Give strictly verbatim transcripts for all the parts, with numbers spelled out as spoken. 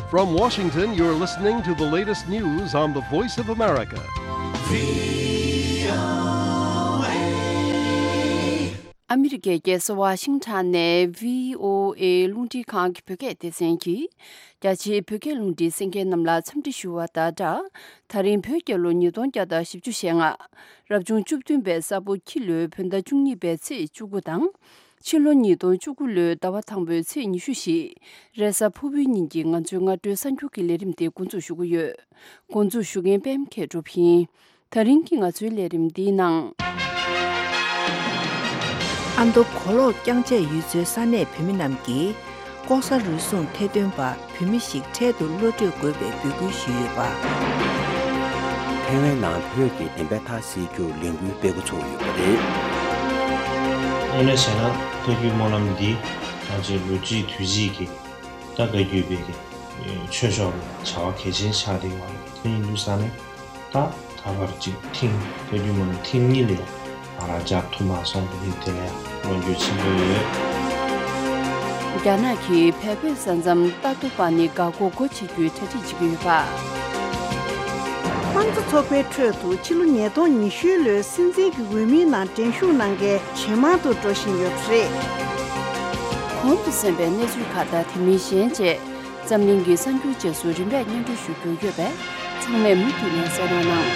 From Washington, you're listening to the latest news on the Voice of America. ཨ་མི་རི་ཀའི་རྒྱལ་ས་ཝ་ཤིང་ཊོན་ནས་བྷི་ཨོ་ཨེ་རླུང་འཕྲིན་ཁང་གི་བོད་སྐད་སྡེ་ཚན་གྱིས། རྒྱ་ཆེའི་བོད་སྐད་རླུང་འཕྲིན་གསན་མཁན་རྣམས་ལ་འཚམས་འདྲི་ཞུ་བ་དང་སྦྲགས། ད་རིང་བོད་རྒྱལ་ལོ་ཉིས་སྟོང་བརྒྱ་དང་བཞི་བཅུ་ཞེ་ལྔ། རབ་བྱུང་བཅུ་བདུན་པའི་ས་ཕོ་ཁྱི་ལོའི་བོད་ཟླ་བཅུ་གཉིས་པའི་ཚེས་བཅུ་དགུ་དང་། ཕྱི་ལོ་ཉིས་སྟོང་བཅུ་དགུ་ལོའི་ཟླ་བ་དང་པོའི་ཚེས་ཉི་ཤུ་བཞི། རེས་གཟའ་ཕུར་བུའི་ཉིན་གྱི་ང་ཚོའི་སྔ་དྲོའི་གསར་འགྱུར་གྱི་ལས་རིམ་དེ་འགོ་འཛུགས་ཞུ་གི་ཡོད། འགོ་འཛུགས་ཞུ་མཁན་པད་མ་མཁས་གྲུབ་ཡིན། ད་རིང་གི་ང་ཚོའི་ལས་རིམ་འདིའི་ནང་། ཨ་མདོ་གོ་ལོག་རྐྱང་ཆད་ཡུལ་ཚོའི་ས་གནས་བོད་མི་རྣམས་ཀྱིས། ལྐོག་ཟ་རུལ་སུངས་ཐེར་འདོན་པ་བོད་མི་ཞིག་འཕྲལ་དུ་གློད་བཀྲོལ་དགོས་པའི་འབོད་སྐུལ་ཞུས་ཡོད་པ། ཐའེ་ཝན་ནང་བོད་ཀྱི་བདེན་པའི་མཐའ་གསལ་རྒྱུར་ལས་འགུལ་སྤེལ་འགོ་ཚུགས་ཡོད་པ་རེད། དངོས་གནས་བྱས་ན་བཀའ་བརྒྱུད་སྨོན་ལམ་འདི་ང་ཚོའི་ལོ་རྒྱུས་དུས་ཚིགས་ཀྱི་ད་བཀའ་བརྒྱུད་པའི་གི་ཆོས་ཕྱོགས་ལ་བྱ་བ་གལ་ཆེན་ཆགས་བསྡད་ཡོད་རེད། དེ་ཡིན་དུས་ཙང་ནས། ད་ད་བར་གཅིག་ཐེངས་བོད་བརྒྱུད་མ་ནི་ཐེངས་གཉིས་ལས་ང་རང་མཇལ་ཐུབ་མ་སོང་། དེ་ཡིན་དེ་ལས་ལོ་རྒྱུས་ཆེན་པོ་ཡོད། རྒྱ་ནག་གིས་བལ་བོད་ས་མཚམས་ཏ་ཏོ་པ་ནི་འགག་སྒོ་སྒོ་ཕྱེ་རྒྱུའི་གྲ་སྒྲིག་བྱེད་ཀྱི་ཡོད་པ། དམངས་གཙོ་ཚོགས་པའི་ཁྲོད་དུ་ཕྱི་ལོ་ཉིས་སྟོང་ཉི་ཤུ་ལོའི་སྲིད་འཛིན་གྱི་འོས་མིའི་ནང་འགྲན་ཞུགས་གནང་མཁན་ཇེ་མང་དུ་འགྲོ་བཞིན་ཡོད་པ་རེད། གོང་དུ་གསན་པའི་གནས་ཚུལ་ཁག་དང་དེ་མིན་གཞན་བཅས། འཛམ་གླིང་གི་གསར་འགྱུར་རྗེས་སུ་རིམ་པས་སྙན་སྒྲོན་ཞུ་རྒྱུ་ཡོད་པས། ཚང་མས་མུ་མཐུད་ནས་གསན་རོགས་གནང་།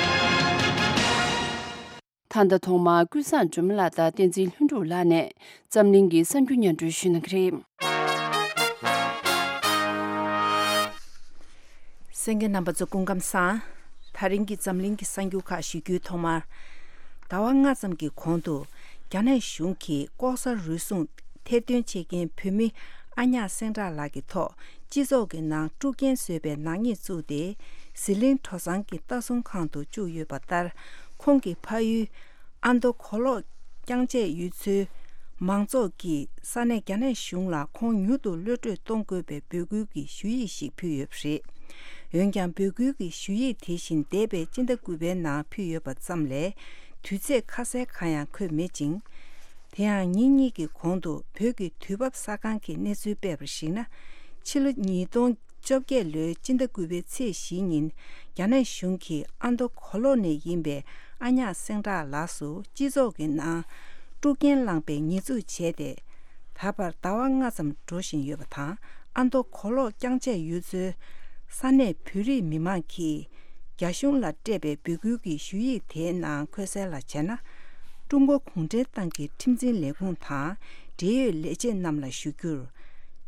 ད་ལྟ་ཐོག་མར་ཀུན་བཟང་སྒྲོལ་མ་ལགས་དང་བསྟན་འཛིན་ལྷུན་གྲུབ་ལགས་ནས་འཛམ་གླིང་གི་གསར་འགྱུར་སྙན་སྒྲོན་ཞུ་གནང་གི་རེད། གསན་མཁན་རྣམ་པ་ཚོ་སྐུ་ཁམས་བཟང་། ད་རིང་གི་འཛམ་གླིང་གི་གསར་འགྱུར་ཁག་ཞུ་རྒྱུའི་ཐོག་མར། ཟླ་བ་ལྔ་ཙམ་གྱི་གོང་དུ། རྒྱ་ནག་གཞུང་གིས་ལྐོག་ཟ་རུལ་སུངས་ཐེར་འདོན་བྱེད་མཁན་བོད་མི་ཨ་ཉག་སེང་བྲག་ལགས་ཀྱི་ཐོག་སྤྱི་ཚོགས་ཀྱི་ནང་དཀྲུག་རྐྱེན་བཟོས་པའི་ནག་ཉེས་བཙུགས་ཏེ། ཟི་ལིང་གྲོ་ཚང་གི་ལྟ་སྲུང་ཁང་དུ་བཅུག་ཡོད་པ་ལྟར། ཁོང་གི་ཕ་ཡུལ་ཨ་མདོ་གོ་ལོག་རྐྱང་ཆད་ཡུལ་ཚོའི་མང་ཚོགས་ཀྱིས་ས་གནས་རྒྱ་ནག་གཞུང་ལ་ཁོང་མྱུར་དུ་གློད་བཀྲོལ་གཏོང་དགོས་པའི་འབོད་སྐུལ་གྱི་ཞུ་ཡིག་ཞིག་ཕུལ་ཡོད་པ་རེད། འོན་ཀྱང་། འབོད་སྐུལ་གྱི་ཞུ་ཡིག་དེ་བཞིན་འདས་པའི་སྤྱི་ཟླ་དགུ་པའི་ནང་ཕུལ་ཡོད་པ་ཙམ་ལས། དུས་ཚོད་ཁ་གསལ་གང་ཡང་འཁོད་མེད་ཅིང་། དེ་ཡང་ཉིན་གཉིས་ཀྱི་གོང་དུ་བོད་ཀྱི་དུས་བབ་གསར་ཁང་གི་གནས་ཚུལ་སྤེལ་བར་གཞིགས་ན། ཕྱི་ལོ་ཉིས་སྟོང་བཅོ་བརྒྱད་ལོའི་སྤྱི་ཟླ་དགུ་པའི་ཚེས་བཞི་ཉིན། རྒྱ་ནག་གཞུང་གིས་ཨ་མདོ་གོ་ལོག་ནས་ཡིན་པའི་ཨ་ཉག་སེང་བྲག་ལགས་སུ་སྤྱི་ཚོགས་ཀྱི་ནང་དཀྲུག་རྐྱེན་བསླངས་པའི་ཉེས་འཛུགས་བྱས་ཏེ། ད་བར་ཟླ་བ་ལྔ་ཙམ་འགྲོ་བཞིན་ཡོད་པ་དང་། ཨ་མདོ་གོ་ལོག་རྐྱང་ཆད་ཡུལ་ཚོའི་ས་གནས་བོད་རིགས་མི་མང་གིས་རྒྱ་གཞུང་ལ་སྤྲད་པའི་འབོད་སྐུལ་གྱི་ཞུ་ཡིག་དེའི་ནང་འཁོད་གསལ་ལ་བྱས་ན། ཀྲུང་གོ་གུང་ཁྲན་ཏང་གི་ཁྲིམས་འཛིན་ལས་ཁུངས་དང་འབྲེལ་ཡོད་ལས་བྱེད་རྣམས་ལ་ཞུ་རྒྱུར།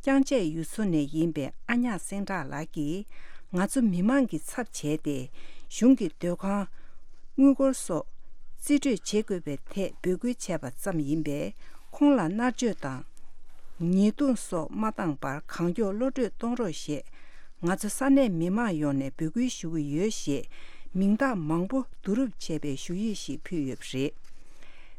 རྐྱང་ཆད་ཡུལ་ཚོ་ནས་ཡིན་པའི་ཨ་ཉག་སེང་བྲག་ལགས་ཀྱིས་ང་ཚོ་མི་མང་གི་ཚབ་བྱས་ཏེ། གཞུང་གི་སྡོད་ཁང་། དངུལ་སྒོར་སོགས་རྩིས་སྤྲོད་བྱེད་དགོས་པའི་ཐད་འབོད་སྐུལ་བྱས་པ་ཙམ་ཡིན་པས། ཁོང་ལ་མནར་གཅོད་དང་། ཉེས་རྡུང་སོགས་མ་བཏང་བར་གང་མགྱོགས་གློད་བཀྲོལ་གཏོང་རོགས་ཞེས། ང་ཚོ་ས་གནས་མི་མང་ཡོངས་ནས་འབོད་སྐུལ་ཞུ་གི་ཡོད་ཞེས། མིང་རྟགས་མང་པོ་བསྡུ་རུབ་བྱས་པའི་ཞུ་ཡིག་ཞིག་ཕུལ་ཡོད་པ་རེད།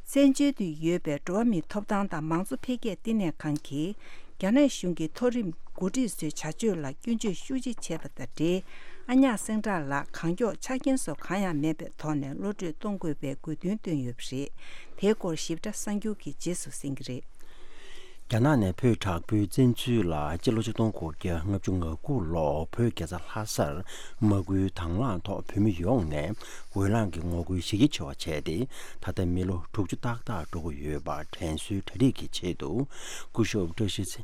བཙན་བྱོལ་དུ་ཡོད་པའི་འགྲོ་བ་མིའི་ཐོབ་ཐང་དང་མང་གཙོ་འཕེལ་རྒྱས་ལྟེ་གནས་ཁང་གིས། རྒྱ་ནག་གཞུང་གི་མཐོ་རིམ་འགོ་ཁྲིད་ཚོའི་བྱ་སྤྱོད་ལ་སྐྱོན་བརྗོད་ཤུགས་ཆེ་བྱས་པ་དང་འབྲེལ། ཨ་ཉག་སེང་བྲག་ལགས་གང་མགྱོགས་ཆ་རྐྱེན་སོགས་གང་ཡང་མེད་པའི་ཐོག་ནས་གློད་བཀྲོལ་གཏོང་དགོས་པའི་དགོས་འདུན་བཏོན་ཡོད་པ་རེད། དེའི་སྐོར་ཞིབ་ཕྲ་གསར་འགྱུར་གྱི་རྗེས་སུ་གསན་གྱི་རེད། རྒྱ་ནག་ནས་བོད་དྲག་པོའི་བཙན་འཛུལ་ལ་སྤྱི་ལོ་ཆིག་སྟོང་དགུ་བརྒྱ་ལྔ་བཅུ་ང་དགུ་ལོར་བོད་རྒྱལ་ས་ལྷ་སར་དམག་ཁུལ་དང་བླངས་ཐོག་བོད་མི་ཡོངས་ནས་འོས་ལངས་ཀྱི་ངོ་རྒོལ་གཞི་རྒྱ་ཆེ་བ་བྱས་ཏེ། ད་ལྟ་མི་ལོ་དྲུག་ཅུ་ཏག་ཏག་འགྲོ་གི་ཡོད་པ་དྲན་གསོའི་གྲ་སྒྲིག་གི་ཆེད་དུ། སྐུ་ཞབས་བཀྲ་ཤིས་ཚེ་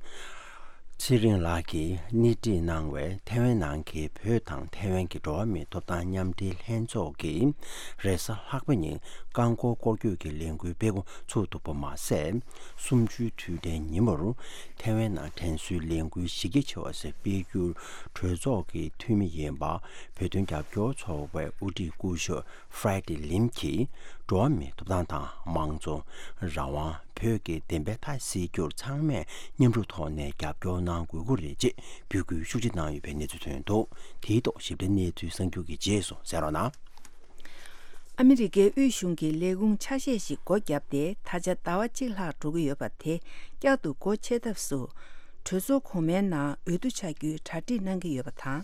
ཚེ་རིང་ལགས་ཀྱིས་སྣེ་ཁྲིད་གནང་བའི་ཐའེ་ཝན་ནང་གི་བོད་དང་ཐའེ་ཝན་གྱི་འགྲོ་བ་མིའི་ཐོབ་ཐང་མཉམ་འབྲེལ་ལྷན་ཚོགས་ཀྱིས་རེས་གཟའ་ལྷག་པ་ཉིན་རྐང་འཁོར་སྐོར་སྐྱོད་ཀྱི་ལས་འགུལ་སྤེལ་འགོ་ཚུགས་འདུག་པ་མ་ཟད། གསུམ་བཅུའི་དུས་དྲན་ཉིན་མོར་ཐའེ་ཝན་ནང་དྲན་གསོའི་ལས་འགུལ་གཞི་རྒྱ་ཆེ་བ་ཞིག་སྤེལ་རྒྱུར་གྲོས་ཚོགས་ཀྱི་འཐུས་མི་ཡིན་པ། བོད་དོན་རྒྱབ་སྐྱོར་ཚོགས་པའི་དབུ་ཁྲིད་སྐུ་ཞབས་ཧྥ་རའེ་ཏི་ལིམ་གྱིས། འགྲོ་བ་མིའི་ཐོབ་ཐང་དང་མང་གཙོ། རང་དབང་། བོད་ཀྱི་བདེན་པའི་མཐའ་གསལ་རྒྱུར་ཚང་མས་མཉམ་རུབ་ཐོག་ནས་རྒྱབ་སྐྱོར་གནང་དགོས་ཀྱི་རེད་ཅེས་འབོད་སྐུལ་ཤུགས་ཆེ་གནང་ཡོད་པའི་གནས་ཚུལ་ཐོན་འདུག་དེའི་ཐོག་ཞིབ་ཕྲའི་གནས་ཚུལ་གསར་འགྱུར་གྱི་རྗེས་སུ་གསན་རོགས་གནང་། ཨ་མི་རི་ཀའི་དབུས་གཞུང་གི་ལས་ཁུངས་ཆ་ཤས་ཤིག་སྒོ་བརྒྱབ་སྟེ། ད་ཆ་ཟླ་བ་གཅིག་ལྷག་འགྲོ་གི་ཡོད་པ་དེ་བསྐྱར་དུ་སྒོ་ཕྱེ་ཐབས་སུ། གྲོས་ཚོགས་གོང་མའི་ནང་འོས་བསྡུ་བྱ་རྒྱུའི་གྲ་སྒྲིག་གནང་གི་ཡོད་པ་དང་།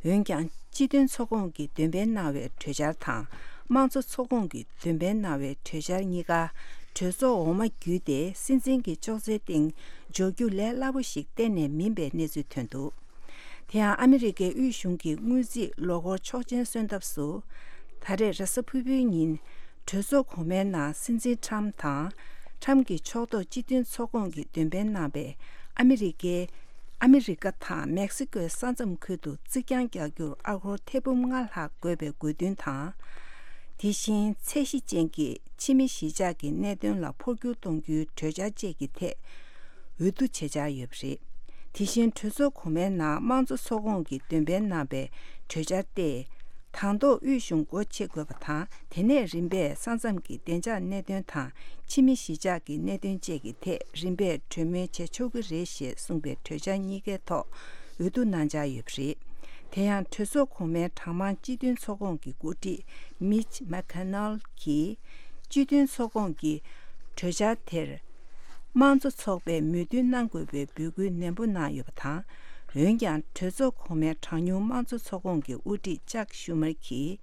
འོན་ཀྱང་། སྤྱི་མཐུན་ཚོགས་ཁོངས་ཀྱིས་འདོན་སྤེལ་གནང་བའི་གྲོས་འཆར་དང་། དམངས་གཙོ་ཚོགས་ཁོངས་ཀྱིས་འདོན་སྤེལ་གནང་བའི་གྲོས་འཆར་གཉིས་ཀ་གྲོས་ཚོགས་འོག་མ་བརྒྱུད་དེ། སྲིད་འཛིན་གྱི་ཅོག་ཙེའི་སྟེང་འཇོག་རྒྱུ་ལས་སླ་པོ་ཞིག་གཏན་ནས་མིན་པའི་གནས་ཚུལ་ཐོན་འདུག་དེ་ཡང་ཨ་མི་རི་ཀའི་དབུས་གཞུང་གི་དངུལ་རྩིས་ལོ་འཁོར་ཆོག་མཆན་སོན་ཐབས་སུ། ད་རེས་རེས་གཟའ་ཕུར་བུའི་ཉིན་གྲོས་ཚོགས་གོང་མའི་ནང་སྲིད་འཛིན་ཁྲམ་དང་། ཁྲམ་གྱི་ཕྱོགས་གཏོགས་སྤྱི་མཐུན་ཚོགས་ཁོངས་ཀྱིས་འདོན་སྤེལ་གནང་བའི་ཨ་མི་རི་ཀའི་ཨ་མི་རི་ཀ་དང་མེག་སི་ཀོའི་ས་མཚམས་ཁུལ་དུ་རྩིག་གྱང་རྒྱག་རྒྱུར་ཨ་སྒོར་ཐེར་འབུམ་ལྔ་ལྷག་དགོས་པའི་དགོས་འདུན་དང་། དེ་བཞིན་ཚད་གཞི་ཅན་གྱི་ཕྱི་མི་གཞིས་ཆགས་ཀྱི་གནད་དོན་ལ་འཕོ་འགྱུར་གཏོང་རྒྱུའི་གྲོས་འཆར་བཅས་ཀྱི་ཐད་འོས་བསྡུ་བྱེད་འཆར་ཡོད་པ་རེད། དེ་བཞིན་གྲོས་ཚོགས་གོང་མའི་ནང་དམངས་གཙོ་ཚོགས་ཁོངས་ཀྱིས་འདོན་སྤེལ་གནང་བའི་གྲོས་འཆར་ཏེ། དང་ཐོག་དབུས་གཞུང་སྒོ་ཕྱེ་དགོས་པ་དང་། དེ་ནས་རིམ་པས་ས་མཚམས་ཀྱི་བདེ་འཇགས་གནད་དོན་དང་ཕྱི་མི་གཞིས་ཆགས་ཀྱི་གནད་དོན་བཅས་ཀྱི་ཐད་རིམ་པས་གྲོས་མོལ་བྱེད་ཆོག་གི་རེད་ཞེས་གསུངས་པའི་གྲོས་འཆར་གཉིས་ཀའི་ཐོག་འོས་བསྡུ་གནང་འཆར་ཡོད་པ་རེད། དེ་ཡང་གྲོས་ཚོགས་གོང་མའི་གྲངས་མང་སྤྱི་མཐུན་ཚོགས་ཁོངས་ཀྱི་འགོ་ཁྲིད་མིཆ་མེག་ཁེ་ནལ་གྱིས་སྤྱི་མཐུན་ཚོགས་ཁོངས་ཀྱི་གྲོས་འཆར་དེར་དམངས་གཙོ་ཚོགས་པས་མོས་མཐུན་གནང་དགོས་པའི་འབོད་སྐུལ་ནན་པོ་གནང་ཡོད་པ་དང་། འོན་ཀྱང་གྲོས་ཚོགས་གོང་མའི་གྲངས་ཉུང་དམངས་གཙོ་ཚོགས་ཁོངས་ཀྱི་དབུ་ཁྲིད་ཅག་ཤུ་མར་གྱིས།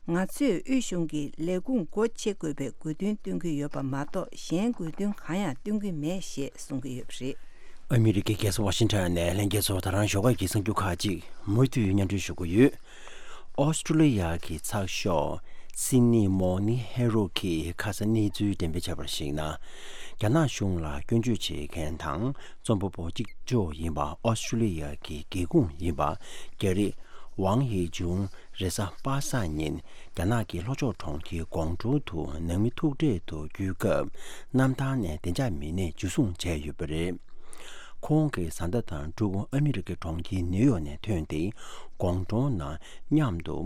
ང་ཚོས་དབུས་གཞུང་གི་ལས་ཁུངས་སྒོ་ཕྱེ་དགོས་པའི་དགོས་འདུན་བཏོན་གྱི་ཡོད་པ་མ་གཏོགས། གཞན་དགོས་འདུན་གང་ཡང་བཏོན་གྱི་མེད་ཞེས་གསུང་གི་ཡོད་པ་རེད། ཨ་མི་རི་ཀའི་རྒྱལ་ས་ཝ་ཤིང་ཊོན་ནས་ལྷན་རྒྱས་ཚོ་ད་རང་ཞོགས་ཀས་ཀྱི་གསར་འགྱུར་ཁག་ཅིག་མུ་མཐུད་སྙན་སྒྲོན་ཞུ་གི་ཡོད། ཨོ་སི་ཀྲུ་ལི་ཡ་གི་ཚགས་ཤོག་སིད་ནི་མོར་ནིང་ཧེ་རལ་གྱིས་ཁ་སང་གནས་ཚུལ་འགྲེམས་སྤེལ་བྱས་པར་གཞིགས་ན། རྒྱ་ནག་གཞུང་ལ་སྐྱོན་བརྗོད་བྱེད་མཁན་དང་རྩོམ་པ་པོ་གཅིག་ལྕོགས་ཡིན་པ་ཨོ་སི་ཀྲུ་ལི་ཡ་གི་སྒེའུ་ཁུང་ཡིན་པ་རྒྱ་རིགས་ཝང་ཡེ་ཅུང་རེས་གཟའ་པ་སངས་ཉིན་རྒྱ་ནག་གི་ལྷོ་ཕྱོགས་གྲོང་ཁྱེར་ཀོང་ཀྲོའུ་དུ་ནང་མི་ཐུག་འཕྲད་དུ་བསྐྱོད་སྐབས་གནམ་ཐང་ནས་བདེ་འཇགས་མི་སྣས་འཇུ་བཟུང་བྱས་ཡོད་པ་རེད། ཁོང་གིས་བཟའ་ཟླ་དང་ཕྲུ་གུ་ཨ་མི་རི་ཀའི་གྲོང་ཁྱེར་ནིའུ་ཡོག་ནས་ཐོན་ཏེ་ཀོང་ཀྲོའུ་ནང་མཉམ་དུ་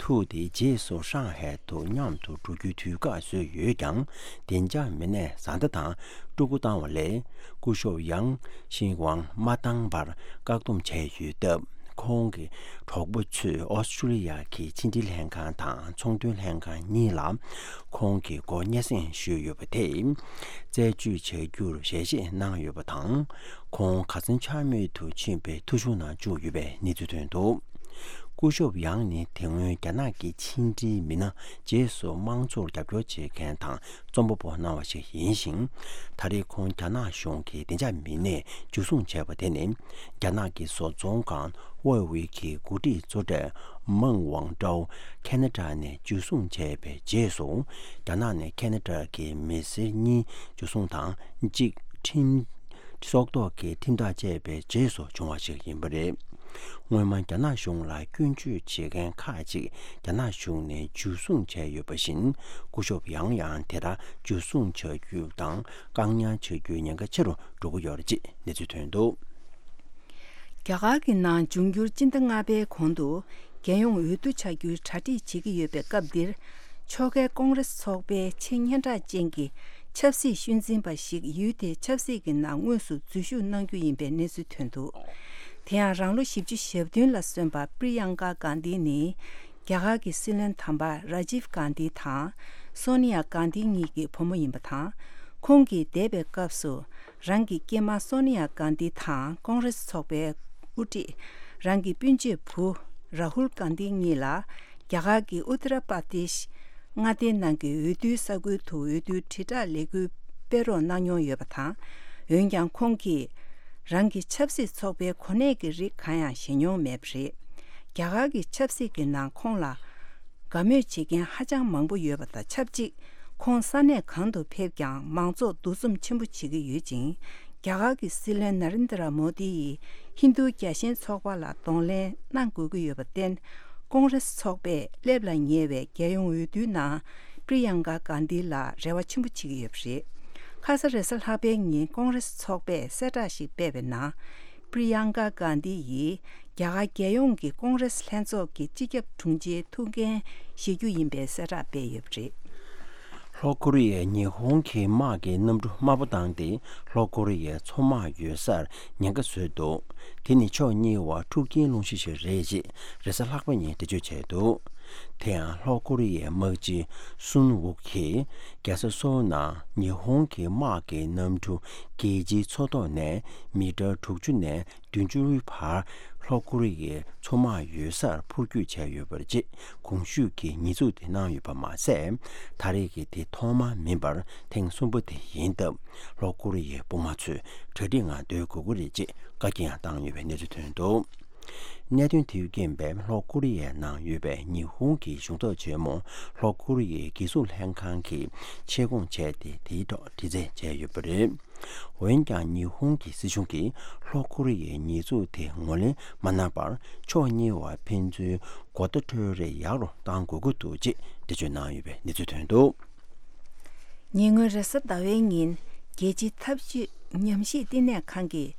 ཐུག་སྟེ། རྗེས་སུ་ཧྲང་ཧའེ་དུ་མཉམ་དུ་འགྲོ་རྒྱུའི་དུས་བཀག་བཟོས་ཡོད་ཀྱང་། བདེ་འཇགས་མི་སྣས་བཟའ་ཟླ་དང་ཕྲུ་གུ་བཏང་བ་ལས་སྐུ་ཞབས་ཡང་ཤིན་ཝང་མ་བཏང་བར་བཀག་སྡོམ་བྱས་ཡོད་སྟབས། ཁོང་གི་གྲོགས་པོ་ཚོས་ཨོ་སི་ཀྲུ་ལི་ཡ་གི་ཕྱི་འབྲེལ་ལྷན་ཁང་དང་ཚོང་དོན་ལྷན་ཁང་གཉིས་ལ་ཁོང་གི་སྐོར་སྙན་སེང་ཞུས་ཡོད་པ་དེས། རྩད་གཅོད་བྱ་རྒྱུར་ཞལ་བཞེས་གནང་ཡོད་པ་དང་། ཁོང་ཁ་སང་ཆ་མེད་དུ་ཕྱིན་པའི་ཐོ་གཞུང་ནང་བཅུག་ཡོད་པའི་གནས་ཚུལ་ཐོན་འདུག་སྐུ་ཞབས་ཡང་ནི་དེ་སྔོན་རྒྱ་ནག་གི་ཕྱི་འབྲེལ་མི་སྣ་རྗེས་སུ་དམངས་གཙོར་རྒྱབ་སྐྱོར་བྱེད་མཁན་དང་རྩོམ་པ་པོ་གནང་བ་ཞིག་ཡིན་ཞིང་། ད་རེས་ཁོང་རྒྱ་ནག་གཞུང་གི་བདེ་འཇགས་མི་སྣས་འཇུ་བཟུང་བྱས་པ་དེ་ནི། རྒྱ་ནག་གི་བཟོ་ཚོང་ཁང་ཧུའེ་ཝེ་གི་འགོ་ཁྲིད་གཙོ་གྲས་མང་ཝང་ཀྲའོ་ཁེ་ན་ཌ་ནས་འཇུ་བཟུང་བྱས་པའི་རྗེས་སུ། རྒྱ་ནག་ནས་ཁེ་ན་ཌ་གི་མི་སེར་གཉིས་འཇུ་བཟུང་དང་། གཅིག་ཁྲིམས་སྲོག་ཐོག་གི་ཁྲིམས་ཐག་བཅད་པའི་རྗེས་སུ་བྱུང་བ་ཞིག་ཡིན་པ་རེད། སྔོན་མ་རྒྱ་ནག་གཞུང་ལ་སྐྱོན་བརྗོད་བྱེད་མཁན་ཁག་ཅིག་རྒྱ་ནག་གཞུང་ནས་འཇུ་བཟུང་བྱས་ཡོད་པ་བཞིན། སྐུ་ཞབས་ཡང་ཡང་དེ་ལྟར་འཇུ་བཟུང་བྱ་རྒྱུ་དང་བཀག་ཉར་བྱ་རྒྱུའི་ཉེན་ཁ་ཆེ་རུ་འགྲོ་གི་ཡོད་རེད་ཅེས་གནས་ཚུལ་ཐོན་འདུག་རྒྱ་གར་གྱི་ནང་འབྱུང་འགྱུར་སྤྱི་ཟླ་ལྔ་པའི་གོང་དུ་རྒྱལ་ཡོངས་འོས་བསྡུ་བྱ་རྒྱུའི་གྲ་སྒྲིག་བྱེད་ཀྱི་ཡོད་པའི་སྐབས་འདིར། ཕྱོགས་འགལ་ཀོང་རེས་ཚོགས་པའི་ཆེས་སྙན་གྲགས་ཅན་གྱི་ཆབ་སྲིད་ཤུལ་འཛིན་པ་ཞིག་ཡུལ་དེའི་ཆབ་སྲིད་ཀྱི་ནང་དངོས་སུ་འཛུལ་ཞུགས་གནང་རྒྱུ་ཡིན་པའི་གནས་ཚུལ་ཐོན་འདུག་དེ་ཡང་རང་ལོ་བཞི་བཅུ་ཞེ་བདུན་ལ་སོན་པ་པྲི་ཡང་ཀ་གྷན་དྷི་ནི། རྒྱ་གར་གྱི་སྲིད་བློན་དམ་པ་ར་ཇིབ་གྷན་དྷི་དང་སོ་ནི་ཡ་གྷན་དྷི་གཉིས་ཀྱི་བུ་མོ་ཡིན་པ་དང་། ཁོང་གིས་འདས་པའི་སྐབས་སུ། རང་གི་སྐྱེས་མ་སོ་ནི་ཡ་གྷན་དྷི་དང་ཀོང་རེས་ཚོགས་པའི་དབུ་ཁྲིད། རང་གི་སྤུན་མཆེད་བུ་རཱ་ཧུལ་གྷན་དྷི་གཉིས་ལ་རྒྱ་གར་གྱི་ཨུ་ཏི་ར་པར་དེཤ་མངའ་སྡེའི་ནང་གི་འོས་བསྡུའི་ས་ཁུལ་དུ་འོས་བསྡུའི་དྲིལ་བསྒྲགས་ལས་འགུལ་སྤེལ་རོགས་གནང་མྱོང་ཡོད་པ་དང་། འོན་ཀྱང་ཁོང་གིས་རང་གི་ཆབ་སྲིད་ཚོགས་པའི་གོ་གནས་ཀྱི་རིགས་གང་ཡང་བཞེས་མྱོང་མེད་པ་རེད། རྒྱ་གར་གྱི་ཆབ་སྲིད་ཀྱི་ནང་ཁོང་ལ། དགའ་མོས་བྱེད་མཁན་ཧ་ཅང་མང་པོ་ཡོད་པ་དང་ཆབས་ཅིག་ཁོང་ས་གནས་གང་དུ་ཕེབས་ཀྱང་མང་ཚོགས་འདུ་འཛོམས་ཆེན་པོ་བྱེད་ཀྱི་ཡོད་ཅིང་། རྒྱ་གར་གྱི་སྲིད་བློན་ན་རེན་དྲ་མོ་དི་ཡིས་ཧིན་རྡུ་རྒྱལ་ཞེན་ཚོགས་པ་ལ་གདོང་ལེན་གནང་དགོས་ཀྱི་ཡོད་པར་བརྟེན། ཀོང་རེས་ཚོགས་པས་སླེབས་ལ་ཉེ་བའི་རྒྱལ་ཡོངས་འོས་བསྡུའི་ནང་པྲི་ཡང་ཀ་གྷན་དྷི་ལ་རེ་བ་ཆེན་པོ་བྱེད་ཀྱི་ཡོད་པ་རེད། ཁ་ས་རེས་གཟའ་ལྷག་པའི་ཉིན་ཀོང་རེས་ཚོགས་པས་གསལ་བསྒྲགས་ཤིག་སྤེལ་བའི་ནང་། པྲི་ཡང་ཀ་གྷན་དྷི་ཡིས་རྒྱ་གར་རྒྱལ་ཡོངས་ཀྱི་ཀོང་རེས་ལྷན་ཚོགས་ཀྱི་སྤྱི་ཁྱབ་དྲུང་ཆེའི་ཐུགས་འགན་བཞེས་རྒྱུ་ཡིན་པའི་གསལ་བསྒྲགས་སྤེལ་ཡོད་པ་རེད། ལྷོ་ཀོ་རི་ཡས་ཉི་ཧོང་གི་དམག་གི་གནམ་གྲུ་དམའ་པོ་བཏང་སྟེ་ལྷོ་ཀོ་རི་ཡའི་མཚོ་དམག་ཡོད་སར་ཉེན་ཁ་བཟོས་འདུག་དེ་ནི་ཕྱོགས་གཉིས་བར་འཁྲུག་རྐྱེན་སློང་གཞི་ཞིག་རེད་ཅེས་རེས་གཟའ་ལྷག་པ་ཉིན་འགྲེལ་བརྗོད་བྱས་འདུག་དེ་ཡང་ལྷོ་ཀོ་རི་ཡའི་དམག་སྤྱི་སུན་ཝུག་གིས་རྒྱལ་ས་སོལ་ནང་ཉི་ཧོང་གི་དམག་གི་གནམ་གྲུ་རྒྱལ་སྤྱིའི་མཚོ་ཐོག་ནས་མི་ཊར་དྲུག་ཅུ་ནས་བདུན་ཅུའི་བར་ལྷོ་ཀོ་རི་ཡའི་མཚོ་དམག་ཡོད་སར་འཕུར་སྐྱོད་བྱས་ཡོད་པ་རེད་ཅེས་གོང་ཞུས་ཀྱི་ཉེས་འཛུགས་དེ་གནང་ཡོད་པ་མ་ཟད། ད་རེས་ཀྱི་དེ་ཐོག་མ་མིན་པར་ཐེངས་གསུམ་པ་དེ་ཡིན་སྟབས། ལྷོ་ཀོ་རི་ཡའི་དཔུང་དམག་ཚོས་གྲ་སྒྲིག་ངང་སྡོད་དགོས་ཀྱི་རེད་ཅེས་བཀའ་རྒྱ་ཡང་བཏང་ཡོད་པའི་གནས་ཚུལ་ཐོན་འདུག་གནད་དོན་དེས་རྐྱེན་པས་ལྷོ་ཀོ་རི་ཡའི་ནང་ཡོད་པའི་ཉི་ཧོང་གི་གཞུང་ཚབ་ཆེན་མོ་ལྷོ་ཀོ་རི་ཡའི་རྒྱལ་སྲུང་ལྷན་ཁང་གིས་ཆེད་བསྐོང་བྱས་ཏེ། དེའི་ཐོག་དྲི་རྩད་བྱས་ཡོད་པ་རེད། འོན་ཀྱང་ཉི་ཧོང་གི་སྲིད་གཞུང་གིས་ལྷོ་ཀོ་རི་ཡའི་ཉེས་འཛུགས་དེ་ངོས་ལེན་མ་གནང་བར། ཕྱོགས་གཉིས་བར་ཕན་ཚུན་གོ་བརྡ་འཕྲོད་རེས་ཡག་རུ་གཏང་དགོས་ཀྱི་འདུག་ཅེས་འགྲེལ་བརྗོད་གནང་ཡོད་པའི་གནས་ཚུལ་ཐོན་འདུག། ཉེ་སྔོན་རེས་གཟའ་ཟླ་བའི་ཉིན། རྒྱལ་སྤྱིའི་འཐབ་ཇུས་ཉམས་ཞིབ་བསྟི་གནས་ཁང་གིས་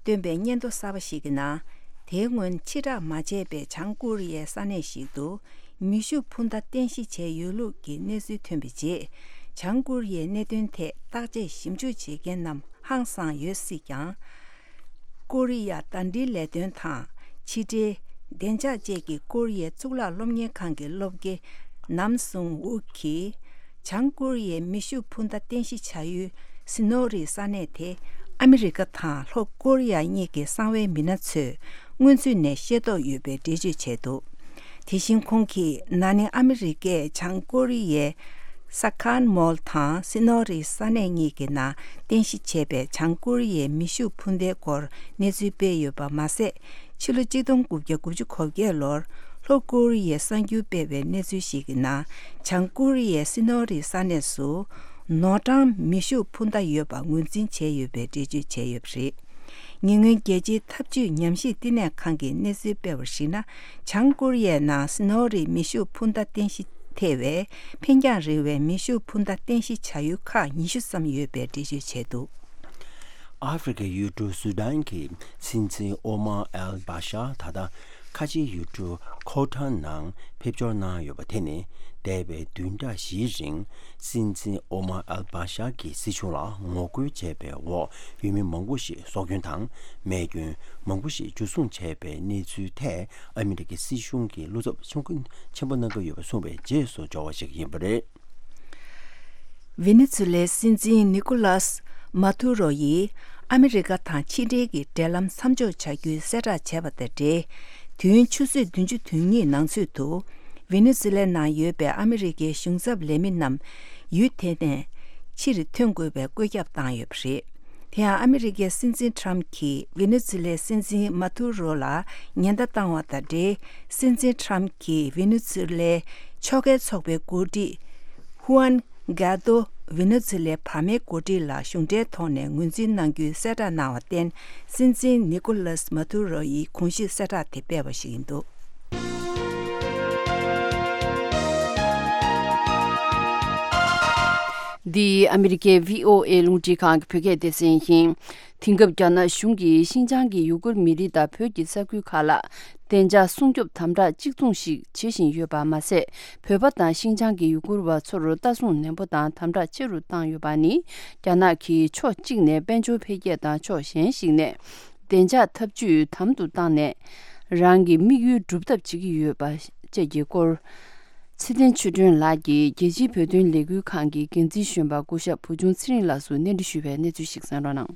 བཏོན་པའི་སྙན་ཐོ་གསར་པ་ཞིག་གི་ནང་། དེའི་སྔོན་ཕྱིར་བསྒྲགས་མ་བྱས་པའི་བྱང་ཀོ་རི་ཡའི་ས་གནས་ཤིག་ཏུ་མེ་ཤུགས་འཕུར་མདའ་རྟེན་གཞི་བྱས་ཡོད་ལུགས་ཀྱི་གནས་ཚུལ་ཐོན་པའི་རྗེས། བྱང་ཀོ་རི་ཡའི་གནད་དོན་ཐད་བརྟག་དཔྱད་ཞིབ་འཇུག་བྱེད་མཁན་རྣམས་ཧང་སངས་ཡོད་སྲིད་ཀྱང་། ཀོ་རི་ཡ་ཟླ་སྒྲིལ་ལས་དོན་དང་། ཕྱི་འབྲེལ། བདེ་འཇགས་བཅས་ཀྱི་ཀོ་རི་ཡའི་གཙུག་ལག་སློབ་གཉེར་ཁང་གི་སློབ་དགེ་ནམ་སུང་ཝུག་གིས། བྱང་ཀོ་རི་ཡའི་མེ་ཤུགས་འཕུར་མདའ་རྟེན་གཞི་བྱ་ཡུལ་སི་ནོ་རི་ས་གནས་དེ། ཨ་མི་རི་ཀ་དང་ལྷོ་ཀོ་རི་ཡ་གཉིས་ཀྱི་གསང་བའི་མི་སྣ་ཚོས་སྔོན་ཚུད་ནས་ཤེས་རྟོགས་ཡོད་པའི་འགྲེལ་བརྗོད་བྱས་འདུག། དེ་བཞིན་ཁོང་གིས། ན་ནིང་ཨ་མི་རི་ཀས་བྱང་ཀོ་རི་ཡའི་ས་ཁཱན་མོལ་དང་སི་ནོ་རི་ས་གནས་གཉིས་ཀྱི་ནང་རྟེན་གཞི་བྱས་པའི་བྱང་ཀོ་རི་ཡའི་མེ་ཤུགས་འཕུར་མདའི་སྐོར་གནས་ཚུལ་སྤེལ་ཡོད་པ་མ་ཟད། ཕྱི་ལོ་ཆིག་སྟོང་དགུ་བརྒྱ་དགུ་བཅུ་གོ་བརྒྱད་ལོར་ལྷོ་ཀོ་རི་ཡའི་གསར་འགྱུར་སྤེལ་བའི་གནས་ཚུལ་ཞིག་གི་ནང་། བྱང་ཀོ་རི་ཡའི་སི་ནོ་རི་ས་གནས་སུ་ནོར་གྲངས་མེ་ཤུགས་འཕུར་མདའ་ཡོད་པ་ངོས་འཛིན་བྱས་ཡོད་པའི་འགྲེལ་བརྗོད་བྱས་ཡོད་པ་རེད། ཉེ་སྔོན་རྒྱལ་སྤྱིའི་འཐབ་ཇུས་ཉམས་ཞིབ་བསྟི་གནས་ཁང་གིས་གནས་ཚུལ་སྤེལ་བར་གཞིགས་ན། བྱང་ཀོ་རི་ཡའི་ནང་སི་ནོ་རི་མེ་ཤུགས་འཕུར་མདའ་རྟེན་གཞི་ཐེ་བའི་འཕེན་རྒྱང་རིང་བའི་མེ་ཤུགས་འཕུར་མདའ་རྟེན་གཞི་བྱ་ཡུལ་ཁག་ཉི་ཤུ་ཙམ་ཡོད་པའི་འགྲེལ་བརྗོད་བྱས་འདུག། ཨ་ཧྥེ་རི་ཁའི་ཡུལ་གྲུ་སུ་ཌན་གྱི་སྲིད་འཛིན་ཨོ་མར་ཨལ་བྷ་ཤར་ད་ལྟ་ཁ་ཆེའི་ཡུལ་གྲུ་ཁོ་ཐར་ནང་ཕེབས་འབྱོར་གནང་ཡོད་པ་དེ་ནི། འདས་པའི་བདུན་ཕྲག་བཞིའི་རིང་སྲིད་འཛིན་ཨོ་མར་ཨལ་བྷ་ཤར་གྱི་སྲིད་གཞུང་ལ་ངོ་རྒོལ་བྱས་པའི་འོག་ཡུལ་མི་མང་པོ་ཞིག་སྲོག་སྐྱོན་དང་རྨས་སྐྱོན་མང་པོ་ཞིག་འཇུ་བཟུང་བྱས་པའི་གནས་ཚུལ་ཐད་ཨ་མི་རི་ཀའི་སྲིད་གཞུང་གིས་བློ་འཚབ་ཆེན་པོ་གནང་གི་ཡོད་པ་གསུངས་པའི་རྗེས་སུ་འབྱོར་བ་ཞིག་ཡིན་པ་རེད། ཝེ་ནེ་ཛུ་ལའི་སྲིད་འཛིན་ནི་ཀོ་ལཱས་མ་ཐུ་རོ་ཡིས་ཨ་མི་རི་ཀ་དང་ཕྱི་འབྲེལ་གྱི་འབྲེལ་ལམ་མཚམས་འཇོག་བྱ་རྒྱུའི་གསལ་བསྒྲགས་བྱས་པ་དང་འབྲེལ། དུས་ཡུན་ཆུ་ཚོད་བདུན་ཅུ་དོན་གཉིས་ནང་ཚུད་དུ། ཝེ་ནེ་ཛུ་ལའི་ནང་ཡོད་པའི་ཨ་མི་རི་ཀའི་གཞུང་ཚབ་ལས་མི་རྣམས་ཡུལ་དེ་ནས་ཕྱིར་ཐོན་དགོས་པའི་བཀོད་ཁྱབ་བཏང་ཡོད་པ་རེད། དེ་ཡང་ཨ་མི་རི་ཀའི་སྲིད་འཛིན་ཁྲམ་གྱིས་ཝེ་ནེ་ཛུ་ལའི་སྲིད་འཛིན་མ་ཐུ་རོ་ལ་ཉེན་བརྡ་བཏང་བ་དང་འབྲེལ། སྲིད་འཛིན་ཁྲམ་གྱིས་ཝེ་ནེ་ཛུ་ལའི་ཕྱོགས་འགལ་ཚོགས་པའི་འགོ་ཁྲིད་ཧུའན་གྷ་དོ། ཝེ་ནེ་ཛུ་ལའི་བར་མའི་འགོ་ཁྲིད་ལ་གཞུང་འབྲེལ་ཐོག་ནས་ངོས་འཛིན་གནང་རྒྱུའི་གསལ་བསྒྲགས་གནང་བར་བརྟེན། སྲིད་འཛིན་ནི་ཀོ་ལཱས་མ་ཐུ་རོ་ཡིས་གོང་ཞུས་གསལ་བསྒྲགས་དེ་སྤེལ་བ་ཞིག་ཡིན་འདུག། འདི་ཨ་མི་རི་ཀའི་བྷི་ཨོ་ཨེ་རླུང་འཕྲིན་ཁང་གི་བོད་སྐད་སྡེ་ཚན་ཡིན། དེང་སྐབས་རྒྱ་ནག་གཞུང་གིས་ཤིན་ཅང་གི་ཡུ་གུར་མི་རིགས་དང་བོད་ཀྱི་ས་ཁུལ་ཁག་ལ་བདེ་འཇགས་སྲུང་སྐྱོབ་དམ་དྲག་གཅིག་མཚུངས་ཤིག་བྱེད་བཞིན་ཡོད་པ་མ་ཟད། བོད་པ་དང་ཤིན་ཅང་གི་ཡུ་གུར་བ་ཚོར་ལྟ་སྲུང་ནན་པོ་དང་དམ་དྲག་ཆེ་རུ་བཏང་ཡོད་པ་ནི། རྒྱ་ནག་གིས་ཕྱོགས་གཅིག་ནས་དཔལ་འབྱོར་འཕེལ་རྒྱས་དང་ཕྱོགས་གཞན་ཞིག་ནས་བདེ་འཇགས་འཐབ་ཇུས་དམ་དུ་བཏང་ནས། རང་གི་དམིགས་ཡུལ་སྒྲུབ་ཐབས་བྱེད་ཀྱི་ཡོད་པ་བཅས་ཀྱི་སྐོར། ཚེ་བརྟན་ཆོས་སྒྲོན་ལགས་ཀྱིས་རྒྱལ་སྤྱིའི་བོད་དོན་ལས་འགུལ་ཁང་གི་འགན་འཛིན་གཞོན་པ་སྐུ་ཞབས་བུ་ཆུང་ཚེ་རིང་ལགས་སུ་གནས་འདྲི་ཞུས་པའི་གནས་ཚུལ་ཞིག་གསན་རོགས་གནང་།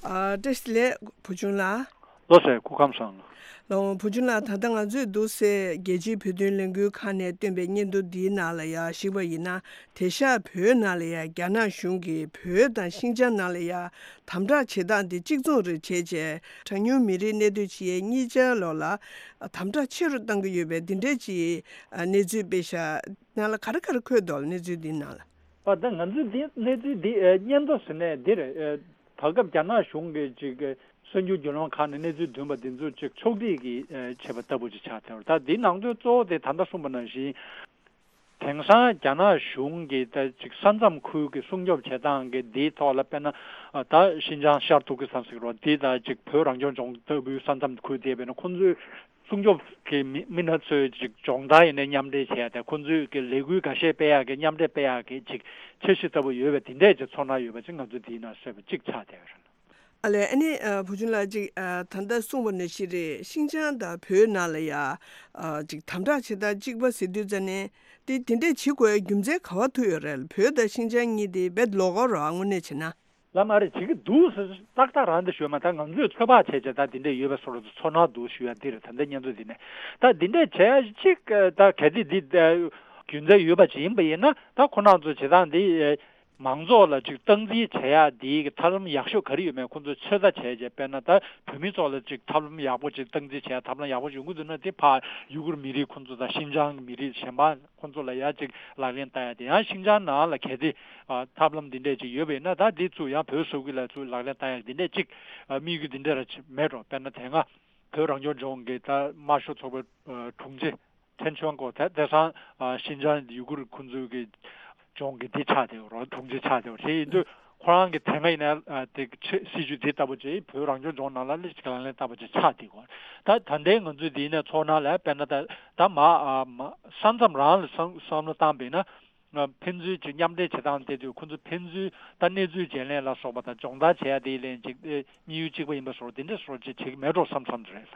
ཨ། བཀྲ་ཤིས་བདེ་ལེགས་བུ་ཆུང་ལགས། ལགས་སོ། སྐུ་ཁམས་བཟང་། ལགས་འོང་། བུ་ཆུང་ལགས། ད་ལྟ་ང་ཚོས་འདུག་སེ་རྒྱལ་སྤྱིའི་བོད་དོན་ལས་འགུལ་ཁང་ནས་བཏོན་པའི་སྙན་ཐོ་འདིའི་ནང་ལ་ཡང་གཞིགས་པ་ཡིན་ན། དེང་སང་བོད་ནང་ལ་ཡང་རྒྱ་ནག་གཞུང་གིས་བོད་དང་ཤིན་ཅང་ནང་ལ་ཡང་དམ་དྲག་བྱེད་སྟངས་དེ་གཅིག་མཚུངས་རེད་བྱས་བྱས། གྲངས་ཉུང་མི་རིགས་གནས་སྡོད་བྱེད་ཡས་གཉིས་ཆར་ལོགས་ལ་དམ་དྲག་ཆེ་རུ་གཏང་གི་ཡོད་པའི་འདི་འདྲའི་ཅིག་གནས་ཚུལ་སྤེལ་ཤག། ནང་ལ་ག་རེ་ག་རེ་འཁོད་འདུག་གནས་ཚུལ་འདིའི་ནང་ལ། ཨ། ད་ང་ཚོས་འདི་གནས་ཚུལ་འདི་ཨེ་སྙན་ཐོ་ཟེར་ནས་འདི་རེད། ཨེ། ད་སྐབས་རྒྱ་ནག་གཞུང་གིས་ཅིག་གསར་འགྱུར་བརྒྱུད་ལམ་ཁག་ནས་གནས་ཚུལ་བཏོན་པ་འདི་ཚོ་ཅིག་ཕྱོགས་སྒྲིག་གིས་ཨེ་བྱས་པ་ལྟ་བུ་ཅིག་ཆགས་བསྡད་པ་རེད། ད་འདིའི་ནང་དོན་གཙོ་བོ་དེ་ད་ལྟ་གསུངས་པ་ནང་བཞིན། དེང་སང་རྒྱ་ནག་གཞུང་གིས་ད་ཅིག་ས་མཚམས་ཁུལ་གྱི་སྲུང་སྐྱོབ་བྱེད་སྟངས་ཀྱི་འདིའི་ཐོག་ལ། དཔེར་ན་ད་ཤིན་ཅང་ཤར་ཏུར་ཀི་སི་ཐན་ཟེར་གྱི་རེད་པ། འདི་ད་ཅིག་བོད་རང་སྐྱོང་ལྗོངས་ལྟ་བུའི་ས་མཚམས་ཁུལ་དེ་ཡིན་པ་ཡིན་ན། ཁོང་ཚོས་སྲུང་སྐྱོབ་ཀྱི་མི་མི་སྣ་ཚོས་ཅིག་སྦྱོང་བརྡར་ཡིན་ནའི་མཉམ་འབྲེལ་བྱས་ཏེ། ཁོང་ཚོས་ཀྱི་ལས་འགུལ་འགའ་ཤས་སྤེལ་ཡག་གི། མཉམ་འབྲེལ་སྤེལ་ཡག་གི་ཅིག་འཆར་གཞི་ལྟ་བུ་ཡོད་པའི་དེ་འདྲས་ཅིག་ཚོར་སྣང་ཡོད་པ་ཅིག་ང་ཚོ་འདིའི་ནང་གསལ་པོ་ཅིག་ཆགས་བསྡད་ཡོད་རེད། ཨ་ལས། ཨ་ནི་ཨ་བུ་ཆུང་ལགས། ཅིག་ཨ་ད་ལྟ་གསུངས་པ་ནང་བཞིན་རེད། ཤིན་ཅང་དང་བོད་ནང་ལ་ཡ་ཨ་ཅིག་དམ་དྲག་བྱེད་སྟངས་གཅིག་པ་ཟེར་དུས་ཙ་ནས། དེ་དེ་འདྲས་བྱེད་དགོས་རྒྱུ་མཚན་ག་པར་ཐུག་ཡོད་རེད། བོད་དང་ཤིན་ཅང་གཉིས་དེ་རྦད་ལོགས་ཀ་རེད་པ། དངོས་གནས་བྱས་ན། ལགས་མ་རེད། བྱེད་ཀྱི་འདུག་ཟེར་ཏག་ཏག་རང་དེ་ཞུས་མ། ད་ང་ཚོས་ཚོད་དཔག་བྱས་བྱས་ད་དེ་འདྲས་ཡོད་པའི་བཟོ་འདྲ་ཚོར་སྣང་འདུག་ཞུ་ཡ་འདི་རེད། ད་ལྟའི་སྙན་ཐོ་འདི་ནས་ད་འདི་འདྲས་བྱས་ཅིག་ད་གལ་ཏེ་འདི་རྒྱུ་མཚན་ཡོད་པ་ཅིག་ཡིན་པ་ཡིན་ན། ད་ཁོ་རང་ཚོ་བྱེད་སྟངས་འདི་ མང་ཚོགས་ལ་ཅིག་སྟངས་འཛིན་བྱེད་ཡག་འདིའི་གི་ཐབས་ལམ་ཡག་ཤོས་ག་རེ་ཡོད་མེད་ཁོང་ཚོས་ཚོད་ལྟ་བྱས་རྗེས། དཔེར་ན་ད་བོད་མི་ཚོ་ལ་ཅིག་ཐབས་ལམ་ཡག་པོ་ཅིག་སྟངས་འཛིན་བྱེད་ཡག་ཐབས་ལམ་ཡག་པོ་ཡོང་གི་འདུག་ན། དེ་ཕར་ཡུ་གུར་མི་རིགས་ཁོང་ཚོ་དང་ཤིན་ཅང་གི་མི་རིགས་གཞན་པ་ཁོང་ཚོ་ལ་ཡང་ཅིག་ལག་ལེན་བསྟར་ཡག་དེ། ཡང་ཤིན་ཅང་ནང་ལ་གལ་ཏེ་ཨ་ཐབས་ལམ་འདི་འདྲས་ཅིག་ཡོད་པ་ཡིན་ན། ད་འདི་ཚུར་ཡང་བོད་ས་ཁུལ་ལ་ཚུར་ལག་ལེན་བསྟར་ཡག་འདི་འདྲས་ཅིག་ཨ་དམིགས་ཡུལ་འདི་འདྲས་ར་ཅིག་མེད་འགྲོ། དཔེར་ན་དེ་སྔ་བོད་རང་སྐྱོང་ལྗོངས་ཀྱི་ད་དམར་ཤོག་ཚོགས་པའི་ཨ་དྲུང་ཆེ་ཐེན་ཆོན་ཀོ། ད་དེང་སང་ཨ་ཤིན་ཅང་ཡུ་གུར་ཁོང་ཚོའི་གི་ལྗོངས་ཀྱི་འདི་ཆགས་བསྡད་ཡོད་རེད། དྲུང་ཆེ་ཆགས་བསྡད་ཡོད་རེད། དེ་ཡིན་དུས་ཁོ་རང་གི་དེ་སྔ་ཡིན་ན་ཨ་དེ་ཆེ་སྲིད་ཇུས་འདི་ལྟ་བུ་ཅིག་བོད་རང་སྐྱོང་ལྗོངས་ནང་ལ་ལས་ཅིག་ལག་ལེན་བསྟར་བ་ཅིག་ཆགས་བསྡད་ཡོད་རེད། ད་ད་ལྟའི་ང་ཚོའི་འདི་ནས་ཚོར་སྣང་ལ་དཔེར་ན་ད་ད་མ་ཨ་མ་ས་མཚམས་རང་ལ་བསམ་བསམ་བློ་བཏང་པ་ཡིན་ན། ཨ་ཕན་ཚུན་གྱི་མཉམ་འབྲེལ་བྱེད་སྟངས་དེ་དུས་ཁོ་ཚོ་ཕན་ཚུན་ད་གནས་ཚུལ་བརྗེ་ལེན་ལ་སོགས་པ་དང་སྦྱོང་བརྡར་བྱེད་ཡ་དེ་ལན་གཅིག་ཨེ་དམིགས་ཡུལ་གཅིག་པ་ཡིན་པ་སོགས་དེ་འདྲ་སོགས་ཅིག་བྱེད་ཀྱི་མེད་འགྲོ་བསམ་བསམ་རེད།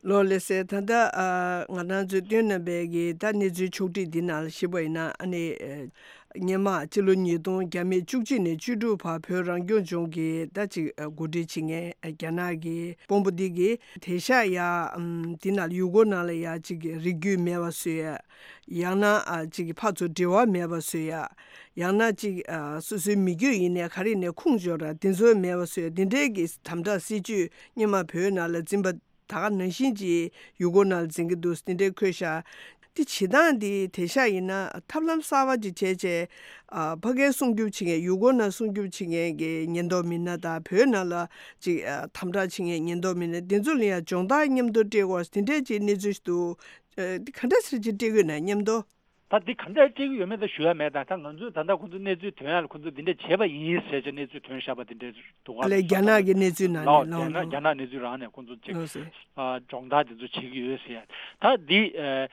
ལོ་ལེགས་སེ། ད་ལྟ་ཨ་ང་རང་ཚོས་བཏོན་གནང་བའི་གི་ད་གནས་ཚུལ་ཕྱོགས་སྒྲིག་འདི་ནང་ལ་ཞིབ་པ་ཡིན་ན། ཨ་ནི་ཨེ་སྔོན་མ་ཕྱི་ལོ་ཉིས་སྟོང་བརྒྱ་མེད་བཅུ་གཅིག་ནས་བཅུ་དྲུག་བར་བོད་རང་སྐྱོང་ལྗོངས་ཀྱི་ད་ཅིག་ཨ་འགོ་ཁྲིད་བྱེད་མཁན་ཨ་རྒྱ་ནག་གི་དཔོན་པོ་འདི་གིས་དེང་སང་ཡ་ཨམ་འདི་ནང་ཡུལ་སྐོར་ནང་ལ་ཡ་ཅིག་རིགས་རྒྱུད་མེད་པ་བཟོ་ཡ། ཡང་ན་ཨ་ཅིག་ཕར་ཚུར་འབྲེལ་བ་མེད་པ་བཟོ་ཡ། ཡང་ན་ཅིག་ཨ་སོ་སོའི་མི་རྒྱུད་ཡིན་ནའི་ག་རེ་ཡིན་ནའི་ཁུངས་འབྱོར་ར་དེ་ཚོ་མེད་པ་བཟོ་ཡ། དེ་འདྲའི་གི་དམ་དྲག་སྲིད་ཇུས་སྔོན་མ་བོད་ནང་ལ་འཛིན་པ་ད་ག་ནང་བཞིན་གྱི་ཡུལ་སྐོར་ནང་ལ་འཛིན་གྱི་འདུག། དེ་འདྲའི་འཁོད་ཤག། དེ་བྱེད་སྟངས་དེ་དེང་སང་ཡིན་ན་ཐབས་ལམ་གསར་པ་ཅིག་བྱས་བྱས། ཨ་ཕ་གིར་སྲུང་སྐྱོབ་བྱེད་མཁན་ཡུལ་སྐོར་ནང་སྲུང་སྐྱོབ་བྱེད་མཁན་གྱི་ཉེན་རྟོག་མི་སྣ་དང་བོད་ནང་ལ་ཅིག་ཨ་དམ་དྲག་བྱེད་མཁན་ཉེན་རྟོག་མི་སྣ་དེ་ཚོ་ལ་ཡང་སྦྱོང་བརྡར་མཉམ་དུ་སྤྲད་དགོས་དེ་འདྲའི་ཅིག་གནས་ཚུལ་ཞིག་འདུག། ཨ་དེ་ག་འདྲ་སེ་ཅིག་སྤྲད་དགོས་ན་མཉམ་དུ། ད་འདི་ག་འདྲ་སྤྲད་ཀྱི་ཡོད་མེད་ད་ཞུ་ཡ་མེད། ད་ད་ང་ཚོས་ད་ལྟ་ཁོང་ཚོ་གནས་ཚུལ་ཐོན་ཡ་ལ་ཁོང་ཚོས་འདི་འདྲ་བྱས་པ་ཡིན་ཟེར་བྱས་གནས་ཚུལ་ཐོན་བཞག་པ་འདི་འདྲ་འདུག་ག། ལས་རྒྱ་ནག་གི་གནས་ཚུལ་ནང་ནས་ལའོ་ལའོ་རྒྱ་ནག་ལའོ་རྒྱ་ནག་གནས་ཚུལ་རང་ནས་ཁོང་ཚོ་ཅིག་ལགས་སེ། ཨ་སྦྱོང་བརྡར་འདི་ཚོ་བྱེད་ཀྱི་ཡོད་ཟེར་ཡ། ད་འདི་ཨ་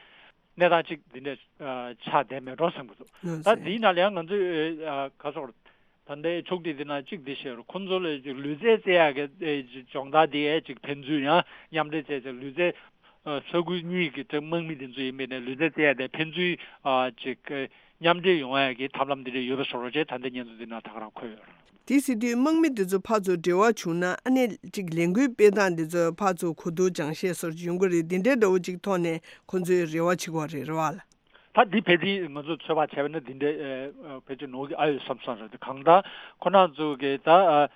གནས་སྟངས་ཅིག་འདི་འདྲ་ཨ་ཆགས་བསྡད་མེད་འགྲོ་བསམ་གྱི་འདུག། ལགས་ད་སེ། འདིའི་ནང་ལ་ཡང་ང་ཚོས་ཨ་ག་སོགས་ད་ལྟའི་ཕྱོགས་སྒྲིག་འདི་ནང་གཅིག་འདི་བཤད་རོགས། ཁོང་ཚོ་ལ་ལུས་རྩལ་རྩེ་ཡག་གི་སྦྱོང་བརྡར་འདི་ཨེ་ཅིག་ཕན་ཚུན་ཡང་མཉམ་འབྲེལ་བྱས་ཏེ་ལུས་རྩལ་ས་ཁུལ་གཉིས་ཀྱི་དམག་མི་འདི་ཚོ་ཡིན་པས་ནས་ལུས་རྩལ་རྩེ་ཡག་དེ་ཕན་ཚུན་ཅིག་མཉམ་འབྲེལ་ཡོང་ཡག་གི་ཐབས་ལམ་འདི་འདྲ་ཡོད་པ་བཟོ་རོགས་བྱས། ད་ལྟའི་སྙན་ཐོ་འདི་ནང་ད་ག་རང་འཁོད་ཡོད་རེད། དེ་ཟེར་དུས་དམག་མི་འདི་ཚོ་ཕར་ཚུར་འབྲེལ་བ་བྱུང་ན་ཨ་ནི་ཅིག་ལས་འགུལ་སྤེལ་སྟངས་འདི་ཚོ་ཕར་ཚུར་གོ་བསྡུར་སྦྱང་བཤད་སོགས་ཡོང་གི་རེད། འདི་འདྲའི་འདྲ་བོ་ཅིག་ཐོག་ནས་ཁོང་ཚོས་རེ་བ་བྱེད་དགོས་རེད། རེད་བ་ལ། ད་འདི་ཕལ་ཆེར་ང་ཚོས་ཚོད་དཔག་བྱས་པ་ན་འདི་འདྲའི་ཨ་ཕལ་ཆེར་ནོར་གྱི་ཨ་ཡོད་བསམ་བསམ་རེད། གང་ལྟར་ཁོ་རང་ཚོ་གི་ད་ཨ་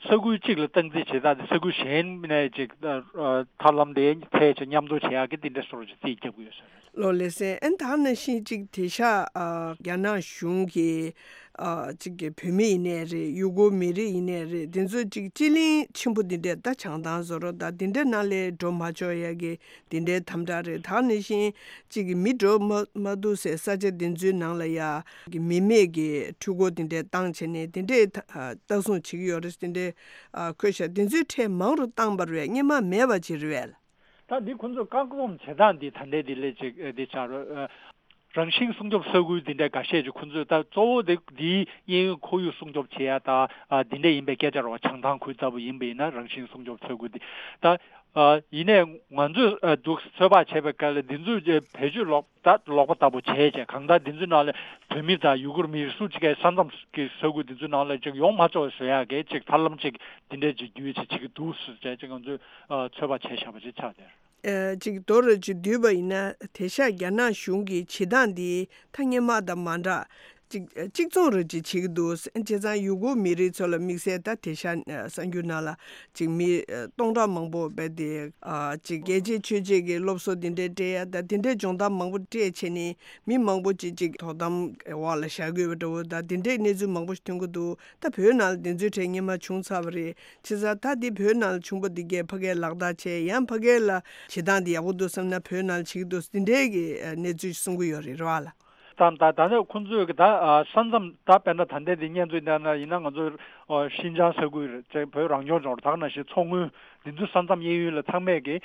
ས་ཁུལ་གཅིག་ལ་སྟངས་འཛིན་བྱེད་སྟངས་དེ་ས་ཁུལ་གཞན་ནས་ཅིག་ཨ་ཨ་ཐབས་ལམ་དེ་ཐད་ཅིག་མཉམ་དུ་བྱེད་ཡག་གི་འདི་འདྲ་སོགས་ཅིག་རྩིས་རྒྱབ་ཀྱི་ཡོད་ས་རེད། ལོ་ལེགས་སེ། ཨན་ད་ནང་བཞིན་ཅིག་དེང་སང་ཨ་རྒྱ་ནག་གཞུང་གིས་ཨ་ཅིག་གི་བོད་མི་ཡིན་ནའི་རེད། ཡུ་གུར་མི་རིགས་ཡིན་ནའི་རེད། དེ་ཚོ་ཅིག་སྤྱི་གླིང་ཆེན་པོ་འདི་འདྲས་ད་བྱང་ཐང་བཟོ་རོགས་ད་འདི་འདྲའི་ནང་ལ་འགྲོ་མ་ཆོག་ཡ་གི་འདི་འདྲའི་དམ་དྲག་རེད། ད་ནང་བཞིན་གཅིག་གི་མི་འགྲོ་མ་མ་ཐུབ་སའི་ས་ཆ་འདི་ཚོའི་ནང་ལ་ཡ་གི་མི་མེད་ཀྱི་འཕྲུལ་འཁོར་འདི་འདྲའི་བཏང་བྱས་ནས་འདི་འདྲའི་ད་ལྟ་སྲུང་བྱེད་ཀྱི་ཡོད་རེད། འདི་འདྲའི་ཨ་འཁོད་ཤག། འདི་ཚོའི་གྲས་མང་རུ་བཏང་བ་རེད། སྔོན་མ་མེད་པ་ཅིག་རེད་པས། ད་འདི་ཁོང་ཚོས་བཀག་སྡོམ་བྱེད་སྟངས་འདི་ད་ལྟའི་འདི་ལས་ཅིག་འདི་ཆགས་རེད། རང་བཞིན་སྲུང་སྐྱོབ་ས་ཁུལ་འདི་འདྲའི་འགའ་ཤས་ཀྱིས་ཁོང་ཚོས་ད་གཙོ་བོ་དེ་འདིའི་གཡས་གཡོན་ཁོར་ཡུག་སྲུང་སྐྱོབ་བྱེད་ཡ་ད་ཨ་འདི་འདྲ་ཡིན་པའི་སྐད་ཆ་རེད་བ། བྱང་ཐང་ཁུལ་ལྟ་བུ་ཡིན་པ་ཡིན་ན་རང་བཞིན་སྲུང་སྐྱོབ་ས་ཁུལ་འདི་ད་ཨ་ཡིན་ནའི་ང་ཚོས་ཨ་འདུག་ཚོད་དཔག་བྱས་པའི་སྐབས་ལ་འདི་ཚོས་བེད་སྤྱོད་ལོག་ད་ལོག་པ་ལྟ་བུ་བྱས་བྱས། གང་ལྟར་འདི་ཚོའི་ནང་ལ་བོད་མི་དང་ཡུ་གུར་མི་སུ་གཅིག་གིས་ས་མཚམས་ཀྱི་ས་ཁུལ་འདི་ཚོའི་ནང་ལ་ཅིག་ཡོང་མ་ཆོག་བཟོ་ཡ་གི་ཅིག་ཐབས་ལམ་ཅིག་འདི་འདྲའི་ཅིག་བརྒྱུད་བྱས་བྱེད་ཀྱི་འདུག་ཟེར་བྱས་ཅིག་ང་ཚོས་ཨ་ཚོད་དཔག་བྱས་བཞག་པ་ཅིག་ཆགས་བསྡད། ཨེ་ཅིག་མདོར་ཅིག་བསྡུས་པ་ཡིན་ན་དེང་སང་རྒྱ་ནག་གཞུང་གི་བྱེད་སྟངས་འདི་ད་སྔོན་མ་དང་མ་འདྲ་ཅིག་གཅིག་མཚུངས་རེ་ཅིག་བྱེད་ཀྱི་འདུག། བྱས་ཙང་ཡུ་གུར་མི་རིགས་ཚོ་ལ་དམིགས་བསལ་ད་དེང་སང་གསར་འགྱུར་ནང་ལ་ཅིག་མི་སྟོང་ཕྲག་མང་པོ་རྦད་དེ་ཅིག་རྒྱལ་གཅེས་ཆོས་གཅེས་ཀྱི་སློབ་གསོ་འདི་འདྲའི་སྤྲད་ཡ་ད་དེ་འདྲའི་སྦྱོང་བརྡར་མང་པོ་སྤྲད་བྱས་ནས་མི་མང་པོ་ཅིག་ཅིག་དོ་དམ་འོག་ལ་བཞག་དགོས་པ་འདྲ་བོ་ད་དེ་འདྲའི་གནས་ཚུལ་མང་པོ་ཞིག་ཐོན་གྱི་འདུག། ད་བོད་ནང་ལ་དེ་ཚོའི་གྲས་སྔོན་མ་བྱུང་ཚར་བ་རེད། བྱས་ཙང་ད་འདི་བོད་ནང་ལ་བྱུང་པ་འདི་གས་ཕ་གིར་ལག་བསྟར་བྱས། ཡང་ཕ་གིར་ལ་བྱེད་སྟངས་འདི་ཡག་པོ་འདུག་བསམ་ན་བོད་ནང་ལ་བྱེད་ཀྱི་འདུག། འདི་འདྲའི་གི་གནས་ཚུལ་གསུང་གི་ཡོད་རེད། རེད་བ་ལ། ད་ད་ད་ནས་ཁོང་ཚོས་གི་ད་ས་མཚམས་ད་དཔེར་ན་ད་ལྟའི་འདི་སྙན་ཚིག་ལྟར་ན་ཡིན་ན་ང་ཚོ་ཤིན་ཅང་ས་ཁུལ་རེད་ཅེས་བོད་རང་སྐྱོང་ལྗོངས་རེད། ད་ག་ནང་བཞིན་མཚོ་སྔོན་འདི་ཚོའི་ས་མཚམས་གཡས་གཡོན་ལ་ཚང་མས་གི་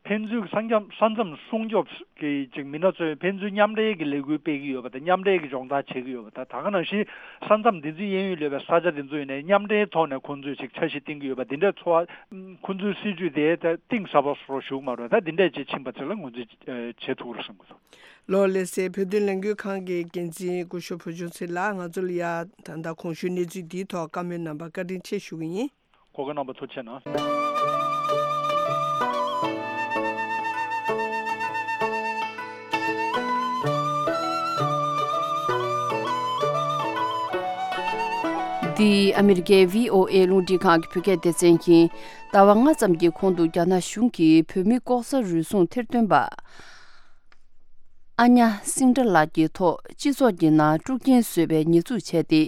ཕན་ཚུན་ས་མཚམས་ས་མཚམས་སྲུང་སྐྱོབ་ཀྱི་ཅིག་མི་སྣ་ཚོས་ཕན་ཚུན་མཉམ་འབྲེལ་གྱི་ལས་འགུལ་སྤེལ་གྱི་ཡོད་པ་དང་མཉམ་འབྲེལ་གྱི་སྦྱོང་བརྡར་བྱེད་ཀྱི་ཡོད་པ་དང་། ད་ག་ནང་བཞིན་ས་མཚམས་འདི་ཚོའི་གཡས་གཡོན་ལ་ཡོད་པའི་ས་ཆ་འདི་ཚོ་ཡིན་ནའི་མཉམ་འབྲེལ་ཐོག་ནས་ཁོང་ཚོས་ཅིག་འཆར་གཞི་བཏིང་གི་ཡོད་པ་འདི་འདྲའི་ཚོར་བ་ཁོང་ཚོའི་སྲིད་ཇུས་དེ་ད་གཏིང་ཟབ་པ་སོགས་ཞུགས་མ་རེད། ད་འདི་འདྲས་ཅིག་ཕྱིན་པ་ཚོ་ལ་ངོས་འཛིན་བྱེད་ཐུབ་རེད་བསམ་གྱི་འདུག། ལོ་ལེགས་སེ། བོད་དོན་ལས་འགུལ་ཁང་གི་འགན་འཛིན་སྐུ་ཞབས་བུ་ཆུང་ཚེ་ལགས། ང་ཚོ་ལ་ཡ་ད་ལྟ་གོང་ཞུས་གནས་ཚུལ་འདིའི་ཐོག་བཀའ་མོལ་གནང་བར་བཀའ་དྲིན་ཆེ་ཞུ་གི་ཡིན། གོ་སྐབས་གནང་བར་ཐུགས་རྗེ་གནང་། འདི་ཨ་མི་རི་ཀའི་བྷི་ཨོ་ཨེ་རླུང་འཕྲིན་ཁང་གི་བོད་སྐད་སྡེ་ཚན་ཡིན། ཟླ་བ་ལྔ་ཙམ་གྱི་གོང་དུ་རྒྱ་ནག་གཞུང་གིས་བོད་མི་ལྐོག་ཟ་རུལ་སུངས་ཐེར་འདོན་པ་ཨ་ཉ་སིང་ཏྲ་ལགས་ཀྱི་ཐོག་སྤྱི་ཚོགས་ཀྱི་ནང་དཀྲུག་རྐྱེན་བཟོས་པའི་ཉེས་འཛུགས་བྱས་ཏེ།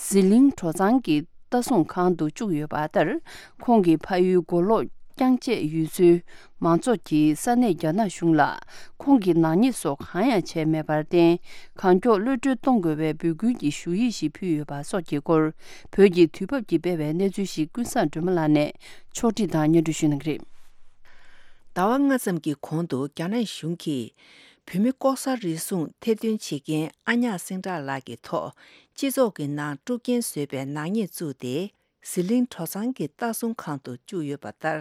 ཟི་ལིང་གྲོ་ཚང་གི་ལྟ་སྲུང་ཁང་དུ་བཅུག་ཡོད་པ་ལྟར། ཁོང་གི་ཕ་ཡུལ་མགོ་ལོག་རྐྱང་བཅད་ཡུལ་ཚོའི་མང་ཚོགས་ཀྱིས་ས་གནས་རྒྱ་ནག་གཞུང་ལ་ཁོང་གི་ནག་ཉེས་སོགས་གང་ཡང་བྱས་མེད་པར་བརྟེན། གང་མགྱོགས་གློད་གྲོལ་གཏོང་དགོས་པའི་འབོད་སྐུལ་གྱི་ཞུ་ཡིག་ཞིག་ཕུལ་ཡོད་པ་སོགས་ཀྱི་སྐོར། བོད་ཀྱི་དུས་བབ་ཀྱིས་སྤེལ་བའི་གནས་ཚུལ་ཞིག་ཀུན་བཟང་སྒྲོལ་མ་ལགས་ནས་ཕྱོགས་སྒྲིག་དང་སྙན་སྒྲོན་ཞུ་གནང་གི་རེད། ཟླ་བ་ལྔ་ཙམ་གྱི་གོང་དུ་རྒྱ་ནག་གཞུང་གིས་བོད་མི་ལྐོག་ཟ་རུལ་སུངས་ཐེར་འདོན་བྱེད་མཁན་ཨ་ཉག་སེང་བྲག་ལགས་ཀྱི་ཐོག་སྤྱི་ཚོགས་ཀྱི་ནང་དཀྲུག་རྐྱེན་བཟོས་པའི་ནག་ཉེས་བཙུགས་ཏེ། ཟི་ལིང་གྲོ་ཚང་གི་ལྟ་སྲུང་ཁང་དུ་བཅུག་ཡོད་པ་ལྟར།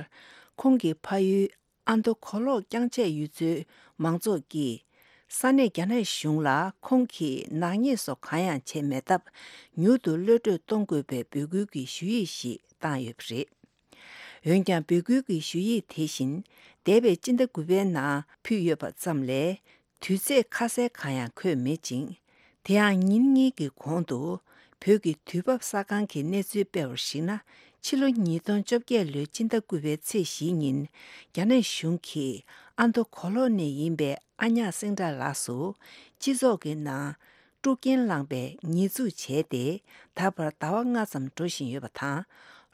ཁོང་གི་ཕ་ཡུལ་ཨ་མདོ་གོ་ལོག་རྐྱང་བཅད་ཡུལ་ཚོའི་མང་ཚོགས་ཀྱིས་ས་གནས་རྒྱ་ནག་གཞུང་ལ་ཁོང་གིས་ནག་ཉེས་སོགས་གང་ཡང་བྱས་མེད་སྟབས། མྱུར་དུ་གློད་གྲོལ་གཏོང་དགོས་པའི་འབོད་སྐུལ་གྱི་ཞུ་ཡིག་ཞིག་བཏང་ཡོད་པ་རེད། འོན་ཀྱང་། འབོད་སྐུལ་གྱི་ཞུ་ཡིག་དེ་བཞིན་འདས་པའི་སྤྱི་ཟླ་དགུ་པའི་ནང་ཕུལ་ཡོད་པ་ཙམ་ལས། དུས་ཚོད་ཁ་གསལ་གང་ཡང་འཁོད་མེད་ཅིང་། དེ་ཡང་ཉིན་གཉིས་ཀྱི་གོང་དུ་བོད་ཀྱི་དུས་བབ་གསར་ཁང་གིས་གནས་ཚུལ་སྤེལ་བར་གཞིགས་ན། ཕྱི་ལོ་ཉིས་སྟོང་བཅོ་བརྒྱད་ལོའི་སྤྱི་ཟླ་དགུ་པའི་ཚེས་བཞི་ཉིན། རྒྱ་ནག་གཞུང་གིས་ཨ་མདོ་གོ་ལོག་ནས་ཡིན་པའི་ཨ་ཉག་སེང་བྲག་ལགས་སུ་སྤྱི་ཚོགས་ཀྱི་ནང་དཀྲུག་རྐྱེན་བསླངས་པའི་ཉེས་འཛུགས་བྱས་ཏེ། ད་བར་ཟླ་བ་ལྔ་ཙམ་འགྲོ་བཞིན་ཡོད་པ་དང་།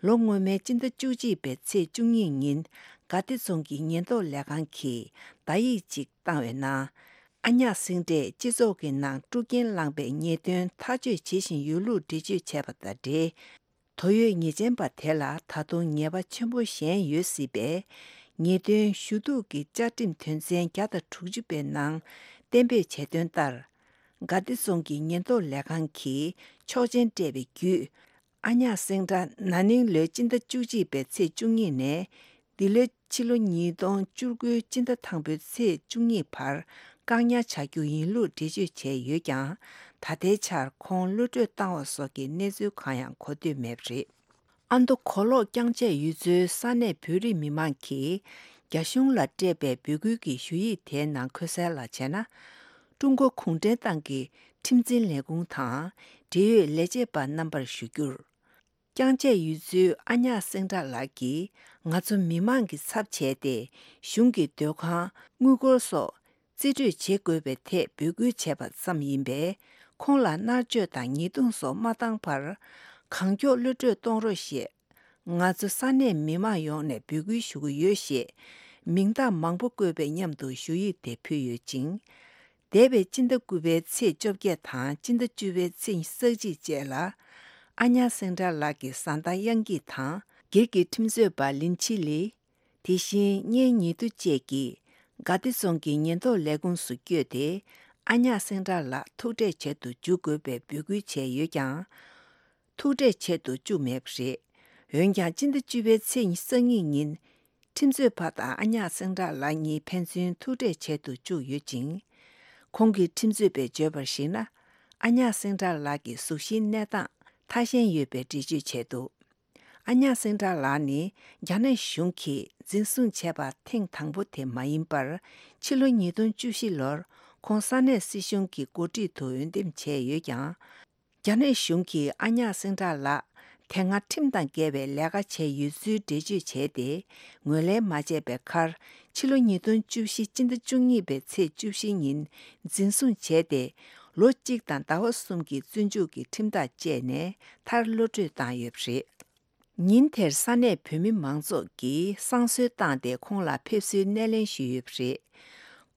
ལོ་སྔོན་མའི་སྤྱི་ཟླ་བཅུ་གཅིག་པའི་ཚེས་བཅུ་གཉིས་ཉིན་དགའ་བདེ་རྫོང་གི་ཉེན་རྟོག་ལས་ཁང་གིས་བརྡ་ཡིག་ཅིག་བཏང་བའི་ནང་། ཨ་ཉག་སེང་བྲགས་སྤྱི་ཚོགས་ཀྱི་ནང་དཀྲུག་རྐྱེན་བསླངས་པའི་ཉེས་དོན་ཐག་གཅོད་བྱེད་བཞིན་ཡོད་ལུགས་འགྲེལ་བརྗོད་བྱས་པ་དང་འབྲེལ། དོ་ཡོད་ཉེས་ཅན་པ་དེ་ལ་ད་དུང་ཉེས་པ་ཆེན་པོ་གཞན་ཡོད་སྲིད་པས། ཉེས་དོན་ཞུ་གཏུག་གི་བཅའ་ཁྲིམས་དོན་ཚན་བརྒྱ་དང་དྲུག་ཅུ་པའི་ནང་གཏན་འབེབས་བྱས་དོན་ལྟར། དགའ་བདེ་རྫོང་གི་ཉེན་རྟོག་ལས་ཁང་གིས་ཆོག་མཆན་སྤྲད་པའི་བརྒྱུད། ཨ་ཉག་སེང་བྲགས་ན་ནིང་ལོའི་སྤྱི་ཟླ་བཅུ་གཅིག་པའི་ཚེས་བཅུ་གཉིས་ནས། འདི་ལོའི་ཕྱི་ལོ་ཉིས་སྟོང་བཅུ་དགུའི་སྤྱི་ཟླ་དང་པོའི་ཚེས་བཅུ་གཉིས་བར་བཀག་ཉར་བྱ་རྒྱུ་ཡིན་ལུགས་འགྲེལ་བརྗོད་བྱས་ཡོད་ཀྱང་། ད་ལྟའི་ཆར་ཁོང་གློད་གྲོལ་བཏང་བ་སོགས་ཀྱི་གནས་ཚུལ་གང་ཡང་གོ་ཐོས་མེད་པ་རེད། ཨ་མདོ་གོ་ལོག་རྐྱང་བཅད་ཡུལ་ཚོའི་ས་གནས་བོད་རིགས་མི་མང་གིས་རྒྱ་གཞུང་ལ་སྤྲད་པའི་འབོད་སྐུལ་གྱི་ཞུ་ཡིག་དེའི་ནང་འཁོད་གསལ་ལ་བྱས་ན། ཀྲུང་གོ་གུང་ཁྲན་ཏང་གི་ཁྲིམས་འཛིན་ལས་ཁུངས་དང་འབྲེལ་ཡོད་ལས་བྱེད་པ་རྣམ་པར་ཞུ་རྒྱུར། རྐྱང་བཅད་ཡུལ་ཚོའི་ཨ་ཉག་སེང་བྲག་ལགས་ཀྱིས་ང་ཚོ་མི་མང་གི་ཚབ་བྱས་ཏེ། གཞུང་གི་སྡོད་ཁང་། དངུལ་སྒོར་སོགས་རྩིས་སྤྲོད་བྱེད་དགོས་པའི་ཐད་འབོད་སྐུལ་བྱས་པ་ཙམ་ཡིན་པས། ཁོང་ལ་མནར་གཅོད་དང་ཉེས་རྡུང་སོགས་མ་བཏང་བར། གང་མགྱོགས་གློད་གྲོལ་གཏོང་རོགས་ཞེས། ང་ཚོ་ས་གནས་མི་མང་ཡོངས་ནས་འབོད་སྐུལ་ཞུ་གི་ཡོད་ཞེས། མིང་རྟགས་མང་པོ་བཀོད་པའི་མཉམ་དུ་ཞུ་ཡིག་དེ་ཕུལ་ཡོད་ཅིང་། འདས་པའི་སྤྱི་ཟླ་དགུ་པའི་ཚེས་བཅོ་བརྒྱད་དང་སྤྱི་ཟླ་བཅུ་པའི་ཚེས་ཉི་ཤུ་རྩ་གཅིག་བཅས་ལ། ཨ་ཉག་སེང་བྲག་ལགས་ཀྱི་བཟའ་ཟླ་དབྱངས་སྐྱིད་དང་། སྒེར་གྱི་ཁྲིམས་རྩོད་པ་ལིན་ཆི་ལི། དེ་བཞིན་གཉེན་ཉེ་དུ་བཅས་ཀྱིས་དགའ་བདེ་རྫོང་གི་ཉེན་རྟོག་ལས་ཁུངས་སུ་བསྐྱོད་དེ། ཨ་ཉག་སེང་བྲག་ལགས་ཐུག་འཕྲད་བྱེད་དུ་འཇུག་དགོས་པའི་འབོད་སྐུལ་བྱས་ཡོད་ཀྱང་། ཐུག་འཕྲད་བྱེད་དུ་བཅུག་མེད་པ་རེད། འོན་ཀྱང་། སྤྱི་ཟླ་བཅུ་པའི་ཚེས་ཉི་ཤུ་རྩ་གཉིས་ཉིན། ཁྲིམས་རྩོད་པ་དང་ཨ་ཉག་སེང་བྲག་ལགས་གཉིས་ཕན་ཚུན་ཐུག་འཕྲད་བྱེད་དུ་བཅུག་ཡོད་ཅིང་། ཁོང་གི་ཁྲིམས་རྩོད་པས་བརྗོད་པར་གཞིགས་ན། ཨ་ཉག་སེང་བྲག་ལགས་ཀྱི་གཟུགས་གཞིའི་གནས་སྟངས་ཐ་ཞན་ཡོད་པའི་འགྲེལ་བརྗོད་བྱས་འདུག་ཨ་ཉག་སེང་བྲག་ལགས་ནི་རྒྱ་ནག་གཞུང་གིས་འཛིན་བཟུང་བྱས་པ་ཐེངས་དང་པོ་དེ་མ་ཡིན་པར། ཕྱི་ལོ་ཉིས་སྟོང་བཅུ་བཞི་ལོར་ཁོང་ས་གནས་སྲིད་གཞུང་གི་འགོ་ཁྲིད་དུ་འོས་འདེམས་བྱས་ཡོད་ཀྱང་། རྒྱ་ནག་གཞུང་གིས་ཨ་ཉག་སེང་བྲག་ལགས་དེ་སྔ་ཁྲིམས་དང་འགལ་བའི་ལས་ཀ་བྱས་ཡོད་ཚུལ་འགྲེལ་བརྗོད་བྱས་ཏེ། ངོས་ལེན་མ་བྱས་པའི་ཁར། ཕྱི་ལོ་ཉིས་སྟོང་བཅུ་བཞི་སྤྱི་ཟླ་བཅུ་གཉིས་པའི་ཚེས་བཅུ་བཞི་ཉིན་འཛིན་བཟུང་བྱས་ཏེ། ལོ་གཅིག་དང་ཟླ་བ་གསུམ་གྱི་བཙོན་འཇུག་གི་ཁྲིམས་ཐག་བཅད་ནས་མཐར་གློད་གྲོལ་བཏང་ཡོད་པ་རེད། ཉིན་དེར་ས་གནས་བོད་མི་མང་ཚོགས་ཀྱིས་བསང་གསོལ་བཏང་སྟེ་ཁོང་ལ་ཕེབས་བསུའི་སྣེ་ལེན་ཞུས་ཡོད་པ་རེད།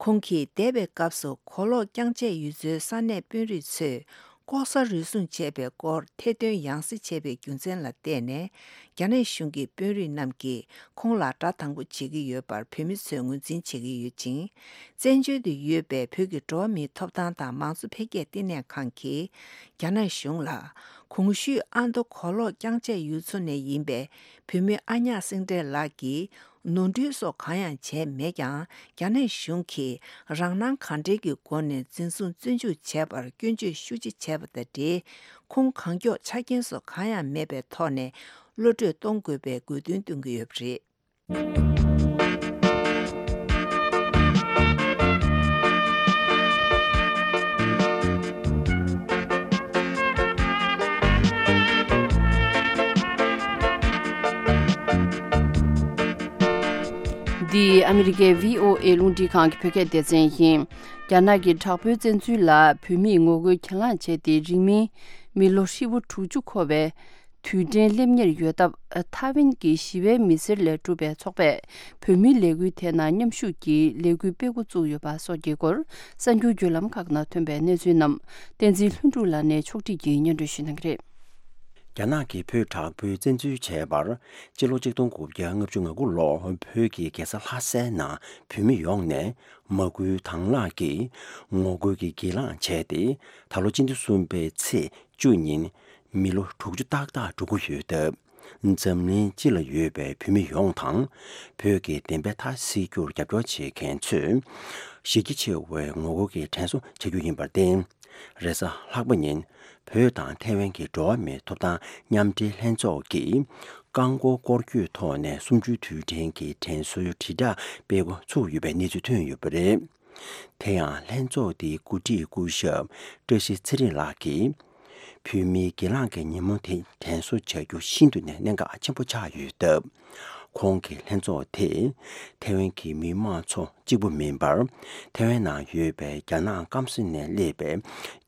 ཁོང་གིས་འདས་པའི་སྐབས་སུ་གོ་ལོག་རྐྱང་བཅད་ཡུལ་ཚོའི་ས་གནས་དཔོན་རིགས་ཚོས་ལྐོག་ཟ་རུལ་སུངས་བྱས་པའི་སྐོར་ཐེར་འདོན་ཡང་སེ་བྱས་པའི་རྒྱུ་མཚན་ལ་བརྟེན་ནས། རྒྱ་ནག་གཞུང་གི་དཔོན་རིགས་རྣམས་ཀྱིས་ཁོང་ལ་དགྲ་དང་པོ་བྱེད་ཀྱི་ཡོད་པར་བོད་མི་ཚོས་ངོས་འཛིན་བྱེད་ཀྱི་ཡོད་ཅིང་། བཙན་བྱོལ་དུ་ཡོད་པའི་བོད་ཀྱི་འགྲོ་བ་མིའི་ཐོབ་ཐང་དང་མང་གཙོ་འཕེལ་རྒྱས་བསྟི་གནས་ཁང་གིས་རྒྱ་ནག་གཞུང་ལ། གོང་ཞུས་ཨ་མདོ་གོ་ལོག་རྐྱང་བཅད་ཡུལ་ཚོ་ནས་ཡིན་པའི་བོད་མི་ཨ་ཉག་སེང་བྲལ་ལགས་ཀྱིས་ནོར་འཁྲུལ་སོགས་གང་ཡང་བྱས་མེད་ཀྱང་། རྒྱ་ནག་གཞུང་གིས་རང་སྣང་གང་དྲན་གྱི་སྒོ་ནས་འཛིན་བཟུང་བཙོན་འཇུག་བྱས་པར་སྐྱོན་བརྗོད་ཤུགས་ཆེ་བྱས་པ་དང་འབྲེལ། ཁོང་གང་མགྱོགས་ཆ་རྐྱེན་སོགས་གང་ཡང་མེད་པའི་ཐོག་ནས་གློད་གྲོལ་གཏོང་དགོས་པའི་དགོས་འདུན་བཏོན་གྱི་ཡོད་པ་རེད། འདི་ཨ་མི་རི་ཀའི་བྷི་ཨོ་ཨེ་རླུང་འཕྲིན་ཁང་གི་བོད་སྐད་སྡེ་ཚན་ཡིན། རྒྱ་ནག་གི་དྲག་པོའི་བཙན་འཛུལ་ལ་བོད་མིས་ངོ་རྒོལ་གྱེན་ལངས་བྱས་ཏེ། རིང་མིན་མི་ལོ་ཧྲིལ་པོ་དྲུག་ཅུ་འཁོར་བའི་དུས་དྲན་སླེབས་ཉེར་ཡོད་སྟབས། ཐའེ་ཝན་གྱི་ཞི་བའི་མི་སེར་ལས་གྲུབ་པའི་ཚོགས་པས་བོད་མིའི་ལས་འགུལ་དེ་ནང་མཉམ་ཞུགས་ཀྱིས་ལས་འགུལ་སྤེལ་འགོ་བཙུགས་ཡོད་པ་སོགས་ཀྱི་སྐོར། གསར་འགྱུར་བརྒྱུད་ལམ་ཁག་ནང་ཐོན་པའི་གནས་ཚུལ་རྣམས་བསྟན་འཛིན་ལྷུན་གྲུབ་ལགས་ནས་ཕྱོགས་སྒྲིག་གིས་སྙན་སྒྲོན་ཞུ་གནང་གི་རེད། རྒྱ་ནག་གིས་བོད་དྲག་པོའི་བཙན་འཛུལ་བྱས་པར། སྤྱི་ལོ་ཆིག་སྟོང་དགུ་བརྒྱ་ལྔ་བཅུ་ང་དགུ་ལོར་བོད་ཀྱི་རྒྱལ་ས་ལྷ་སའི་ནང་བོད་མི་ཡོངས་ནས་མ་སྐུལ་དང་བླངས་ཀྱིས་ངོ་རྒོལ་གྱི་གྱེན་ལངས་བྱས་ཏེ། ད་ལོ་སྤྱི་ཟླ་གསུམ་པའི་ཚེས་བཅུ་ཉིན་མི་ལོ་དྲུག་ཅུ་ཏག་ཏག་འགྲོ་གི་ཡོད་སྟབས། འཛམ་གླིང་སྤྱི་ལ་ཡོད་པའི་བོད་མི་ཡོངས་དང་། བོད་ཀྱི་བདེན་པའི་མཐའ་གསལ་རྒྱུར་རྒྱབ་སྐྱོར་བྱེད་མཁན་ཚོས་གཞི་རྒྱ་ཆེ་བའི་ངོ་རྒོལ་གྱི་དྲན་གསོ་བྱ་རྒྱུ་ཡིན་པར་བརྟེན། རེས་གཟའ་ལྷག་པ་ཉིན་བོད་དང་ཐའེ་ཝན་གྱི་འགྲོ་བ་མིའི་ཐོབ་ཐང་མཉམ་འབྲེལ་ལྷན་ཚོགས་ཀྱིས་རྐང་འཁོར་སྐོར་སྐྱོད་ཐོག་ནས་གསུམ་བཅུའི་དུས་དྲན་གྱི་དྲན་གསོའི་དྲིལ་བསྒྲགས་སྤེལ་འགོ་ཚུགས་ཡོད་པའི་གནས་ཚུལ་ཐོན་ཡོད་པ་རེད། དེ་ཡང་ལྷན་ཚོགས་དེའི་འགོ་ཁྲིད་སྐུ་ཞབས་བཀྲ་ཤིས་ཚེ་རིང་ལགས་ཀྱིས། བོད་མིའི་གྱེན་ལངས་ཀྱི་ཉིན་མོ་དེ་དྲན་གསོ་བྱ་རྒྱུ་ཤིན་ཏུ་ནས་གནད་འགག་ཆེན་པོ་ཆགས་ཡོད་སྟབས། ཁོང་གིས་ལྷན་ཚོགས་དེས་ཐའེ་ཝན་གྱི་མི་དམངས་ཚོ་གཅིག་པུ་མིན་པར། ཐའེ་ཝན་ནང་ཡོད་པའི་རྒྱ་ནག་སྐམ་ས་ནས་སླེབས་པའི་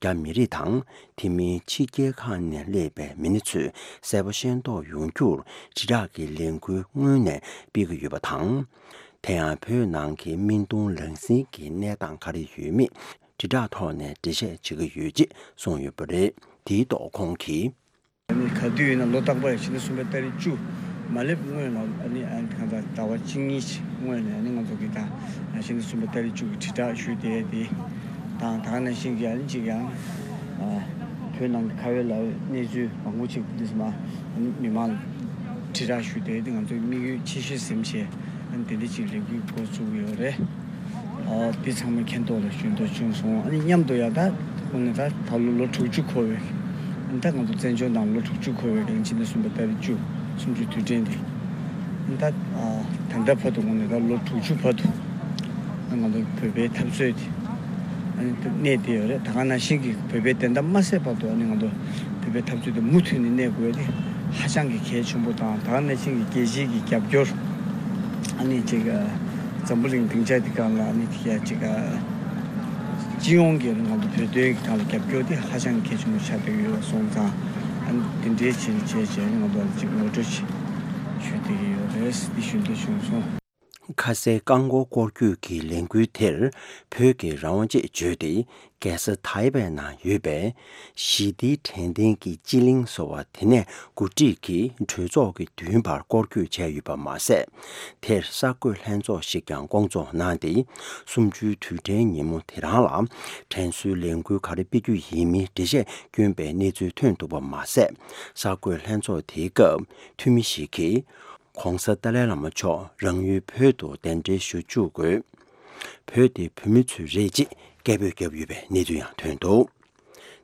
རྒྱ་མི་རིགས་དང་། དེ་མིན་ཕྱི་རྒྱལ་ཁག་ནས་སླེབས་པའི་མི་སྣ་ཚོས་གསལ་པོ་ཤེས་རྟོགས་ཡོང་རྒྱུར་དྲིལ་བསྒྲགས་ཀྱི་ལས་འགུལ་སྔོན་ནས་སྤེལ་གྱི་ཡོད་པ་དང་། དེ་ཡང་བོད་ནང་གི་སྨན་གཏོང་ལག་འཛིན་གྱི་གནས་སྟངས་ག་རེ་ཡོད་མེད་དྲིལ་བསྒྲགས་ཐོག་ནས་འགྲེལ་བཤད་བྱེད་ཀྱི་ཡོད་ཅེས་གསུངས་ཡོད་པ་རེད། དེའི་ཐོག་ཁོང་གིས། ཨ་ནི་ག་དུས་ཡིན་ན་ལོ་རྟག་པར་ཕྱི་ཟླ་གསུམ་པའི་ཏ་རིག་བཅུ་མ་སླེབས་སྔོན་ལ། ཨ་ནི་ཨ་ནི་གང་ལྟར་ཟླ་བ་གཅིག་གཉིས་ཤིག་སྔོན་ནས། ཨ་ནི་ང་ཚོ་གིས་ད་ཕྱི་ཟླ་གསུམ་པའི་ཏ་རིག་བཅུ་གི་དྲིལ་བསྒྲགས་ཞུས་ཏེ། དེ་དང་ད་ག་ནང་བཞིན་གྱི་ཨ་ནི་གཅིག་ཡང་། ཨ། བོད་ནང་གི་ཁ་བའི་ལ་གནས་ཚུལ་མང་པོ་ཅིག་འདི་ཚོ་མ། ཨ་ནི་མི་མང་ལ་དྲིལ་བསྒྲགས་ཞུས་ཏེ། དེ་ང་ཚོའི་དམིགས་ཡུལ་ཆེ་ཤོས་ཟིན་བྱས། ཨ་ནི་དེ་འདྲ་ཅིག་ལས་འགུལ་འགོ་བཙུགས་ཡོད་རེད། ཨ། འདི་ཚང་མ་མཁྱེན་རྟོགས་ལ་ཞུ་འདོད་བྱུང་སོང་། ཨ་ནི་མཉམ་དུ་ཡང་ད་དངོས་གནས་ད་ད་ལོ་ལོ་དྲུག་ཅུ་འཁོར་བའི། ཨ་ནི་ད་ང་ཚོ་བཙན་བྱོལ་ནང་ལོ་དྲུག་ཅུ་འཁོར་བའི་རིང་། ཕྱི་ཟླ་གསུམ་པའི་ཏ་རིག་བཅུ་གསུམ་བཅུའི་དུས་དྲན་དེ། ཨ་ནི་ད་ཨ་ད་ལྟ་བར་དུ་དངོས་གནས་ད་ལོ་དྲུག་ཅུ་བར་དུ། ཨ་ནི་ང་ཚོ་བོད་པའི་འཐབ་རྩོད་དེ། ཨ་ནི་ད་གནས་བསྡད་ཡོད་རེད། ད་ག་ནང་བཞིན་གྱི་བོད་པའི་བདེན་མཐའ་མ་གསལ་བར་དུ། ཨ་ནི་ང་ཚོ་བོད་པའི་འཐབ་རྩོད་དེ་མུ་མཐུད་ནས་གནས་དགོས་དེ་ཧ་ཅང་གི་གལ་ཆེན་པོ་དང་། ད་ག་ནང་བཞིན་གྱི་རྒྱལ་སྤྱིའི་གི་རྒྱབ་སྐྱོར། ཨ་ནི་ཅིག་ཨ། འཛམ་བུ་གླིང་སྡིངས་ཆ་འདི་སྒང་ལ། ཨ་ནི་ཡ་ཅིག་ཨ། སྤྱི་ཡོངས་ཀྱི་ང་ཚོ་བོད་དོན་གྱི་སྒང་ལ་རྒྱབ་སྐྱོར་དེ་ཧ་ཅང་གལ་ཆེན་པོ་ཆགས་བསྡད་ཡོད་སོང་ཙང་། ཨ་ནི་དེ་འདྲའི་བྱས་བྱས་བྱས་ང་ཚོ་ཅིག་ངོ་སྤྲོད་ཅིག་ཞུ་བསྡད་ཀྱི་ཡོད་རེད། འདི་ཞུ་འདོད་བྱུང་སོང་། ཁ་སའི་རྐང་འཁོར་སྐོར་སྐྱོད་ཀྱི་ལས་འགུལ་དེར་བོད་ཀྱི་རང་དབང་ཅེས་བརྗོད་དེ། རྒྱལ་ས་ཐའེ་པེ་ནང་ཡོད་པའི་ཞི་བདེའི་དྲན་རྟེན་གྱི་སྤྱི་གླིང་ཟེར་བ་དེ་ནས་འགོ་ཁྲིད་ཀྱིས་གྲོས་ཚོགས་ཀྱི་མདུན་བར་སྐོར་སྐྱོད་བྱས་ཡོད་པ་མ་ཟད། དེར་གསར་འགོད་ལྷན་ཚོགས་ཤིག་ཀྱང་བསྐོང་ཚོགས་གནང་སྟེ། གསུམ་བཅུའི་དུས་དྲན་ཉིན་མོ་དེ་རང་ལ་དྲན་གསོའི་ལས་འགུལ་ག་རེ་སྤེལ་རྒྱུ་ཡིན་མིན་འགྲེལ་བཤད་བསྐྱོན་པའི་གནས་ཚུལ་ཐོན་འདུག་པ་མ་ཟད། གསར་འགོད་ལྷན་ཚོགས་དེའི་སྐབས་འཐུས་མི་ཞིག་གིས། ྋགོང་ས་ཏཱ་ལའི་བླ་མ་མཆོག་རང་ཡུལ་བོད་དུ་གདན་འདྲེན་ཞུ་བཅུག་དགོས། བོད་དེ་བོད་མི་ཚོའི་རེད་ཅེས་སྐད་འབོད་བརྒྱབ་ཡོད་པའི་གནས་ཚུལ་ཡང་ཐོན་འདུག་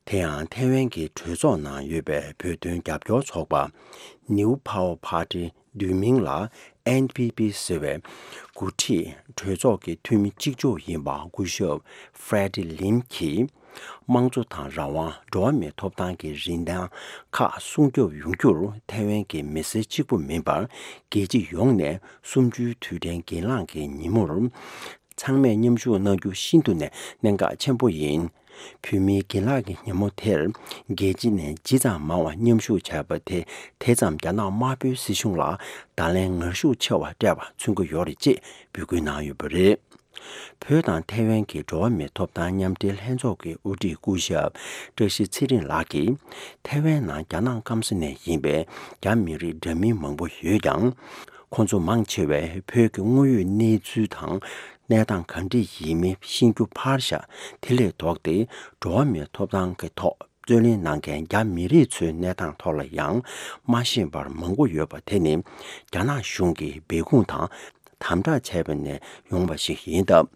དེ་ཡང་ཐའེ་ཝན་གྱི་གྲོས་ཚོགས་ནང་ཡོད་པའི་བོད་དོན་རྒྱབ་སྐྱོར་ཚོགས་པ་New Power Party། བསྡུས་མིང་ལ་ཨེན་པི་པི་ཟེར་བའི་འགོ་ཁྲིད་གྲོས་ཚོགས་ཀྱི་འཐུས་མི་གཅིག་ལྕོགས་ཡིན་པ་སྐུ་ཞབས་Freddy Lim གྱིས། དམངས་གཙོ་དང་རང་དབང་། འགྲོ་བ་མིའི་ཐོབ་ཐང་གི་རིན་ཐང་ཁག་སྲུང་སྐྱོབ་ཡོང་རྒྱུར་ཐའེ་ཝན་གྱི་མི་སེར་གཅིག་པུ་མིན་པར། རྒྱལ་སྤྱི་ཡོངས་ནས་གསུམ་བཅུའི་དུས་དྲན་གྱེན་ལངས་ཀྱི་ཉིན་མོར་ཚང་མས་མཉམ་ཞུགས་གནང་རྒྱུ་ཤིན་ཏུ་ནས་གནད་འགག་ཆེན་པོ་ཡིན། བོད་མིའི་གྱེན་ལངས་ཀྱི་ཉིན་མོ་དེར་རྒྱལ་སྤྱི་ནས་ཇི་ཙམ་མང་བ་མཉམ་ཞུགས་བྱས་པ་དེ། དེ་ཙམ་རྒྱ་ནག་དམར་པོའི་སྲིད་གཞུང་ལ་བརྡ་ལན་ངར་ཤུགས་ཆེ་བ་སྤྲད་པ་མཚོན་གྱི་ཡོད་རེད་ཅེས་འབོད་སྐུལ་གནང་ཡོད་པ་རེད། བོད་དང་ཐའེ་ཝན་གྱི་འགྲོ་བ་མིའི་ཐོབ་ཐང་མཉམ་འབྲེལ་ལྷན་ཚོགས་ཀྱི་དབུ་ཁྲིད་སྐུ་ཞབས་བཀྲ་ཤིས་ཚེ་རིང་ལགས་ཀྱིས། ཐའེ་ཝན་ནང་རྒྱ་ནག་སྐམ་ས་ནས་ཡིན་པའི་རྒྱ་མི་རིགས་འདྲ་མིན་མང་པོ་ཡོད་ཀྱང་། ཁོང་ཚོ་མང་ཆེ་བས་བོད་ཀྱི་དངོས་ཡོད་གནས་ཚུལ་དང་གནས་སྟངས་ག་འདྲ་ཡིན་མིན་ཤེས་རྒྱུ་ཕར་བཞག་དེ་ལས་ལྡོག་སྟེ། འགྲོ་བ་མིའི་ཐོབ་ཐང་གི་ཐོག་རྩོད་ལེན་གནང་མཁན་རྒྱ་མི་རིགས་ཚོའི་གནས་སྟངས་ཐོག་ལ་ཡང་མ་ཤེས་པར་མང་པོ་ཡོད་པ་དེ་ནི། རྒྱ་ནག་གཞུང་གིས་སྦས་སྐུང་དང་དམ་དྲག་བྱས་པ་ནས་ཡོང་བ་ཞིག་ཡིན་སྟབས།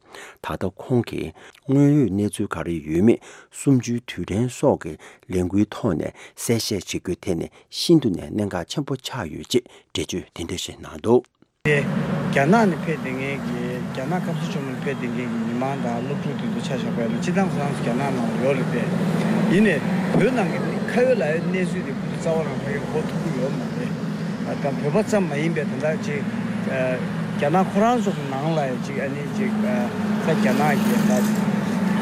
ད་ལྟ་ཁོང་གིས་དངོས་ཡོད་གནས་ཚུལ་ག་རེ་ཡོད་མེད་གསུམ་བཅུའི་དུས་དྲན་སོགས་ཀྱི་ལས་འགུལ་ཐོག་ནས་གསལ་བཤད་བྱེད་རྒྱུ་དེ་ནི་ཤིན་ཏུ་ནས་གནད་འགག་ཆེན་པོ་ཆགས་ཡོད་ཅེས་འགྲེལ་བརྗོད་དེ་འདྲ་ཞིག་གནང་འདུག་དེ་རྒྱ་ནག་ནས་ཕེབས་བསྡད་མཁན་གྱི། རྒྱ་ནག་སྐམ་ས་བཅོམ་ནས་ཕེབས་བསྡད་མཁན་གྱི་མི་མང་དང་སློབ་ཕྲུག་དེ་ཚོ་ཆ་བཞག་པ་ཡིན་ན། སྤྱིར་བཏང་ཁོ་རང་ཚོ་རྒྱ་ནག་ནང་ལ་ཡོད་རེད་པས། ཡིན་ནའི་བོད་ནང་གི་ཁ་ཡོད་ལག་ཡོད་གནས་ཚུལ་དེ་ཁོ་ཚོ་རྩ་བ་རང་ཕ་གིར་གོ་ཐུབ་ཀྱི་ཡོད་མ་རེད། ད་བོད་པ་ཙམ་མ་ཡིན་པའི་ད་ལྟ་ཅིག་ཨ། རྒྱ་ནག་ཁོ་རང་ཚོ་གི་ནང་ལ་ཡང་ཅིག་ཨ་ནི་ཅིག་ཨ་ད་རྒྱ་ནག་གི་ད་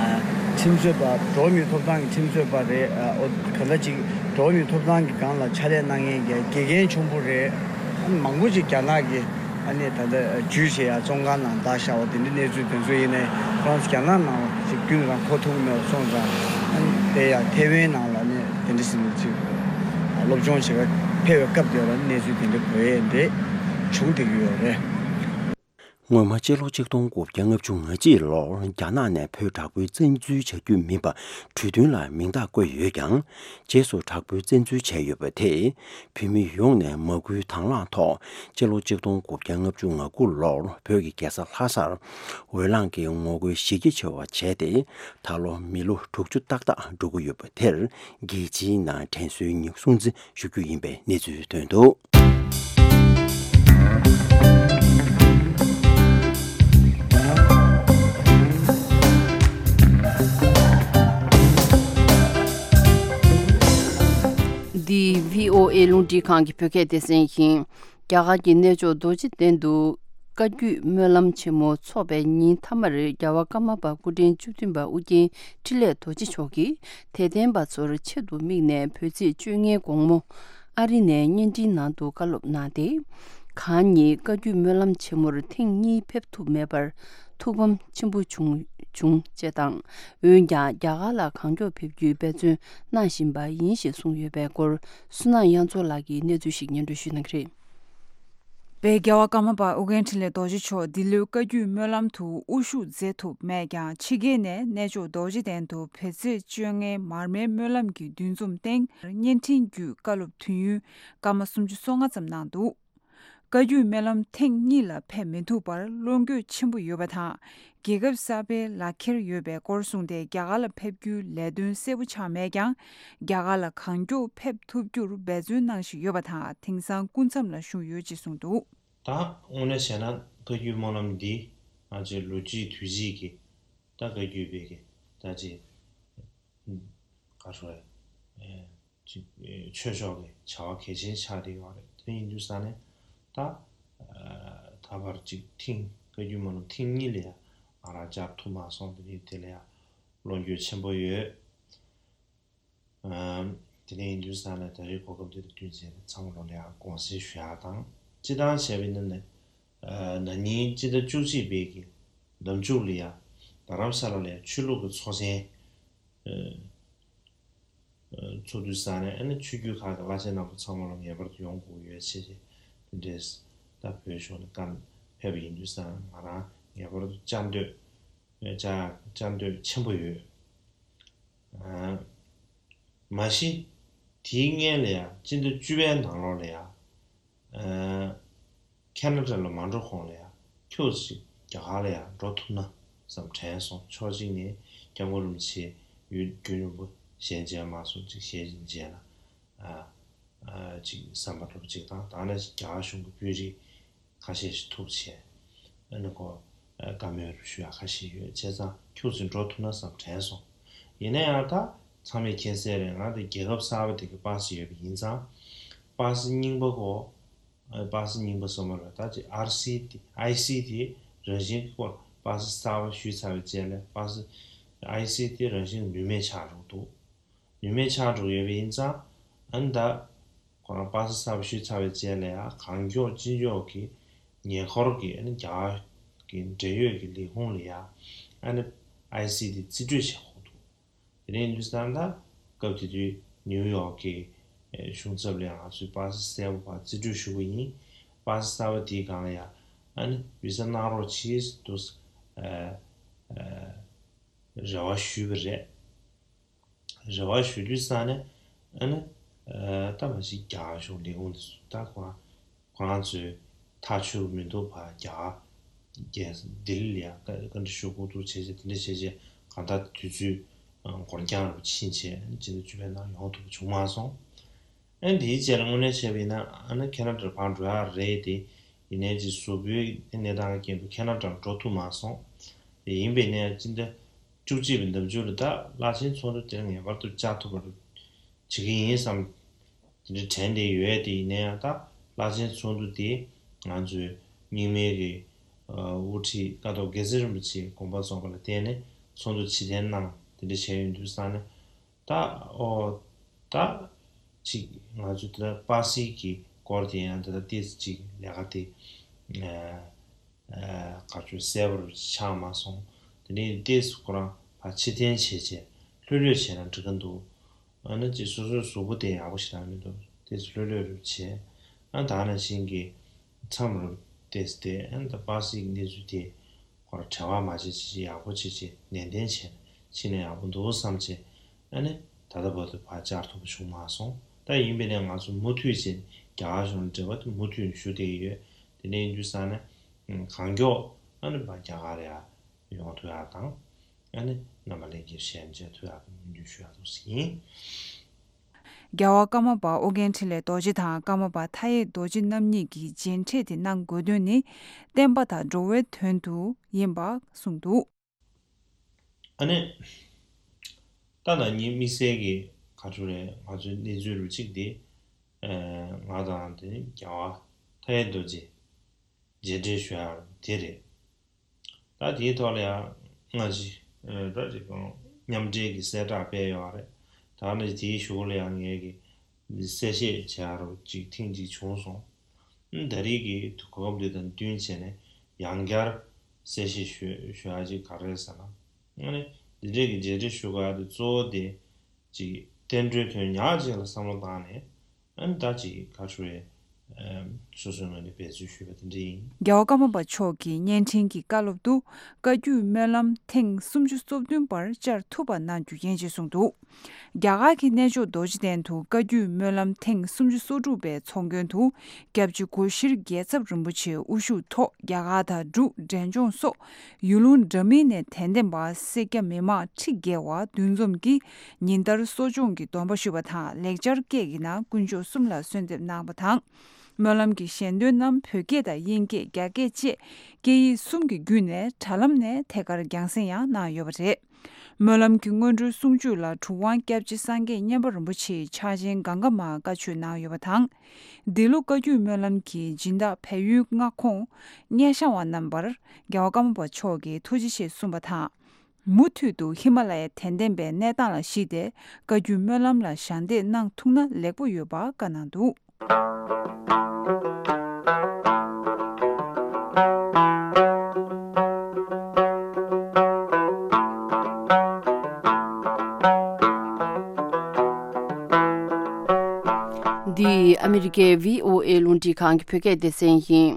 ཨ་ཁྲིམས་རྩོད་པ། འགྲོ་བ་མིའི་ཐོབ་ཐང་གི་ཁྲིམས་རྩོད་པ་རེད། ཨ་ཨོ་ག་ད་ཅིག་འགྲོ་བ་མིའི་ཐོབ་ཐང་གི་སྒང་ལ་ཕྱག་ལས་གནང་མཁན་གྱི་དགེ་རྒན་ཆེན་པོ་རེད། ཨ་ནི་མང་པོ་ཅིག་རྒྱ་ནག་གི་ཨ་ནི་ད་ལྟ་ཇུས་བྱེད་ཡ་བཙོན་ཁང་ནང་བདག་བཞག་པ་དེ་འདྲའི་གནས་ཚུལ་དེ་ཚོ་ཡིན་ནའི་ཁོ་རང་ཚོ་རྒྱ་ནག་ནང་ལ་ཅིག་རྒྱུན་རང་འཁོར་ཐུབ་མེད་པ་སོང་ཙང་། ཨ་ནི་དེ་ཡང་ཐེ་ཝན་ནང་ལ་ནི་དེ་འདྲ་ཞིག་ནས་ཅིག་སློབ་སྦྱོང་བྱེད་པར་ཕེབས་པའི་སྐབས་དེ་ལ་གནས་ཚུལ་དེ་འདྲ་གོ་ཡས་འདྲ་བྱུང་བསྡད་ཀྱི་ཡོད་རེད། སྔོན་མ་སྤྱི་ལོ་གཅིག་སྟོང་དགུ་བརྒྱ་ལྔ་བཅུ་ང་གཅིག་ལོར་རྒྱ་ནག་ནས་བོད་དྲག་པོའི་བཙན་འཛུལ་བྱ་རྒྱུ་མིན་པ་གྲོས་མཐུན་ལ་མིང་རྟགས་བཀོད་ཡོད་ཀྱང་། རྗེས་སུ་དྲག་པོའི་བཙན་འཛུལ་བྱས་ཡོད་པ་དེས་བོད་མི་ཡོངས་ནས་མ་བསྐུལ་དང་བླངས་ཐོག་སྤྱི་ལོ་གཅིག་སྟོང་དགུ་བརྒྱ་ལྔ་བཅུ་ང་དགུ་ལོར་བོད་ཀྱི་རྒྱལ་ས་ལྷ་སར་འོས་ལངས་ཀྱི་ངོ་རྒོལ་གཞི་རྒྱ་ཆེ་བ་བྱས་ཏེ། ད་ལོ་མི་ལོ་དྲུག་ཅུ་ཏག་ཏག་འགྲོ་གི་ཡོད་པ་དེར་རྒྱལ་སྤྱིའི་ནང་དྲན་གསོའི་ཉིན་སྲུང་བརྩི་ཞུ་རྒྱུ་ཡིན་པའི་གནས་ཚུལ་ཐོན་འདུག། འདི་བྷི་ཨོ་ཨེ་རླུང་འཕྲིན་ཁང་གི་བོད་སྐད་སྡེ་ཚན་ཡིན། རྒྱ་གར་གྱི་གནས་མཆོག་རྡོ་རྗེ་གདན་དུ་བཀའ་བརྒྱུད་སྨོན་ལམ་ཆེན་མོ་འཚོགས་པའི་ཉིན་མཐའ་མར་རྒྱལ་བ་ཀརྨ་པ་སྐུ་ཕྲེང་བཅུ་བདུན་པ་ཨུ་རྒྱན་འཕྲིན་ལས་རྡོ་རྗེ་མཆོག་གིས་དད་ལྡན་པ་ཚོར་ཆེད་དུ་དམིགས་ནས་བོད་ཚེས་བཅོ་ལྔའི་དགོང་མོ་ཨ་རི་ནས་བརྙན་འཕྲིན་ནང་དུ་བཀའ་སློབ་གནང་སྟེ། གང་ཉིད་བཀའ་བརྒྱུད་སྨོན་ལམ་ཆེན་མོར་ཐེངས་གཉིས་ཕེབས་ཐུབ་མེད་པར་ཐུགས་ཕམ་ཆེན་པོ་བྱུང་བྱུང་ཅེས་དང་། འོན་ཀྱང་རྒྱ་གར་ལ་གང་མགྱོགས་ཕེབས་རྒྱུའི་འབད་བརྩོན་གནང་བཞིན་པ་ཡིན་ཞེས་གསུངས་ཡོད་པའི་སྐོར་བསོད་ནམས་དབྱངས་མཚོ་ལགས་ཀྱིས་གནས་ཚུལ་ཞིག་སྙན་སྒྲོན་ཞུ་གནང་གི་རེད། བའི་རྒྱལ་བ་ཀརྨ་པ་ཨོ་རྒྱན་འཕྲིན་ལས་རྡོ་རྗེ་མཆོག་འདི་ལོའི་བཀའ་བརྒྱུད་སྨོན་ལམ་དུ་དབུ་བཞུགས་མཛད་ཐུབ་མེད་ཀྱང་། ཕྱི་རྒྱལ་ནས་གནས་མཆོག་རྡོ་རྗེ་གདན་དུ་བོད་ཚེས་བཅོ་ལྔའི་མར་མེའི་སྨོན་ལམ་གྱི་འདུ་འཛོམས་སྟེང་བརྙན་འཕྲིན་བརྒྱུད་བཀའ་སློབ་དུས་ཡུན་སྐར་མ་སུམ་ཅུ་སོ་ལྔ་ཙམ་གནང་འདུག། བཀའ་བརྒྱུད་སྨོན་ལམ་ཐེངས་གཉིས་ལ་ཕེབས་མི་ཐུབ་པར་བློ་འགྱོད་ཆེན་པོ་ཡོད་པ་དང་། རྒྱལ་ཁབ་གསར་པའི་ལག་འཁྱེར་ཡོད་པའི་སྐོར་གསུངས་ཏེ། རྒྱ་གར་ལ་ཕེབས་རྒྱུའི་ལས་དོན་གསལ་པོ་ཆགས་མེད་ཀྱང་། རྒྱ་གར་ལ་གང་མགྱོགས་ཕེབས་ཐུབ་རྒྱུར་འབད་བརྩོན་གནང་བཞིན་ཡོད་པ་དང་། དེང་སང་སྐུ་མཚམས་ལ་བཞུགས་ཡོད་ཅེས་གསུངས་འདུག། ད་དངོས་གནས་བྱས་ན་བཀའ་བརྒྱུད་སྨོན་ལམ་འདི་ང་ཚོའི་ལོ་རྒྱུས་དུས་ཚིགས་ཀྱི་ད་བཀའ་བརྒྱུད་པའི་གི་ད་ཅིག་ག་རེ་ཟེར། ཨེ་ཅིག་ཨེ་ཆོས་ཕྱོགས་ཀྱི་བྱ་བ་གལ་ཆེན་ཆགས་བསྡད་ཡོད་རེད། དེ་ཡིན་དུས་ས་ནས་ད་ཨ་ད་བར་ཅིག་ཐེངས་བཀའ་བརྒྱུད་སྨོན་ལམ་ཐེངས་གཉིས་ལ་ཡང་ང་རང་བཅར་ཐུབ་མ་སོང་། དེ་ནི་དེ་ལ་ཡང་བློ་འགྱོད་ཆེན་པོ་ཡོད། ཨ་དེ་ནས་ཡིན་དུས་ས་ནས་ད་རེས་གོ་སྐབས་འདི་དང་བསྟུན་བྱས་ནས་ཚང་མ་ལོ་ལ་ཡང་དགོངས་སེལ་ཞུ་ཡག་དང་། སྤྱི་བཏང་བྱས་པ་ཡིན་ན་ནི་ཨ་ན་ནིང་སྤྱི་ཟླ་བཅུ་གཅིག་པའི་གི་ཟླ་མཇུག་ལ་ཡང་རྡ་རམ་ས་ལ་ལ་ཡང་ཆོས་ལུགས་ཀྱི་ཚོགས་ཆེན་ཨ་ཚོགས་དུས་ས་ནས་ཨ་ནི་ཆོས་བརྒྱུད་ཁག་གི་བླ་ཆེན་རྣམ་པ་ཚང་མ་ལ་ངེས་པར་དུ་ཡོང་དགོས་ཡོད་ཅེས་དེ་འདྲས་ད་བོད་ཕྱོགས་ནས་བཀའ་ཕེབས་པ་ཡིན་དུས་ས་ང་རང་ངེས་པར་དུ་བཅར་འདོད་བཅར་བཅར་འདོད་ཆེན་པོ་ཡོད། ཨ་མ་གཞི་དེའི་སྔོན་ལ་ཡང་སྤྱི་ཟླ་བཅུ་པའི་ནང་ལོགས་ལ་ཡང་ཨ་ཁེ་ན་ཌ་ལ་མ་འགྲོ་གོང་ལ་ཡང་ཁྱོད་ཅིག་རྒྱ་གར་ལ་ཡང་འགྲོ་ཐུབ་ན་བསམ་དྲན་སོང་། ཕྱོགས་གཅིག་ནས་སྐྱབས་མགོན་རིན་པོ་ཆེ་ཡུལ་རྒྱུན་རིང་པོ་ཞལ་མཇལ་མ་སོང་། ཅིག་ཞལ་མཇལ་ན་ཨ་ཨ་ཅིག་བསམ་པ་འགྲུབ་ཅིག་དང་། ད་ནི་རྒྱ་གར་གཞུང་གི་དཔོན་རིགས་ཁ་ཤས་ཤིག་ཐུག་བྱས། ཨ་ནི་ཁོ་ཨ་བཀའ་མོལ་རུ་ཞུ་ཡག་ཁ་ཤས་ཡོད། བྱས་ཙང་ཁྱོད་ཚོས་འགྲོ་ཐུབ་ན་བསམ་དྲན་སོང་། ཡིན་ན་ཡང་ད་ཚང་མས་མཁྱེན་གསལ་རེད། ང་འདི་རྒྱལ་ཁབ་གསར་པ་དེ་གི་པ་སི་ཡོད་པ་ཡིན་ཙང་། པ་སི་རྙིང་པ་གོ་ཨ་པ་སི་རྙིང་པ་སོ་མ་རེད། ད་ཅིག་ཨར་སི་དེ་ཨའི་སི་དེ་རང་བཞིན་གྱི་སྐོར་པ་སི་གསར་པ་ཞུས་ཚར་བའི་རྗེས་ལ་པ་སི་ཨའི་སི་དེ་རང་བཞིན་ནུས་མེད་ཆགས་འགྲོ་འདུག། ནུས་མེད་ཆགས་འགྲོ་ཡོད་པ་ཡིན་ཙང་། ཨ་ནི་ད་ཁོ་རང་པ་སེ་གསར་པ་ཞུས་ཚར་བའི་རྗེས་ལ་ཡང་གང་མགྱོགས་ཅི་མགྱོགས་ཀྱི་ཉེ་འཁོར་གྱི་ཨ་ནི་རྒྱ་གར་གྱི་འབྲེལ་ཡོད་ཀྱི་ལས་ཁུངས་ལ་ཡང་ཨ་ནི་ཨའི་སི་དེ་རྩིས་སྤྲོད་བྱེད་དགོས་འདུག། དེ་ནས་ཡིན་དུས་ཙང་ད་སྐབས་དེ་དུས་ནིའུ་ཡོག་གི་གཞུང་ཚབ་ལ་ཡང་ང་ཚོས་པ་སེ་གསལ་པོ་ཕར་རྩིས་སྤྲོད་ཞུ་གི་ཡིན། པ་སེ་གསར་པ་དེའི་སྒང་ལ་ཡང་ཨ་ནི་བི་ཟ་གནང་རོགས་གྱིས་འདུག་ཨ་ཨ་རེ་བ་ཞུས་པ་རེད། རེ་བ་ཞུ་དུས་ཙང་ནས་ཨ་ནི་ཨ་ད་མ་གཞི་རྒྱ་གར་གཞུང་ལས་ཁུངས་དེ་ཚོ་ད་ཁོ་རང་ཁོ་རང་ཚོའི་ཐག་ཆོད་མི་འདུག་པ། རྒྱ་གར་རྒྱལ་ལྡི་ལི་ལ་ཡང་བཀའ་བཀའ་འདྲི་ཞུ་དགོས་འདུག་བྱས་བྱས་དེ་འདྲ་བྱས་བྱས་གང་ལྟར་དུས་ཚོད་འགོར་འགྱངས་རུ་ཕྱིན་བྱས་ཕྱི་ཟླ་བཅུ་པའི་ནང་ཡོང་ཐུབ་པ་བྱུང་མ་སོང་། ཨ་ནི་དེའི་རྗེས་ལ་དངོས་གནས་བྱས་པ་ཡིན་ན་ཨ་ནི་ཁེ་ན་ཌར་ཕར་འགྲོ་ཡག་རེད་དེ། ཡིན་ནའི་ཅིག་གཟུགས་པོའི་གནས་སྟངས་ཀྱི་རྐྱེན་པས་ཁེ་ན་ཌར་འགྲོ་ཐུབ་མ་སོང་། དེ་ཡིན་པས་ནའི་སྤྱི་ཟླ་བཅུ་གཅིག་པའི་ཟླ་མཇུག་ལ་ད་བླ་ཆེན་ཚོགས་འདུ་དེར་ངེས་པར་དུ་བཅར་ཐུབ་པར་བྱེད་ཀྱི་ཡིན་བསམ་དེ་འདྲ་དྲན་བསྡད་ཡོད། དེ་ཡིན་ན་ཡང་ད་བླ་ཆེན་ཚོགས་འདུ་དེ་ང་ཚོའི་ རྙིང་མའི་གི་དབུ་ཁྲིད་ཀཿཐོག་དགེ་ཚུལ་རིན་པོ་ཆེའི་དགོངས་པ་རྫོགས་པ་ལ་བརྟེན་ནས་ཚོགས་འདུ་ཕྱིར་འཐེན་གནང་དེ་འདྲ་བྱས་ཡོང་དུས་ཙང་ནས། ད་ཨོ་ད་ཅིག་ང་ཚོ་ད་པ་སིའི་གི་སྐོར་དེ་ཡང་ད་ལྟ་ཏོག་ཙམ་ཅིག་ལས་ཀ་དེ་ཨ་ཨ་ག་ཚོད་གསལ་པོར་ཆགས་མ་སོང་། དེ་ནས་ཏོག་ཙམ་ཁོ་རང་ཕར་ཕྱིར་འཐེན་བྱས་བྱས་ལྷོད་ལྷོད་བྱས་ན་འགྲིག་གི་འདུག་ཨ་ནི་ཅིག་སོ་སོའི་གཟུགས་པོ་དེ་ཡག་པོ་ཞིག་རག་མི་འདུག་ཏོག་ཙམ་ལྷོད་ལྷོད་རུ་བྱས། ཨ་ད་ནང་བཞིན་གྱི་མཚམས་རུ་ཏོག་ཙམ་དེ་ཨ་ནི་ད་པ་སིའི་གནས་ཚུལ་དེ། ཁོ་རང་བྲེལ་བ་མ་བྱེད་ཅིག་ཅིག་ཡག་པོ་བྱེད་ཅིག་ནན་ཏན་བྱས་ནས་ཕྱིན་ན་ཡག་པོ་འདུག་བསམ་བྱས། ཨ་ནི་ད་ལྟ་བར་དུ་ཕར་བཅར་ཐུབ་པ་བྱུང་མ་སོང་། ད་ཡིན་པས་ན་ང་ཚོ་མུ་མཐུད་བྱས་རྒྱ་གར་གཞུང་ལ་འབྲེལ་བ་དེ་མུ་མཐུད་ཞུ་བསྡད་ཀྱི་ཡོད། དེ་འདྲ་ཡིན་དུས་ཙང་ནས་གང་མགྱོགས་ཨ་ནི་ཕར་རྒྱ་གར་ཡར་ཡོང་ཐུབ་ཡག་དང་། ཨ་ནི་རྣམ་པ་ལྷན་རྒྱས་ཞལ་མཇལ་ཐུབ་ཡག་དང་སྨོན་འདུན་ཞུ་ཡག་འདུག་ཟེར་ཡིན། རྒྱལ་བ་ཀརྨ་པ་ཨོ་རྒྱན་འཕྲིན་ལས་རྡོ་རྗེ་དང་ཀརྨ་པ་མཐའ་ཡས་རྡོ་རྗེ་རྣམ་གཉིས་ཀྱིས་མཇལ་འཕྲད་དེ་གནང་དགོས་དོན་ནི་བསྟན་པ་དང་འགྲོ་བའི་དོན་དུ་ཡིན་པ་གསུངས་འདུག་ཨ་ནི། ད་ལྟ་ངའི་དམིགས་བསལ་གྱི་ག་ཚོད་རེད། ང་ཚོའི་གནས་ཚུལ་རུ་གཅིག་དེ། ཨ་ང་དང་དེ་རྒྱལ་བ་མཐའ་ཡས་རྡོ་རྗེ་མཇལ་འཕྲད་ཞུ་ཡག་དེ་རེད། ད་དེའི་ཐོག་ལ་ཡང་སྔ་ཕྱི་ཨ་ད་ཅིག་གང་མཉམ་འབྲེལ་གྱི་གསལ་བསྒྲགས་སྤེལ་ཡོད་རེད། ད་ནི་དེའི་གཞུག་ལ་ཡང་ངས་ཀྱི་གསལ་བཤད་བྱེད་ཡག་རུ་གཅིག་ཐེངས་གཅིག་བྱུང་སོང་། ཨ་ད་རེས་ཀྱི་གོ་སྐབས་འདི་དང་བསྟུན་བྱས་ནས་ཡང་བསྐྱར་གསལ་བཤད་ཞུ་ཞུ་ཡག་ཅིག་ག་རེ་རེད་ཟེར་ན། ཨ་ནི་འདི་འདྲའི་གི་མཇལ་འཕྲད་ཞུ་ག་དེ་གཙོ་བོ་དེ་ཅིག་བསྟན་འགྲོའི་དོན་ཉག་ཅིག་ལ་བསམ་བློ་བཏང་ནས། ཨ་ནི་ད་ཅིག་ག་ཚོད་རེད། ཨམ་སོ་སོའི་ངོས་ནས་འབད་བརྩོན་ཞུས་པ་དེ་འདྲ་ཡིན། རྒྱལ་བ་ཀརྨ་པ་མཆོག་གི་བརྙན་འཕྲིན་གྱི་བཀའ་སློབ་ཏུ་བཀའ་བརྒྱུད་སྨོན་ལམ་ཐེངས་སུམ་ཅུ་སོ་བདུན་པར་བཅར་ཐུབ་པ་གནང་རྒྱུ་ཡིན་ཞེས་གསུངས་འདུག་རྒྱ་གར་གྱི་གནས་མཆོག་རྡོ་རྗེ་གདན་དུ་བཀའ་བརྒྱུད་སྨོན་ལམ་ཐེངས་སུམ་ཅུ་སོ་དྲུག་པའི་ཚོགས་མགོན་དུ་སྐྱབས་རྗེ་སྒོ་ཤེར་རྒྱལ་ཚབ་རིན་པོ་ཆེ་དབུ་བཞུགས་ཐོག་རྒྱ་གར་དང་འབྲུག་འབྲས་ལྗོངས་སོགས་ཡུལ་ལུང་འདྲ་མིན་ནས་དད་ལྡན་པ་སེར་སྐྱ་མི་མང་ཁྲི་བརྒལ་བ་འདུ་འཛོམས་ཀྱིས་ཉིན་ལྟར་གསོ་སྦྱོང་གི་སྡོམ་པ་ཞུས་པ་དང་ལེགས་སྦྱར་སྐད་ཀྱི་ནང་དཀོན་མཆོག་གསུམ་ལ་གསོལ་འདེབས་གནང་བ་དང་། སྨོན་ལམ་གྱི་ཞལ་འདོན་རྣམས་བོད་སྐད་དང་དབྱིན་སྐད་རྒྱ་སྐད་བཅས་སྐད་ཡིག་གསུམ་གྱི་བརྒྱུད་ནས་དྲ་ལམ་ནས་ཐད་ཀར་རྒྱང་སྲིང་ཡང་གནང་ཡོད་པ་རེད། སྨོན་ལམ་གྱི་སྔོན་འགྲོའི་གསུང་ཆོས་ལ་གྲུབ་དབང་སྐྱབས་རྗེ་སངས་རྒྱས་མཉན་པ་རིན་པོ་ཆེའི་ཕྱག་ཆེན་གང་ག་མ་བཀའ་ཆོས་གནང་ཡོད་པ་དང་། འདི་ལོ་བཀའ་བརྒྱུད་སྨོན་ལམ་གྱི་སྦྱིན་བདག་བལ་ཡུལ་མངའ་ཁོངས་སྙེ་ཤང་བ་རྣམ་པར་རྒྱལ་བ་ཀརྨ་པ་མཆོག་གིས་ཐུགས་རྗེ་ཆེ་གསུངས་པ་དང་། མུ་མཐུད་དུ་ཧི་མ་ལ་ཡའི་དད་ལྡན་པའི་གནས་སྟངས་ལ་གཞིགས་ཏེ་བཀའ་བརྒྱུད་སྨོན་ལམ་ལ་ཞལ་འདེབས་གནང་ཐུབ་ན་ལེགས་པོ་ཡོད་པ་བཀའ་གནང་འདུག་འདི་ཨ་མི་རི་ཀའི་བྷི་ཨོ་ཨེ་རླུང་འཕྲིན་ཁང་གི་བོད་སྐད་སྡེ་ཚན་ཡིན།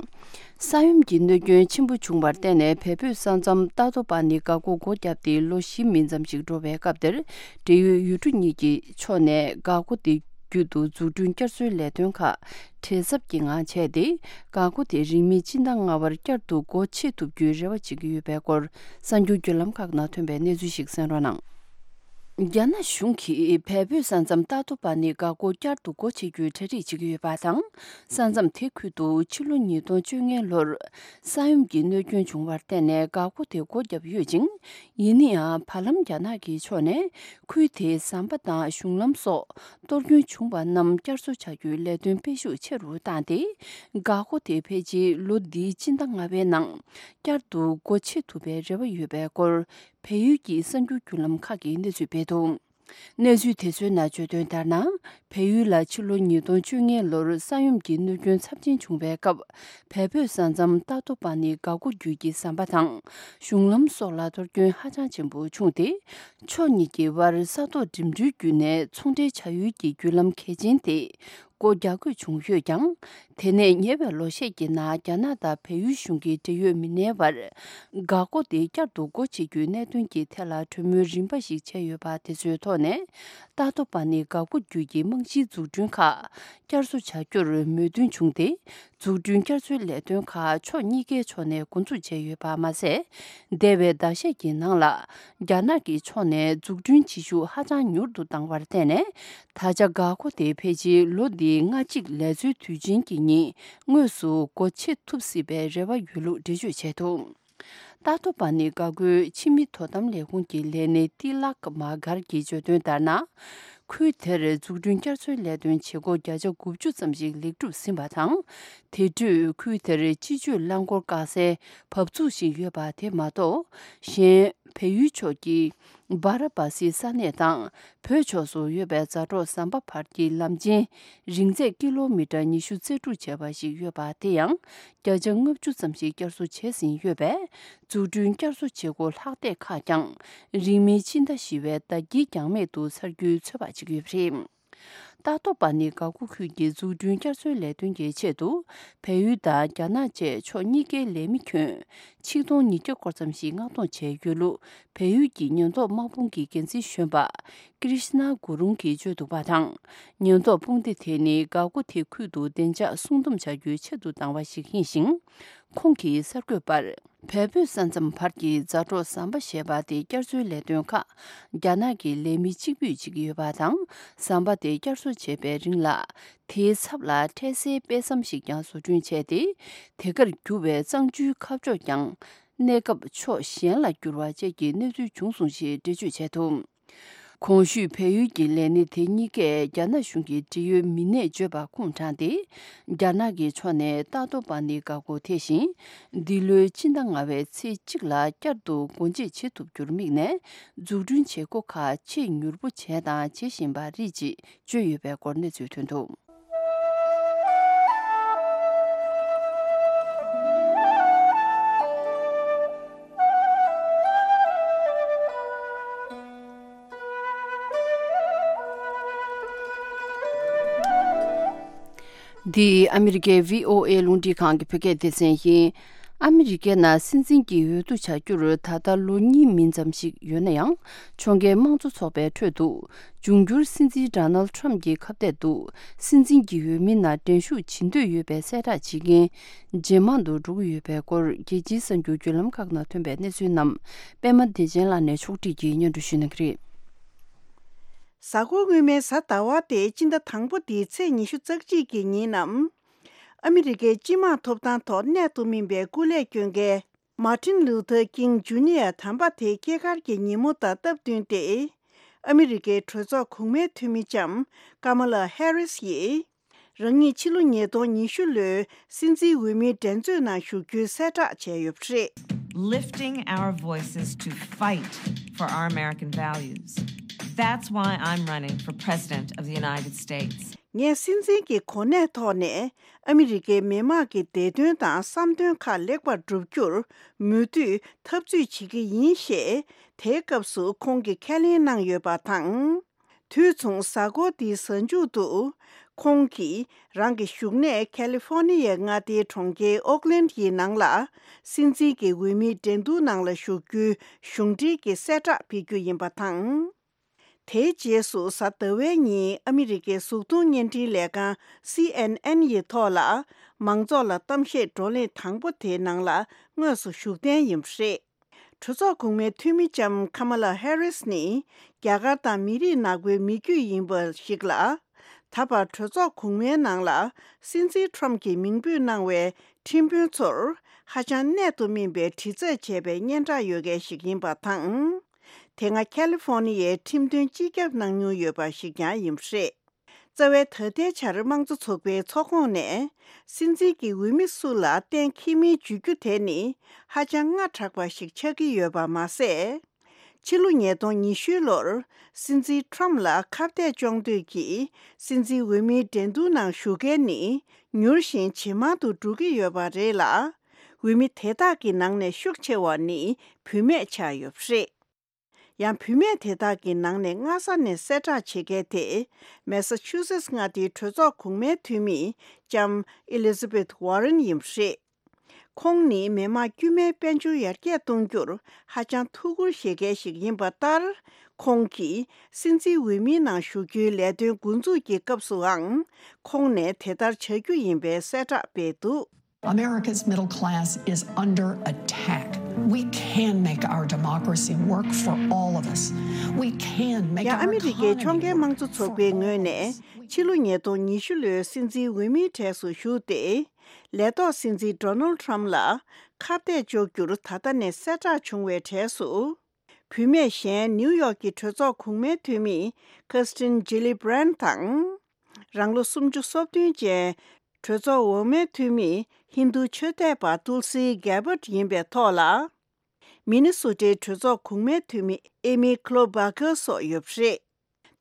ས་ཡོམ་གྱི་གནོད་སྐྱོན་ཆེན་པོ་བྱུང་བར་བརྟེན་ནས་བལ་བོད་ས་མཚམས་ཏཱ་ཏོ་པ་ནི་འགག་སྒོ་སྒོ་བརྒྱབ་སྟེ་ལོ་བཞི་མིན་ཙམ་ཞིག་འགྲོ་བའི་སྐབས་དེར། འབྲེལ་ཡོད་ཡུལ་གྲུ་གཉིས་ཀྱི་ཕྱོགས་ནས་འགག་སྒོ་དེ་བརྒྱུད་དུ་འཛུགས་སྐྲུན་བསྐྱར་གསོའི་ལས་དོན་ཁག་བྲེལ་འཚུབ་ཀྱི་ངང་བྱས་ཏེ། འགག་སྒོ་དེ་རིང་མིན་སྤྱི་ཟླ་ལྔ་པར་བསྐྱར་དུ་སྒོ་ཕྱེ་ཐུབ་རྒྱུའི་རེ་བ་བྱེད་ཀྱི་ཡོད་པའི་སྐོར་གསར་འགྱུར་བརྒྱུད་ལམ་ཁག་ནང་ཐོན་པའི་གནས་ཚུལ་ཞིག་གསན་རོགས་གནང་། རྒྱ་ནག་གཞུང་གིས་བལ་བོད་ས་མཚམས་ཏཱ་ཏོ་པ་ནི་འགག་སྒོ་བསྐྱར་དུ་སྒོ་ཕྱེ་རྒྱུའི་གྲ་སྒྲིག་བྱེད་ཀྱི་ཡོད་པ་དང་། ས་མཚམས་དེ་ཁུལ་དུ་ཕྱི་ལོ་ཉིས་སྟོང་བཅོ་ལྔའི་ལོར་ས་ཡོམ་གྱི་གནོད་སྐྱོན་བྱུང་བར་བརྟེན་ནས་འགག་སྒོ་དེ་སྒོ་བརྒྱབ་ཡོད་ཅིང་། ཡིན་ན་ཡང་། བར་ལམ་རྒྱ་ནག་གི་ཕྱོགས་ནས་ཁུལ་དེའི་ཟམ་པ་དང་གཞུང་ལམ་སོགས་གཏོར་སྐྱོན་བྱུང་བ་རྣམས་བསྐྱར་གསོ་བྱ་རྒྱུའི་ལས་དོན་སྤེལ་ཤུགས་ཆེ་རུ་བཏང་སྟེ། འགག་སྒོ་དེ་ཕལ་ཆེར་ལོ་འདིའི་སྤྱི་ཟླ་ལྔ་པའི་ནང་བསྐྱར་དུ་སྒོ་ཕྱེ་ཐུབ་པའི་རེ་བ་ཡོད་པའི་སྐོར། བལ་ཡུལ་གྱི་གསར་འགྱུར་བརྒྱུད་ལམ་ཁག་གིས་གནས་ཚུལ་སྤེལ་འདུག་གནས་ཚུལ་དེ་ཚོའི་ནང་བརྗོད་དོན་ལྟར་ན། བལ་ཡུལ་ལ་ཕྱི་ལོ་ཉིས་སྟོང་བཅོ་ལྔའི་ལོར་ས་ཡོམ་གྱི་གནོད་སྐྱོན་ཚབས་ཆེན་བྱུང་བའི་སྐབས། བལ་བོད་ས་མཚམས་ཏཱ་ཏོ་པ་ནི་འགག་སྒོ་བརྒྱུད་ཀྱི་ཟམ་པ་དང་། གཞུང་ལམ་སོགས་ལ་གཏོར་སྐྱོན་ཧ་ཅང་ཆེན་པོ་བྱུང་སྟེ། ཕྱོགས་གཉིས་ཀྱི་བར་ས་ཐོག་འགྲིམ་འགྲུལ་བརྒྱུད་ནས་ཚོང་འབྲེལ་བྱ་ཡུལ་གྱི་བརྒྱུད་ལམ་གལ་ཆེན་དེ། སྒོ་རྒྱག་དགོས་བྱུང་ཡོད་ཀྱང་། དེ་ནས་ཉེ་བའི་ལོ་ཤས་ཀྱི་ནང་རྒྱ་ནག་དང་བལ་ཡུལ་གཞུང་གི་འབྲེལ་ཡོད་མི་སྣའི་བར། འགག་སྒོ་དེ་བསྐྱར་དུ་སྒོ་ཕྱེ་རྒྱུའི་གནད་དོན་གྱི་ཐད་ལ་གྲོས་མོལ་རིམ་པ་ཞིག་བྱས་ཡོད་པ་དེ་ཚོའི་ཐོག་ནས། ཏཱ་ཏོ་པ་ནི་འགག་སྒོ་བརྒྱུད་ཀྱི་རྨང་གཞིའི་འཛུགས་སྐྲུན་ཁག་བསྐྱར་གསོ་བྱ་རྒྱུར་མོས་མཐུན་བྱུང་སྟེ། འཛུགས་སྐྲུན་བསྐྱར་གསོའི་ལས་དོན་ཁག་ཕྱོགས་གཉིས་ཀའི་ཕྱོགས་ནས་འགོ་འཛུགས་བྱས་ཡོད་པ་མ་ཟད། འདས་པའི་ཟླ་ཤས་ཀྱི་ནང་ལ། རྒྱ་ནག་གི་ཕྱོགས་ནས་འཛུགས་སྐྲུན་བྱེད་ཤུགས་ཧ་ཅང་མྱུར་དུ་བཏང་བར་བརྟེན་ནས། ད་ཆ་འགག་སྒོ་དེ་ཕལ་ཆེར་ལོ་འདིའི་ལྔ་གཅིག་ལས་ཚོའི་དུས་ཆེན་གྱི་ཉིན་དངོས་སུ་སྒོ་ཕྱེ་ཐུབ་སྲིད་པའི་རེ་བ་ཡོད་ལུགས་འགྲེལ་བརྗོད་བྱས་འདུག་ཏཱ་ཏོ་པ་ནི་འགག་སྒོའི་ཕྱི་མི་དོ་དམ་ལས་ཁུངས་ཀྱི་ལས་སྣེ་ཏི་ལག་མ་གར་གྱིས་བརྗོད་དོན་ལྟར་ན། ཁུལ་དེར་འཛུགས་སྐྲུན་བསྐྱར་གསོའི་ལས་དོན་བྱེད་སྒོ་བརྒྱ་ཆ་དགུ་བཅུ་ཙམ་ཞིག་ལེགས་གྲུབ་ཟིན་པ་དང་། དེ་དུས་ཁུལ་དེར་སྤྱི་སྤྱོད་རླངས་འཁོར་བཀག་སའི་བབས་ཚུགས་ཤིག་ཡོད་པ་དེ་མ་གཏོགས། གཞན་བལ་ཡུལ་ཕྱོགས་ཀྱི་སྦ་ར་བ་སིའི་ས་གནས་དང་། བོད་ཕྱོགས་སུ་ཡོད་པའི་མཛའ་གྲོགས་ཟམ་པ་བར་གྱི་ལམ་ཆེན་རིང་ཚད་ཀི་ལོ་མི་ཊར་ཉི་ཤུ་རྩ་དྲུག་བྱས་པ་ཞིག་ཡོད་པ་དེ་ཡང་བརྒྱ་ཆ་ལྔ་བཅུ་ཙམ་ཞིག་བསྐྱར་གསོ་བྱས་ཟིན་ཡོད་པས། འཛུགས་སྐྲུན་བསྐྱར་གསོ་བྱེད་སྒོ་ལྷག་བསྡད་ཁག་ཀྱང་། རིང་མིན་ཕྱི་ཟླ་བཞི་པའི་ཟླ་དཀྱིལ་འགྱངས་མེད་དུ་ཚར་རྒྱུའི་ཚོད་དཔག་བྱེད་ཀྱི་ཡོད་པ་རེད། ཏ་ཏོ་པ་ནི་ག་གུ་ཁུལ་གྱི་འཛུགས་སྐྲུན་བསྐྱར་གསོའི་ལས་དོན་གྱི་ཆེད་དུ། བལ་ཡུལ་དང་རྒྱ་ནག་བཅས་ཕྱོགས་གཉིས་ཀའི་ལས་མི་ཁྱོན་ཆིག་སྟོང་ཉིས་བརྒྱ་སྐོར་ཙམ་ཞིག་མངགས་གཏོང་བྱས་ཡོད་ལུགས་བལ་ཡུལ་གྱི་ཉེན་རྟོག་དམག་དཔུང་གི་འགན་འཛིན་གཞོན་པ་ཀྲིཤ་ན་གུ་རུང་གིས་བརྗོད་འདུག་པ་དང་། ཉེན་རྟོག་དཔུང་སྡེ་དེ་ནི་ག་གུ་དེ་ཁུལ་དུ་བདེ་འཇགས་སྲུང་སྡོམ་བྱ་རྒྱུའི་ཆེད་དུ་བཏང་བ་ཞིག་ཡིན་ཞིང་། ཁོང་གིས་གསར་འགོད་པར། བལ་བོད་ས་མཚམས་བར་གྱི་མཛའ་གྲོགས་ཟམ་པ་ཞེས་པ་དེ་བསྐྱར་གསོའི་ལས་དོན་ཁག་རྒྱ་ནག་གི་ལས་མི་གཅིག་པུས་བྱེད་ཀྱི་ཡོད་པ་དང་། ཟམ་པ་དེ་བསྐྱར་གསོ་བྱེད་པའི་རིང་ལ། དེའི་ཚབ་ལ་འཕྲལ་སེལ་དཔེ་མཚམས་ཤིག་ཀྱང་བཟོ་སྐྲུན་བྱས་ཏེ། དེ་གར་རྒྱུ་བའི་གཙང་ཆུའི་ཁ་ཕྱོགས་ཀྱང་། གནས་སྐབས་ཕྱོགས་གཞན་ལ་བསྒྱུར་བ་བཅས་ཀྱི་གནས་ཚུལ་བྱུང་སོང་ཞེས་འགྲེལ་བརྗོད་བྱས་འདུག་གོང་ཞུས་བལ་ཡུལ་གྱི་ལས་སྣེ་དེ་གཉིས་ཀས་རྒྱ་ནག་གཞུང་གི་འབྲེལ་ཡོད་མི་སྣས་བརྗོད་པ་ཁུངས་དྲངས་ཏེ། རྒྱ་ནག་གི་ཕྱོགས་ནས་ཏ་ཏོ་པ་ནི་ག་གོ་དེ་བཞིན། འདི་ལོའི་ཕྱི་ཟླ་ལྔ་པའི་ཚེས་གཅིག་ལ་བསྐྱར་དུ་སྒོ་འབྱེད་བྱེད་ཐུབ་རྒྱུར་དམིགས་ནས། འཛུགས་སྐྲུན་བྱེད་སྒོ་ཁག་ཆེས་མྱུར་པོ་བྱས་དང་བྱེད་བཞིན་པ་རེད་ཅེས་བརྗོད་ཡོད་པའི་སྐོར་གནས་ཚུལ་ཐོན་འདུག་འདི་ཨ་མི་རི་ཀའི་བྷི་ཨོ་ཨེ་རླུང་འཕྲིན་ཁང་གི་བོད་སྐད་སྡེ་ཚན་ཡིན། ཨ་མི་རི་ཀའི་ནང་སྲིད་འཛིན་གྱི་འོས་བསྡུ་བྱ་རྒྱུར་ད་ལྟ་ལོ་གཉིས་མིན་ཙམ་ཞིག་ཡོད་ན་ཡང་། ཕྱོགས་འགལ་དམངས་གཙོ་ཚོགས་པའི་ཁྲོད་དུ། འབྱུང་འགྱུར་སྲིད་འཛིན་ཌོ་ནལ་ཊམ་གྱི་ཁ་གཏད་དུ། སྲིད་འཛིན་གྱི་འོས་མིའི་ནང་འགྲན་ཞུགས་བྱེད་འདོད་ཡོད་པའི་གསལ་བསྒྲགས་བྱེད་མཁན། ཇེ་མང་དུ་འགྲོ་གི་ཡོད་པའི་སྐོར། རྒྱལ་སྤྱིའི་གསར་འགྱུར་བརྒྱུད་ལམ་ཁག་ནང་ཐོན་པའི་གནས་ཚུལ་རྣམས། པད་མ་བདེ་ཆེན་ལགས་ནས་ཕྱོགས་སྒྲིག་གིས་སྙན་སྒྲོན་ཞུ་གནང་གི་རེད། གཟའ་འཁོར་སྔོན་མའི་གཟའ་ཟླ་བ་སྟེ་སྤྱི་ཟླ་དང་པོ་འདིའི་ཚེས་ཉི་ཤུ་རྩ་གཅིག་གི་ཉིན་ནམ། ཨ་མི་རི་ཀའི་སྤྱི་དམངས་ཐོབ་ཐང་ཐོག་གནད་དུ་སྨིན་པའི་སྐུ་ལས་བསྐྱོན་མཁན། མར་ཊིན་ལུ་ཐར་ཀིང་ཇུ་ནི་ཡར་དམ་པ་དེའི་སྐྱེས་སྐར་གྱི་ཉིན་མོ་དང་སྟབས་བསྟུན་ཏེ། ཨ་མི་རི་ཀའི་གྲོས་ཚོགས་གོང་མའི་འཐུས་མི་ལྕམ་ཀ་མ་ལ་ཧེ་རིས་ཡིས། རང་ཉིད་ཕྱི་ལོ་ཉིས་སྟོང་ཉི་ཤུ་ལོའི་སྲིད་འཛིན་འོས་མིའི་འགྲན་རྩོད་ནང་ཞུགས་རྒྱུའི་གསལ་བསྒྲགས་བྱས་ཡོད་པ་རེད། Lifting our voices to fight for our American values. That's why I'm running for President of the United States. ངས་སྲིད་འཛིན་གྱི་གོ་གནས་ཐོག་ནས་ཨ་མི་རི་ཀའི་མི་དམངས་ཀྱི་བདེ་དོན་དང་བསམ་དོན་ཁག་ལེགས་པར་བསྒྲུབ་རྒྱུར་མུ་མཐུད་འཐབ་རྩོད་བྱེད་ཀྱི་ཡིན་ཞེས་དེའི་སྐབས་སུ་ཁོང་གིས་ཁས་ལེན་གནང་ཡོད་པ་དང་། དུས་མཚུངས་གཟའ་འཁོར་འདིའི་གཟའ་མཇུག་ཏུ་ཁོང་གིས་རང་གི་བཞུགས་གནས་ཁ་ལི་ཧྥོ་ནི་ཡའི་མངའ་སྡེའི་གྲོང་ཁྱེར་ཨོག་ལན་ཡི་ནང་ལ་སྲིད་འཛིན་གྱི་འོས་མིའི་འགྲན་བསྡུར་ནང་ལ་ཞུགས་རྒྱུའི་གཞུང་འབྲེལ་གྱི་གསལ་བསྒྲགས་ཕེབས་རྒྱུ་ཡིན་པ་དང་། དེའི་རྗེས་སུ་གཟའ་ཟླ་བའི་ཉིན་ཨ་མི་རི་ཀའི་གཟུགས་མཐོང་བརྙན་འཕྲིན་ལས་ཁང་སི་ཨེན་ཨེན་ཡི་ཐོག་ལ་མང་ཚོགས་ལ་གཏམ་བཤད་བགྲོ་གླེང་དང་པོ་དེའི་ནང་ལ་དངོས་སུ་ཞུགས་གཏན་ཡིན་པ་རེད། གྲོས་ཚོགས་གོང་མའི་འཐུས་མི་ལྕམ་ཁ་མ་ལ་ཧེ་རིས་ནི་རྒྱ་གར་དང་མི་རིགས་ནག་པོའི་མི་རྒྱུད་ཡིན་པ་ཞིག་ལ། ད་བར་གྲོས་ཚོགས་གོང་མའི་ནང་ལ་སྲིད་འཛིན་ཁྲོམ་གྱིས་མིང་འབོད་གནང་བའི་ཁྲིམས་དཔོན་ཚོར་ཧ་ཅང་གནད་དུ་སྨིན་པའི་དྲི་རྩད་བྱས་པའི་སྙན་གྲགས་ཡོད་མཁན་ཞིག་ཡིན་པ་དང་། དེ་སྔ་ཁ་ལི་ཧྥོ་ནི་ཡའི་ཁྲིམས་དོན་སྤྱི་ཁྱབ་གནང་མྱོང་ཡོད་པ་ཞིག་ཀྱང་ཡིན་པ་རེད། རྩ་བའི་ད་ལྟའི་ཆར་དམངས་གཙོ་ཚོགས་པའི་ཚོགས་ཁོངས་ནས་སྲིད་འཛིན་གྱི་འོས་མི་སུ་ལ་གཏན་འཁེལ་མིན་བརྗོད་རྒྱུ་དེ་ནི་ཧ་ཅང་སྔ་དྲགས་པ་ཞིག་ཆགས་ཀྱི་ཡོད་པ་མ་ཟད། ཕྱི་ལོ་ཉིས་སྟོང་ཉི་ཤུ་ལོར་སྲིད་འཛིན་ཁྲོམ་ལ་ཁ་གཏད་གཅོག་འདོད་ཀྱིས་སྲིད་འཛིན་འོས་མིའི་འགྲན་བསྡུར་ནང་ཞུགས་མཁན་ནི་མྱུར་ཞིང་ཇེ་མང་དུ་འགྲོ་གི་ཡོད་པ་རེད་ལ། འོས་མི་དེ་དག་གི་ནང་ནས་ཤུགས་ཆེ་བ་ནི་བུད་མེད་ཆགས་ཡོད་པ་རེད། ཡང་བུད་མེད་དེ་དག་གི་ནང་ནས་སྔ་ས་ནས་གསལ་བསྒྲགས་བྱེད་མཁན་དེ་མེ་ས་ཆུ་སེ་ཊི་མངའ་སྡེའི་གྲོས་ཚོགས་གོང་མའི་འཐུས་མི་ལྕམ་ཨེ་ལི་ཛ་བེཐ་ཝ་རེན་ཡིན་པ་རེད། ཁོང་ནི་མི་དམངས་དཀྱུས་མའི་དཔལ་འབྱོར་ཡར་རྒྱས་གཏོང་རྒྱུར་ཧ་ཅང་ཐུགས་ཁུར་བཞེས་མཁན་ཞིག་ཡིན་པ་ལྟར། ཁོང་གིས་སྲིད་འཛིན་འོས་མིའི་ནང་ཞུགས་རྒྱུའི་ལས་དོན་འགོ་འཛུགས་ཀྱི་སྐབས་སུའང་ཁོང་ནས་དེ་ལྟར་བྱ་རྒྱུ་ཡིན་པའི་གསལ་བསྒྲགས་སྤེལ་འདུག། America's middle class is under attack. We can make our democracy work for all of us. We can make ཡང་ཨ་མི་རི་ཀའི་ཕྱོགས་འགལ་དམངས་གཙོ་ཚོགས་པའི་ངོས་ནས་ཕྱི་ལོ་ཉིས་སྟོང་ཉི་ཤུ་ལོའི་སྲིད་འཛིན་འོས་མིའི་གྲས་སུ་ཞུགས་ཏེ། ལས་ཐོག་སྲིད་འཛིན་ཌོ་ནལ་ཊམ་ལ་ཁ་གཏད་གཅོག་རྒྱུར་ད་ལྟ་ནས་གསལ་བསྒྲགས་བྱུང་བའི་གྲས་སུ། བུད་མེད་གཞན་ནིའུ་ཡོག་གི་གྲོས་ཚོགས་གོང་མའི་འཐུས་མི་ཁེར་སི་ཊིན་ཇི་ལི་བྷི་རན་དང་། རང་ལོ་སུམ་ཅུ་སོ་བདུན་ཅན་གྲོས་ཚོགས་འོག་མའི་འཐུས་མི་ཧིན་རྡུ་ཆོས་དད་པ་ཏུལ་སི་གྷེ་བྷར་ཡིན་པའི་ཐོག་ལ། མི་ནི་སོ་ཊའི་གྲོས་ཚོགས་གོང་མའི་འཐུས་མི་ཨེ་མི་ཁི་ལོ་བྷ་ཁར་སོགས་ཡོད་པ་རེད།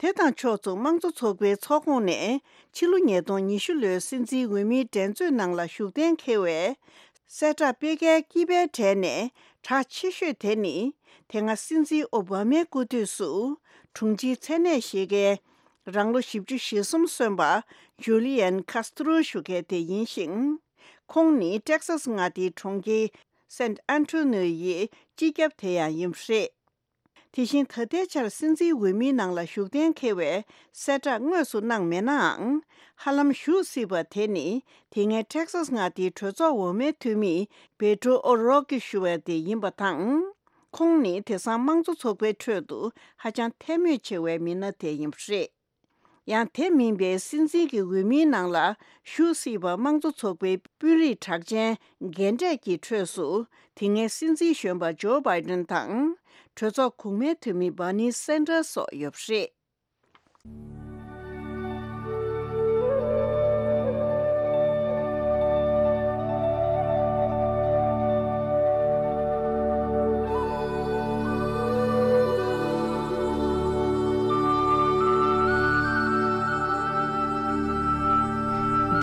དེ་དང་ཕྱོགས་མཚུངས་དམངས་གཙོ་ཚོགས་པའི་ཚོགས་ཁོངས་ནས་ཕྱི་ལོ་ཉིས་སྟོང་ཉི་ཤུ་ལོའི་སྲིད་འཛིན་འོས་མིའི་འགྲན་རྩོད་ནང་ལ་ཞུགས་གཏན་འཁེལ་བའི་གསལ་བསྒྲགས་སྤེལ་མཁན་དཀྱིལ་པའི་གྲས་ནས་གྲགས་ཆེ་ཤོས་དེ་ནི། དེ་སྔ་སྲིད་འཛིན་ཨོ་བྷ་མའི་སྐུ་དུས་སུ་དྲུང་ཆེའི་མཚན་གནས་བཞེས་མཁན་རང་ལོ་བཞི་བཅུ་ཞེ་གསུམ་སོན་པ་ཇུ་ལི་ཡན་ཁཱ་སི་ཏྲོ་ཞུ་མཁན་དེ་ཡིན་ཞིང་། ཁོང་ནི་ཊེག་སཱ་སི་མངའ་སྡེའི་གྲོང་ཁྱེར་སན་ཨན་ཊོ་ནིའོ་ཡི་སྤྱི་ཁྱབ་དེ་ཡང་ཡིན་པ་རེད། དེ་བཞིན་ད་ལྟའི་ཆར་སྲིད་འཛིན་འོས་མིའི་ནང་ལ་ཞུགས་གཏན་འཁེལ་བའི་གསལ་བསྒྲགས་དངོས་སུ་གནང་མེད་ནའང་། ཧ་ལམ་ཞུགས་སྲིད་པ་དེ་ནི་དེ་སྔའི་ཊེག་སཱ་སི་མངའ་སྡེའི་གྲོས་ཚོགས་འོག་མའི་འཐུས་མི་བེ་ཏོ་ཨོ་རོ་ཀི་ཞུ་བ་དེ་ཡིན་པ་དང་། ཁོང་ནི་དེང་སང་དམངས་གཙོ་ཚོགས་པའི་ཁྲོད་དུ་ཧ་ཅང་ཐལ་མོ་ཆེ་བའི་མི་སྣ་དེ་ཡིན་པ་རེད། ཡང་དེ་མིན་པའི་སྲིད་འཛིན་གྱི་འོས་མིའི་ནང་ལ་ཞུགས་སྲིད་པ་དམངས་གཙོ་ཚོགས་པའི་དཔོན་རིགས་གྲགས་ཅན་རྒན་གྲས་ཀྱི་ཁྲོད་སུ་དེ་སྔའི་སྲིད་འཛིན་གཞོན་པ་ཇོ་བྷའི་ཌེན་དང་གྲོས་ཚོགས་གོང་མའི་འཐུས་མི་བྷར་ནི་སན་ཌར་སོགས་ཡོད་པ་རེད།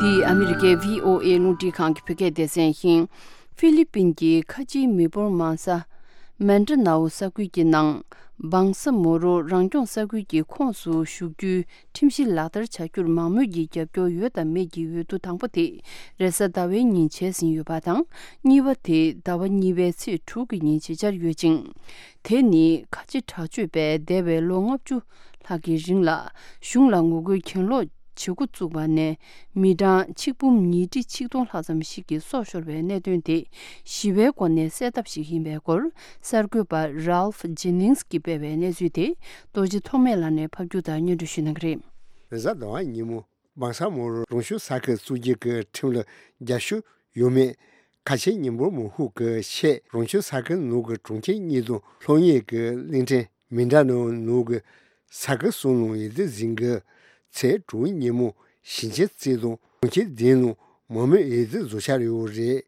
འདི་ཨ་མི་རི་ཀའི་བྷི་ཨོ་ཨེ་རླུང་འཕྲིན་ཁང་གི་བོད་སྐད་སྡེ་ཚན་ཡིན། ཧྥི་ལི་པིན་གྱི་ཁ་ཆེའི་མི་འབོར་མང་ས་མན་ཏྲ་ནའོ་ས་ཁུལ་གྱི་ནང་བང་ས་མོ་རོ་རང་སྐྱོང་ས་ཁུལ་གྱི་ཁོངས་སུ་ཞུགས་རྒྱུའི་ཁྲིམས་གཞི་ལག་བསྟར་བྱ་རྒྱུར་མང་མོས་ཀྱི་རྒྱབ་སྐྱོར་ཡོད་དམ་མེད་ཀྱི་འོས་བསྡུ་དང་པོ་དེ་རེས་གཟའ་ཟླ་བའི་ཉིན་བྱས་ཟིན་ཡོད་པ་དང་། གཉིས་པ་དེ་ཟླ་བ་གཉིས་པའི་ཚེས་དྲུག་གི་ཉིན་བྱེད་འཆར་ཡོད་ཅིང་། དེ་ནི་ཁ་ཆེ་དྲག་སྤྱོད་པས་འདས་པའི་ལོ་ལྔ་བཅུ་ལྷག་གི་རིང་ལ་གཞུང་ལ་ངོ་རྒོལ་གྱེན་ལོག་བྱེད་འགོ་བཙུགས་པ་ནས་མི་གྲངས་ཆིག་འབུམ་ཉིས་ཁྲི་ཆིག་སྟོང་ལྷག་ཙམ་ཞིག་གི་སྲོག་ཤོར་བའི་གནད་དོན་དེ་ཞི་བའི་སྒོ་ནས་སེལ་ཐབས་ཤིག་ཡིན་པའི་སྐོར་གསར་འགོད་པ་Ralph Jennings་གིས་སྤེལ་བའི་གནས་ཚུལ་དེ་རྡོ་རྗེ་ཐོགས་མེད་ལགས་ནས་ཕབ་སྒྱུར་དང་སྙན་སྒྲོན་ཞུ་གནང་གི་རེད། རེས་གཟའ་ཟླ་བ་ཉིན་མོ། བང་ས་མོ་རོ་རང་སྐྱོང་ས་ཁུལ་བཙུགས་རྒྱུ་གི་ཁྲིམས་ལ་རྒྱབ་སྐྱོར་ཡོད་མེད། ཁ་ཆེ་མི་འབོར་མང་ཤོས་ཀྱི་ཆེད་རང་སྐྱོང་ས་ཁུལ་ནང་གི་གྲོང་ཁྱེར་གཉིས་དང་སློབ་གཉེར་གྱི་གླིང་ཕྲན་མི་འདྲ་ནང་ནང་གི་ས་ཁུལ་གསུམ་ནང་འོས་བསྡུ་ཟིན་གྱི་ཚེས་དྲུག་ཉིན་མོ་ཞིང་ཆེན་རྩེ་དང་གྲོང་ཁྱེར་བདུན་ནང་མང་མོས་འོས་བསྡུ་བཟོ་འཆར་ཡོད་རེད།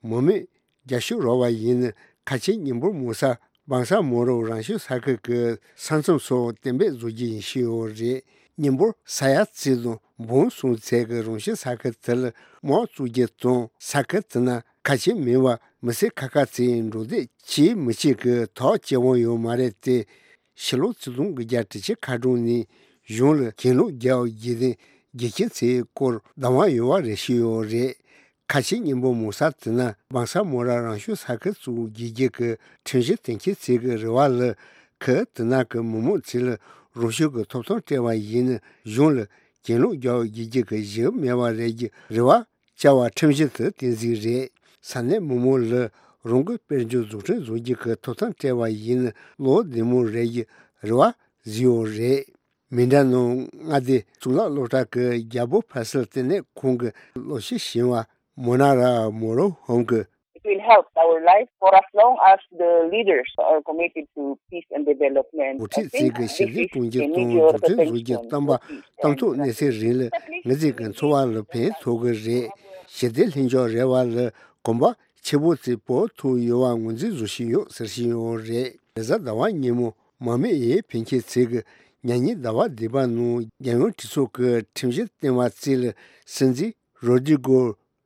མང་མོས་རྒྱབ་སྐྱོར་རག་པ་ཡིན་ན་ཁ་ཆེ་མི་འབོར་མང་ས་བང་ས་མོ་རོ་རང་སྐྱོང་ས་ཁུལ་གྱི་ས་མཚམས་སོགས་གཏན་འབེབས་བཟོ་རྒྱུ་ཡིན་ཞུས་ཡོད་རེད། མི་འབོར་ས་ཡ་གཅིག་དང་འབུམ་གསུམ་ཚད་ཀྱི་རང་སྐྱོང་ས་ཁུལ་དེ་ལ་དམག་བཙུགས་རྒྱུ་དང་ས་ཁུལ་དེ་ན་ཁ་ཆེ་མིན་པ་མི་སེར་ཁ་ཁ་ཚོས་འགྲོ་སྡོད་བྱེད་མི་བྱེད་ཀྱི་ཐག་བཅད་དབང་ཡོད་མ་རེད་དེ། ཕྱི་ལོ་ཆིག་སྟོང་དགུ་བརྒྱ་དྲུག་ཅུ་ཁ་གྲངས་ནས་གཞུང་ལ་གྱེན་ལོག་རྒྱག་རྒྱུ་དེ་དགེ་རྒན་ཚོའི་སྐོར་བདག་དབང་ཡོད་པ་རེད་ཞུས་ཡོད་རེད། ཁ་ཆེ་མི་འབོར་མང་ས་དེ་ན་བང་ས་མོ་ར་རང་སྐྱོང་ས་ཁུལ་བཙུགས་རྒྱུ་གི་ཁྲིམས་གཞི་གཏན་འཁེལ་བྱེད་ཀྱི་རེ་བ་ལ་ཁུལ་དེ་ན་གི་མི་མང་ཚོས་ལ་རང་སྐྱོང་གི་ཐོབ་ཐང་སྤྲད་པ་ཡིན་ན་གཞུང་ལ་གྱེན་ལོག་རྒྱག་རྒྱུ་གི་གཞི་མེད་པ་རེད་ཀྱི་རེ་བ་བཅའ་བ་ཁྲིམས་གཞི་དེ་བསྟན་གཟིགས་རེད། ས་གནས་མི་མང་ལ་རང་གི་དཔལ་འབྱོར་འཛུགས་སྐྲུན་བཟོ་རྒྱུ་གི་ཐོབ་ཐང་སྤྲད་པ་ཡིན་ན་བློ་བདེ་མོ་རེད་ཀྱི་རེ་བ་བཟོས་ཡོད་རེད། མི་འདྲ་ནང་མངའ་སྡེ་གཙུག་ལག་སློབ་གྲྭ་གི་རྒྱལ་པོ་ཕ་སིལ་ལྟེ་གནས་ཁང་གི་སློབ་སྤྱི་ཞིང་བ་མོ་ན་ར་མོ་རོ་ཧོམ་གི། It will help our life for as long as the leaders are committed to peace and development. འགོ་ཁྲིད་ཚོས་ཀྱི་ཞི་བདེ་གཏོང་རྒྱུ་དང་འཛུགས་སྐྲུན་བཟོ་རྒྱུ་བསྟན་པ་གཏན་ཐོག་གནས་ཚེ་རིང་ལ་ངེད་ཚོའི་གི་འཚོ་བ་ལ་ཕན་ཐོགས་ཀྱི་རེད། ཞི་བདེ་ལྷིང་འཇགས་རེ་བ་ལ་གོམ་པ་ཆེ་པོ་ཚོས་སྤོ་ཐུབ་ཡོད་པ་ངོས་འཛིན་བཟོ་བཞིན་ཡོད་ཟེར་བཞིན་ཡོད་རེད། རེས་གཟའ་ཟླ་བ་ཉིན་མོ་མང་མོས་འོས་འཕེན་མཁན་ཚོས་ཀྱི་ཉེ་ཉིན་ཟླ་བ་བདུན་པ་ནང་རྒྱལ་ཡོངས་གྲོས་ཚོགས་ཀྱི་ཁྲིམས་གཞི་བཏིང་བ་བརྩིས་ལ་སྲིད་འཛིན་རོ་ཌི་གོ་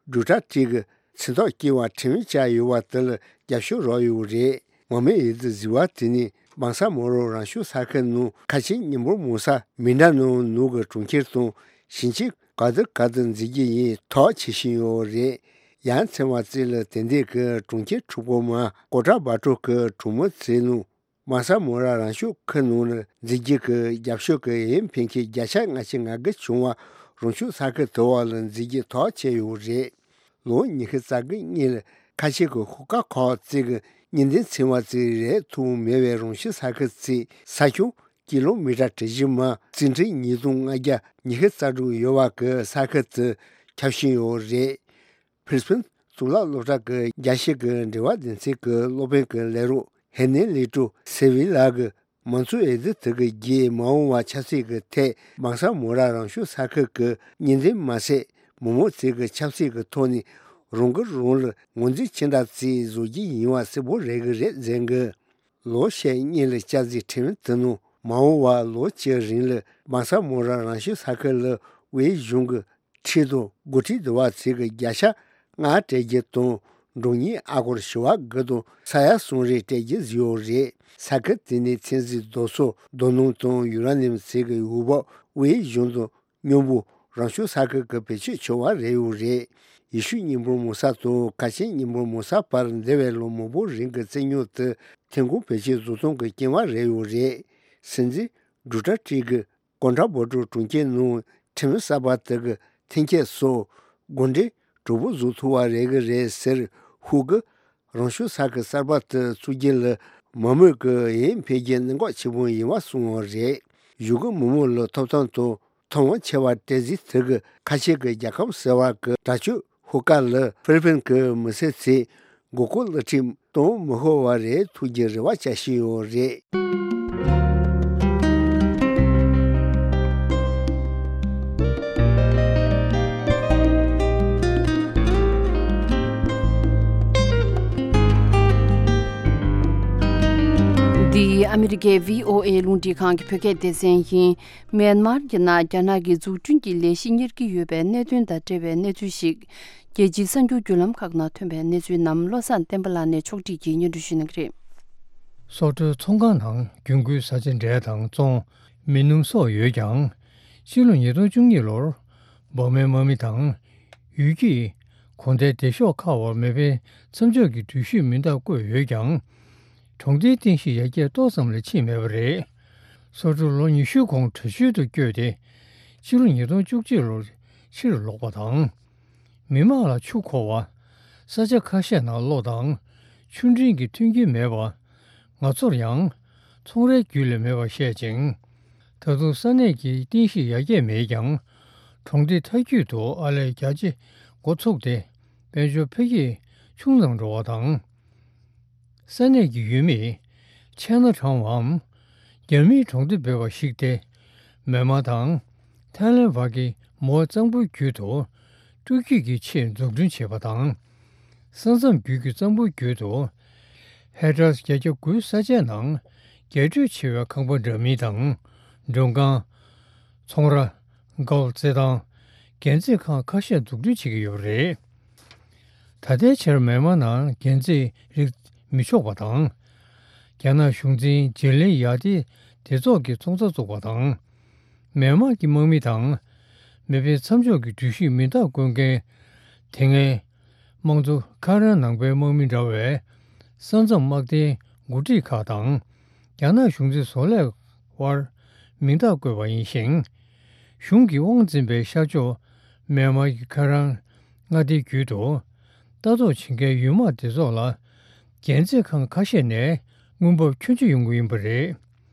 ཌུ་ཊར་ཊེ་གི་མཚན་ཐོག་བཀལ་བ་ཁྲིམས་བཅའ་ཡོད་པ་དེ་ལ་རྒྱབ་སྐྱོར་རག་ཡོད་རེད། མང་མོས་འོས་བསྡུ་བཟོས་པ་དེ་ནི་བང་ས་མོ་རོ་རང་སྐྱོང་ས་ཁུལ་ནང་ཁ་ཆེ་མི་འབོར་མང་ས་མི་འདྲ་ནང་ནང་གི་གྲོང་ཁྱེར་དང་ཞིང་ཆེན་ག་དུ་ག་དུ་འཛུགས་རྒྱུ་ཡིན་ཐག་བཅད་བཞིན་ཡོད་རེད། ཡང་ཚན་པ་བརྩིས་ལ་དེ་འདྲའི་གི་གྲོང་ཁྱེར་དྲུག་པོ་མ་ཀོ་ཊ་བྷ་ཊོ་གི་གྲོང་མི་ཚོའི་ནང་བང་ས་མོ་ར་རང་སྐྱོང་ཁུལ་ནང་ལ་འཛུགས་རྒྱུ་གི་རྒྱབ་སྐྱོར་གི་འོས་འཕེན་མཁན་བརྒྱ་ཆ་ལྔ་བཅུ་ང་དགུ་བྱུང་བ་རང་སྐྱོང་ས་ཁུལ་དེ་བ་ལ་འཛུགས་རྒྱུ་ཐག་བཅད་ཡོད་རེད། ལོ་ཉི་ཤུ་རྩ་དགུ་གཉིས་ལ་ཁ་ཆེ་གི་ཤོག་ཁག་ཁག་ཅིག་གི་གཉེན་སྡེ་ཚན་པ་ཚོས་རེག་ཐུབ་མེད་པའི་རང་སྐྱོང་ས་ཁུལ་ཚོའི་ས་ཁྱོན་ཀི་ལོ་མི་ཊར་གྲུ་བཞི་མ་རྩིས་ཁྲི་ཉིས་སྟོང་ལྔ་བརྒྱ་ཉི་ཤུ་རྩ་དྲུག་ཡོད་པ་གི་ས་ཁུལ་དུ་ཁྱབ་བཞིན་ཡོད་རེད། ཕིར་སི་པིན་གཙུག་ལག་སློབ་གྲྭ་གི་རྒྱལ་སྤྱི་གི་འབྲེལ་བ་སྡེ་ཚན་གྱི་སློབ་དཔོན་གྱི་ལས་རོགས་ ཧེ་ནེ་ལི་ཀྲུ་སེ་བི་ལ་གི་མང་གཙོ་འོས་བསྡུ་དེ་གི་རྗེས་མ་འོངས་པ་ཆབ་སྲིད་ཀྱི་ཐད་མག་ས་མོ་ར་རང་སྐྱོང་ས་ཁུལ་གྱི་གཉིས་འཛིན་མ་ཟད་མི་མང་ཚོས་ཀྱི་ཆབ་སྲིད་ཀྱི་ཐོག་ནས་རང་འགུལ་རང་ལ་ངོས་འཛིན་ཅི་འདྲ་བྱས་བཟོ་རྒྱུ་ཡིན་པ་གསལ་པོ་རེད་གི་རེད་ཟེར་གི། ལོ་ཤས་སྔོན་ལ་བསྐྱར་ཞིབ་ཁྲིམས་དེ་ནང་མ་འོངས་པ་ལོ་གཅིག་རིང་ལ་མག་ས་མོ་ར་རང་སྐྱོང་ས་ཁུལ་ལ་དབུས་གཞུང་གི་ཁྲིམས་དང་འགོ་ཁྲིད་འདུ་བ་ཚོས་ཀྱི་བརྒྱ་ཆ་ལྔ་སྤྲད་རྒྱུ་དང་འབྲོག་གཉེར་ཨ་སྒོར་བྱེ་བ་དགུ་དང་ས་ཡ་གསུམ་རེ་སྤྲད་རྒྱུ་བཟོས་ཡོད་རེད། ས་ཁུལ་དེ་ནས་ཚོད་འཛིན་རྡོ་སོལ་རྡོ་སྣུམ་དང་ཡུ་ར་ནིམ་ཚོས་ཀྱི་འོས་བབ་དབུས་གཞུང་དང་མཉམ་པོ་རང་སྐྱོང་ས་ཁུལ་གྱི་བེད་སྤྱོད་བྱུང་བ་རེད་ཡོད་རེད། ཡེ་ཤུ་མཉམ་འབོར་མང་ས་དང་ཁ་ཆེ་མཉམ་འབོར་མང་ས་བར་འདས་པའི་ལོ་མང་པོ་རིང་གི་རྩོད་རྙོག་དེ་ཐོན་ཁུངས་བེད་སྤྱོད་བཟོ་སྟངས་ཀྱི་རྐྱེན་པ་རེད་ཡོད་རེད། སྲིད་འཛིན་ཌོ་ནལ་ཊམ་གྱིས་ཀོན་ཊྲ་བོ་ཊོ་གྲོང་ཁྱེར་ནང་ཁྲིམས་གསར་པ་དེ་གི་འཐེན་འཁྱེར་སོགས་དགོངས་འགྲེལ་གྲོགས་པོ་བཟོ་ཐུབ་པ་རེད་གི་རེད་ཟེར་ཧུ་གི་རང་སྐྱོང་ས་ཁུལ་གསར་པ་དེ་བཙུགས་རྒྱུ་ལ་མི་མང་གི་འོས་འཕེན་རྒྱུ་གནད་འགག་ཆེན་པོ་ཡིན་པ་གསུངས་པ་རེད། གཞུང་གི་མི་མང་ལ་ཐོབ་ཐང་དང་ཐོབ་དབང་ཆེ་བ་སྤྲད་རྩིས་དེ་གི་ཁ་ཆེ་གི་རྒྱལ་ཁབ་ཟེར་བ་གི་དྲག་སྤྱོད་ཤོག་ཁག་ལ་ཧྥི་ལི་པིན་གི་མི་སེར་ཚོས་མགོ་སྐོར་གློག་ཁྲིམས་གཏོང་མི་ཤོར་བ་རེད་ཐུགས་རྗེ་རེ་བ་བྱ་བཞིན་ཡོད་རེད། འདི་ཨ་མི་རི་ཀའི་བྷི་ཨོ་ཨེ་རླུང་འཕྲིན་ཁང་གི་བོད་སྐད་སྡེ་ཚན་ཡིན། མེན་མར་གྱི་ནང་རྒྱ་ནག་གི་འཛུགས་སྐྲུན་གྱི་ལས་གཞི་གཉེར་གྱི་ཡོད་པའི་གནད་དོན་དང་འབྲེལ་བའི་གནས་ཚུལ་ཞིག་རྒྱལ་སྤྱིའི་གསར་འགྱུར་བརྒྱུད་ལམ་ཁག་ནང་ཐོན་པའི་གནས་ཚུལ་རྣམས་བློ་བཟང་བསྟན་པ་ལགས་ནས་ཕྱོགས་སྒྲིག་གིས་སྙན་སྒྲོན་ཞུ་གནང་གི་རེད། སོག་པོའི་ཚོང་ཁང་ནང་རྒྱུན་མཁོའི་བཟའ་བཅའ་འབྲས་དང་ཙོང་། མི་སྣུམ་སོགས་ཡོད་ཀྱང་། ཕྱི་ལོ་ཉིས་སྟོང་བཅུ་གཉིས་ལོར་འབར་མའི་དམག་མི་དང་ཡུལ་གྱི་གོ་ལྡན་སྡེ་ཤོག་ཁག་བར་མེ་འཕེན་མཚམས་འཇོག་གི་གྲོས་གཞིར་མིང་རྟགས་བཀོད་ཡོད་ཀྱང་། གྲོང་སྡེའི་རྟེན་གཞི་ཡར་རྒྱས་ཏོག་ཙམ་ལས་ཕྱིན་མེད་པ་རེད། སོག་པོ་ལོ་ཉི་ཤུ་གོང་བྲོས་བྱོལ་དུ་བསྐྱོད་དེ། ཕྱི་ལོ་ཉིས་སྟོང་བཅུ་གཅིག་ལོར་ཕྱིར་ལོག་པ་དང་། མི་དམངས་ལ་ཆུ་མཁོ་བ། ས་ཆ་ཁ་ཤས་ནང་གློག་དང་ཆུ་འདྲེན་གྱི་མཐུན་རྐྱེན་མེད་པ། ང་ཚོར་ཡང་ཚོང་རའི་རྒྱུན་ལས་མེད་པར་བཤད་ཅིང་། ད་དུང་ས་གནས་ཀྱི་རྟེན་གཞི་ཡར་རྒྱས་མེད་ཀྱང་། གྲོང་སྡེ་མཐའ་རྒྱུད་དུ་ཨར་ལས་རྒྱ་ཆེ་འགོ་ཚུགས་ཏེ་དཔལ་འབྱོར་འཕེལ་རྒྱས་ཆུང་ཙམ་འགྲོ་བ་དང་། ས་གནས་ཀྱི་ཡུལ་མིས་ཆེ་ན་གྲང་བའམ་རྒྱ་མིའི་གྲོང་སྡེ་འབོད་པ་ཞིག་སྟེ། མེན་མ་དང་ཐའི་ལན་བར་གྱི་མོའེ་གཙང་པོའི་རྒྱུད་དུ་སྤྲོ་སྐྱིད་ཀྱི་ཆེད་འཛུགས་སྐྲུན་བྱས་པ་དང་། ས་མཚམས་བརྒྱུད་ཀྱི་གཙང་པོའི་རྒྱུད་དུ་ཧེག་ཊར་བརྒྱད་བརྒྱ་དགུའི་ས་ཆའི་ནང་རྒྱས་སྤྲོས་ཆེ་བའི་ཁང་པ་འདྲ་མིན་དང་མགྲོན་ཁང་། ཚོང་ར། དཀར་པོ་རྩེད་ཐང་། རྒྱན་རྩེད་ཁང་ཁ་ཤས་འཛུགས་སྐྲུན་བྱེད་ཀྱི་ཡོད་པ་རེད། ད་ལྟའི་ཆར་མེན་མ་ནང་རྒྱན་རྩེད་རིགས་མི་ཆོག་པ་དང་། རྒྱ་ནག་གཞུང་འཛིན་ཇི་ལིན་ཡ་ཏི་སྡེ་ཚོགས་ཀྱིས་ཚོང་རྩ་བཙུགས་པ་དང་། མེན་མ་གི་དམག་མི་དང་མེ་འཕེན་མཚམས་འཇོག་གི་གྲོས་གཞིར་མིང་རྟགས་བཀོད་མཁན་དེ་སྔའི་དམངས་གཙོ་ཁ་རན་ནང་པའི་དམག་མི་འདྲ་བའི་ས་མཚམས་དམག་སྡེའི་འགོ་ཁྲིད་ཁག་དང་། རྒྱ་ནག་གཞུང་འཛིན་བཟོ་ལས་དབར་མིང་རྟགས་བཀོད་པ་ཡིན་ཞིང་། གཞུང་གིས་དབང་འཛིན་པའི་ཤར་ཕྱོགས་མེན་མར་གྱི་ཁ་རན་མངའ་སྡེའི་རྒྱུད་དུ་ལྟ་རྟོག་བྱེད་མཁན་ཡུལ་དམག་སྡེ་ཚོགས་ལ་རྒྱན་རྩེད་ཁང་ཁ་ཤས་ནས་དངུལ་འབབ་ཁྱོན་ཆེ་ཡོང་གི་ཡིན་པ་རེད།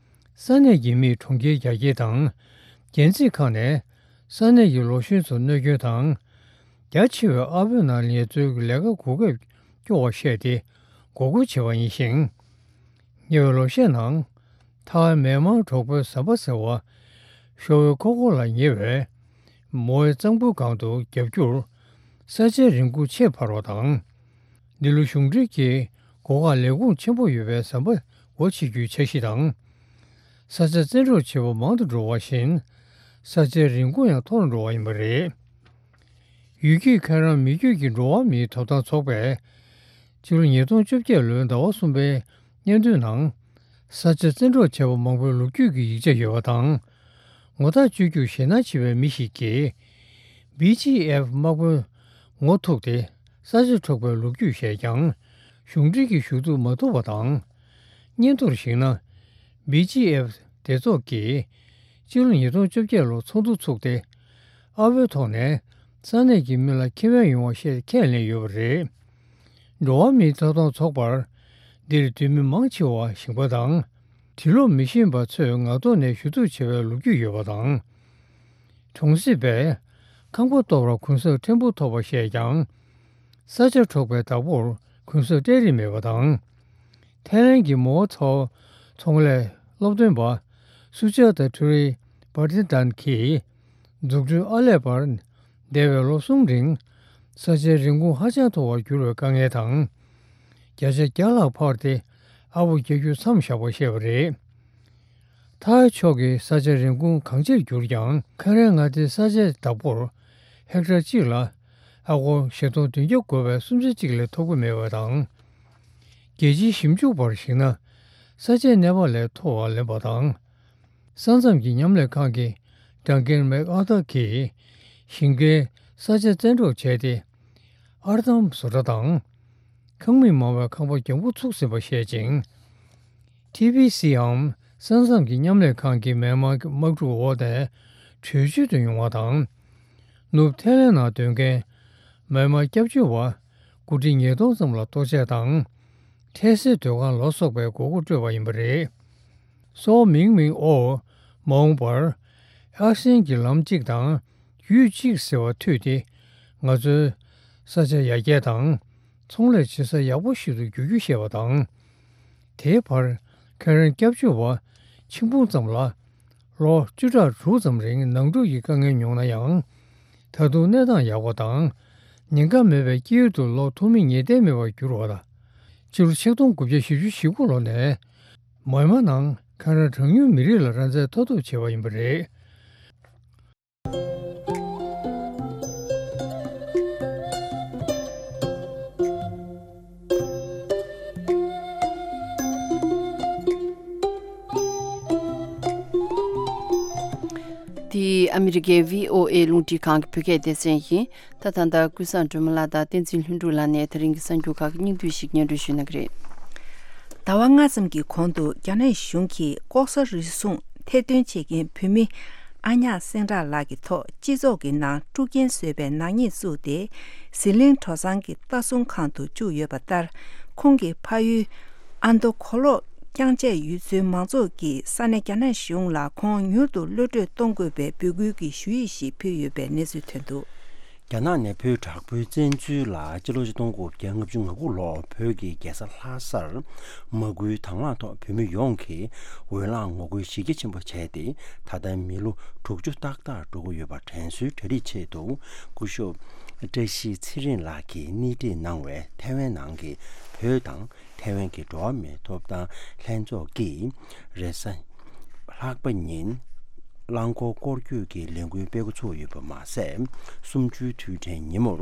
ས་གནས་ཀྱི་མིས་གྲོང་ཁྱེར་རྒྱ་སྐྱེད་དང་རྒྱན་རྩེད་ཁང་ནས་ས་གནས་ཀྱི་ལོ་གཞོན་ཚོར་གནོད་སྐྱོན་དང་། རྒྱ་ཆེ་བའི་ཨར་པོའི་ནང་ངལ་རྩོལ་གྱི་ལས་ཀ་གོ་སྐབས་སྐྱོ་བར་བཤད་དེ་འགོག་རྒོལ་བྱས་པ་ཡིན་ཞིང་། ཉེ་བའི་ལོ་ཤས་ནང་། ཐའེ་ཝན་མེན་མར་གྲོགས་པོའི་ཟམ་པ་ཟེར་བ། ཤོ་ཝེ་ཁོ་ཁོ་ལ་ཉེ་བའི་མོའེ་གཙང་པོའི་སྒང་དུ་རྒྱབ་སྐྱོར། ས་ཆའི་རིན་གོང་ཆེས་འཕར་བ་དང་། འདི་ལོ་གཞུང་འབྲེལ་གྱི་སྒོ་ཁར་ལས་ཁུངས་ཆེན་པོ་ཡོད་པའི་ཟམ་པ་སྒོ་ཕྱེ་རྒྱུའི་འཆར་གཞི་དང་། ས་ཆ་བཙན་འཕྲོག་བྱེད་པ་མང་དུ་འགྲོ་བ་བཞིན། ས་ཆའི་རིན་གོང་ཡང་མཐོ་རུ་འགྲོ་བ་ཡིན་པ་རེད། ཡུལ་སྐྱེས་ཁ་རན་མི་རྒྱུད་ཀྱི་འགྲོ་བ་མིའི་ཐོབ་ཐང་ཚོགས་པས། ཕྱི་ལོ་ཉིས་སྟོང་བཅོ་བརྒྱད་ལོའི་ཟླ་བ་གསུམ་པའི་སྙན་ཐོའི་ནང་། ས་ཆ་བཙན་འཕྲོག་བྱས་པ་མང་པོའི་ལོ་རྒྱུས་ཀྱི་ཡིག་ཆ་ཡོད་པ་དང་། ངོ་རྟགས་བཅོས་རྒྱུར་ཞེད་སྣང་ཆེ་བའི་མི་ཞིག་གིས། བི་ཇི་ཨེཕ་དམག་དཔོན་ངོ་ཐུག་སྟེ་ས་ཆ་འཕྲོག་པའི་ལོ་རྒྱུས་བཤད་ཀྱང་། གཞུང་འབྲེལ་གྱིས་ཞུ་གཏུག་མ་ཐུབ་པ་དང་། སྙན་ཐོར་གཞིགས་ན། བི་ཇི་ཨེཕ་སྡེ་ཚོགས་ཀྱིས་སྤྱི་ལོ་ཉིས་སྟོང་བཅོ་བརྒྱད་ལོར་ཚོགས་འདུ་ཚུགས་ཏེ། ཨ་བོའི་ཐོག་ནས་ས་གནས་ཀྱི་མི་ལ་ཁེ་ཕན་ཡོང་བ་བཤད་ཁས་ལེན་ཡོད་པ་རེད། འགྲོ་བ་མིའི་ཐོབ་ཐང་ཚོགས་པར་འདིར་འདུས་མི་མང་ཆེ་བ་ཞིང་པ་དང་། དུག་སློག་མི་ཤེས་པ་ཚོས་ངག་ཐོག་ནས་ཞུ་གཏུག་བྱས་པའི་ལོ་རྒྱུས་ཡོད་པ་དང་། གྲོང་གསེབ་པས་ཁང་པ་གཏོར་བར་གུན་གསབ་ཕྲན་བུ་ཐོབ་པ་བཤད་ཀྱང་། ས་ཆ་འཕྲོག་པའི་བདག་པོར་གུན་གསབ་སྤྲད་རིན་མེད་པ་དང་། ཐའི་ལན་གྱི་མའོ་ཐའོ་ཚོང་ལས་སློབ་སྟོན་པ་སུ་ཅཱ་ཏ་ཁྲུ་རི་པར་ཏི་ཏན་གྱིས་འཛུགས་སྐྲུན་ཨར་ལས་པར་འདས་པའི་ལོ་གསུམ་རིང་ས་ཆའི་རིན་གོང་ཧ་ཅང་མཐོ་བར་གྱུར་བའི་དཀའ་ངལ་དང་། བརྒྱ་ཆ་བརྒྱ་ལྷག་འཕར་ཏེ་ཨ་བོ་རྒྱག་རྒྱུ་མཚམས་བཞག་པ་བཤད་པ་རེད། ཐའི་ཕྱོགས་ཀྱི་ས་ཆའི་རིན་གོང་གང་ཆེར་གྱུར་ཀྱང་། ཁེ་རན་མངའ་སྡེའི་ས་ཆའི་བདག་པོར་ཧེག་ཊར་གཅིག་ལ་ཨ་སྒོར་བཞི་སྟོང་བདུན་བརྒྱ་བགོ་བའི་སུམ་ཆ་གཅིག་ལས་ཐོབ་ཀྱི་མེད་པ་དང་། རྒྱལ་སྤྱིའི་ཞིབ་འཇུག་པར་གཞིགས་ན། ས་ཆའི་གནས་བབ་ལས་མཐོ་བར་ལེན་པ་དང་། ས་མཚམས་ཀྱི་མཉམ་ལས་ཁང་གི་ཌན་ཀན་མེག་ཨར་ཐར་གྱིས་ཞིང་ཁའི་ས་ཆ་བཙན་འཕྲོག་བྱས་ཏེ། ཨར་འདམ་བཟོ་གྲྭ་དང་། ཁང་མིག་མང་བའི་ཁང་པ་རྒྱང་པོ་ཚུགས་ཟིན་པ་བཤད་ཅིང་། ཊི་བྷི་སི་འམ་ས་མཚམས་ཀྱི་མཉམ་ལས་ཁང་གི་མི་དམངས་དམག་འཁྲུག་འོག་ནས་བྲོས་བྱོལ་དུ་ཡོང་བ་དང་། ནུབ་ཐའི་ལན་ནང་སྡོད་མཁན་མི་དམངས་སྐྱབས་བཅོལ་བ་དགུ་ཁྲི་ཉིས་སྟོང་ཙམ་ལ་གཏོར་བཤིག་དང་། འཕྲལ་སེལ་སྡོད་ཁང་ལ་སོགས་པའི་དགོས་མཁོ་སྤྲོད་པ་ཡིན་པ་རེད། སོའོ་མིང་མིང་ཨོ་མ་འོངས་པར་ཨར་སེན་གྱི་ལམ་གཅིག་དང་ཡུལ་གཅིག་ཟེར་བ་མཐུད་དེ། ང་ཚོའི་ས་ཆ་ཡར་རྒྱས་དང་ཚོང་ལས་བྱེད་ས་ཡག་པོ་ཞིག་ཏུ་འགྱུར་རྒྱུ་ཞེས་པ་དང་། དེའི་བར་ཁེ་རན་སྐྱབས་བཅོལ་བ་ཆིག་འབུམ་ཙམ་ལ་ལོ་བཅུ་ཕྲག་དྲུག་ཙམ་རིང་ནང་འཁྲུག་གི་དཀའ་ངལ་མྱོང་ན་ཡང་། ད་དུང་གནས་སྟངས་ཡག་པ་དང་། ཉེན་ཁ་མེད་པའི་དཀྱིལ་དུ་ལོག་ཐུབ་མིན་ངེས་གཏན་མེད་པར་གྱུར་བ་ལ། ཕྱི་ལོ་ཆིག་སྟོང་དགུ་བརྒྱ་བཞི་བཅུ་ཞེ་དགུ་ལོ་ནས་མཱི་མ་ནང་ཁེ་རན་གྲངས་ཉུང་མི་རིགས་ལ་རང་བཙན་ཐོབ་ཐབས་བྱས་པ་ཡིན་པ་རེད། འདི་ཨ་མི་རི་ཀའི་བྷི་ཨོ་ཨེ་རླུང་འཕྲིན་ཁང་གི་བོད་སྐད་སྡེ་ཚན་ཡིན། ད་ད་ལྟ་ཀུན་བཟང་སྒྲོལ་མ་ལགས་དང་བསྟན་འཛིན་ལྷུན་གྲུབ་ལགས་ནས་ད་རིང་གི་གསར་འགྱུར་ཁག་གི་སྙིང་བསྡུས་ཤིག་སྙན་སྒྲོན་ཞུ་གནང་གི་རེད། ཟླ་བ་ལྔ་ཙམ་གྱི་གོང་དུ་རྒྱ་ནག་གཞུང་གིས་ལྐོག་ཟ་རུལ་སུངས་ཐེར་འདོན་བྱེད་མཁན་བོད་མི་ཨ་ཉག་སེང་བྲག་ལགས་ཀྱི་ཐོག་སྤྱི་ཚོགས་ཀྱི་ནང་དཀྲུག་རྐྱེན་བཟོས་པའི་ནག་ཉེས་བཙུགས་ཏེ། ཟི་ལིང་གྲོག་ཚང་གི་ལྟ་སྲུང་ཁང་དུ་བཅུག་ཡོད་པ་ལྟར། ཁོང་གི་ཕ་ཡུལ་ཨ་མདོ་གོ་ལོག་རྐྱང་བཅས་ཡུལ་ཚོའི་མང་ཚོགས་ཀྱིས་ས་གནས་རྒྱ་ནག་གཞུང་ལ་ཁོང་མྱུར་དུ་གློད་གྲོལ་གཏོང་དགོས་པའི་འབོད་སྐུལ་གྱི་ཞུ་ཡིག་ཞིག་ཕུལ་ཡོད་པའི་གནས་ཚུལ་ཐོན་འདུག། རྒྱ་ནག་ནས་བོད་དྲག་པོའི་བཙན་འཛུལ་ལ་སྤྱི་ལོ་ཆིག་སྟོང་དགུ་བརྒྱ་ལྔ་བཅུ་ང་དགུ་ལོར་བོད་ཀྱི་རྒྱལ་ས་ལྷ་སར་མ་སྐུལ་དང་བླངས་ཐོག་བོད་མི་ཡོངས་ཀྱིས་འོས་ལངས་ངོ་རྒོལ་གཞི་རྒྱ་ཆེན་པོ་བྱས་ཏེ། ད་ལྟ་མི་ལོ་དྲུག་ཅུ་ཏག་ཏག་འགྲོ་གི་ཡོད་པ་དྲན་གསོའི་གྲ་སྒྲིག་ཆེད་དུ། སྐུ་ཞབས་བཀྲ་ཤིས་ཚེ་རིང་ལགས་ཀྱིས་སྣེ་ཁྲིད་གནང་བའི་ཐའེ་ཝན་ནང་གི་བོད་དང་། ཐའེ་ཝན་གྱི་འགྲོ་བ་མིའི་ཐོབ་ཐང་ལྷན་ཚོགས་ཀྱིས་རེས་གཟའ་ལྷག་པ་ཉིན་རླངས་འཁོར་སྐོར་སྐྱོད་ཀྱི་ལས་འགུལ་སྤེལ་འགོ་ཚུགས་ཡོད་པ་མ་ཟད། གསུམ་བཅུའི་དུས་དྲན་ཉིན་མོར་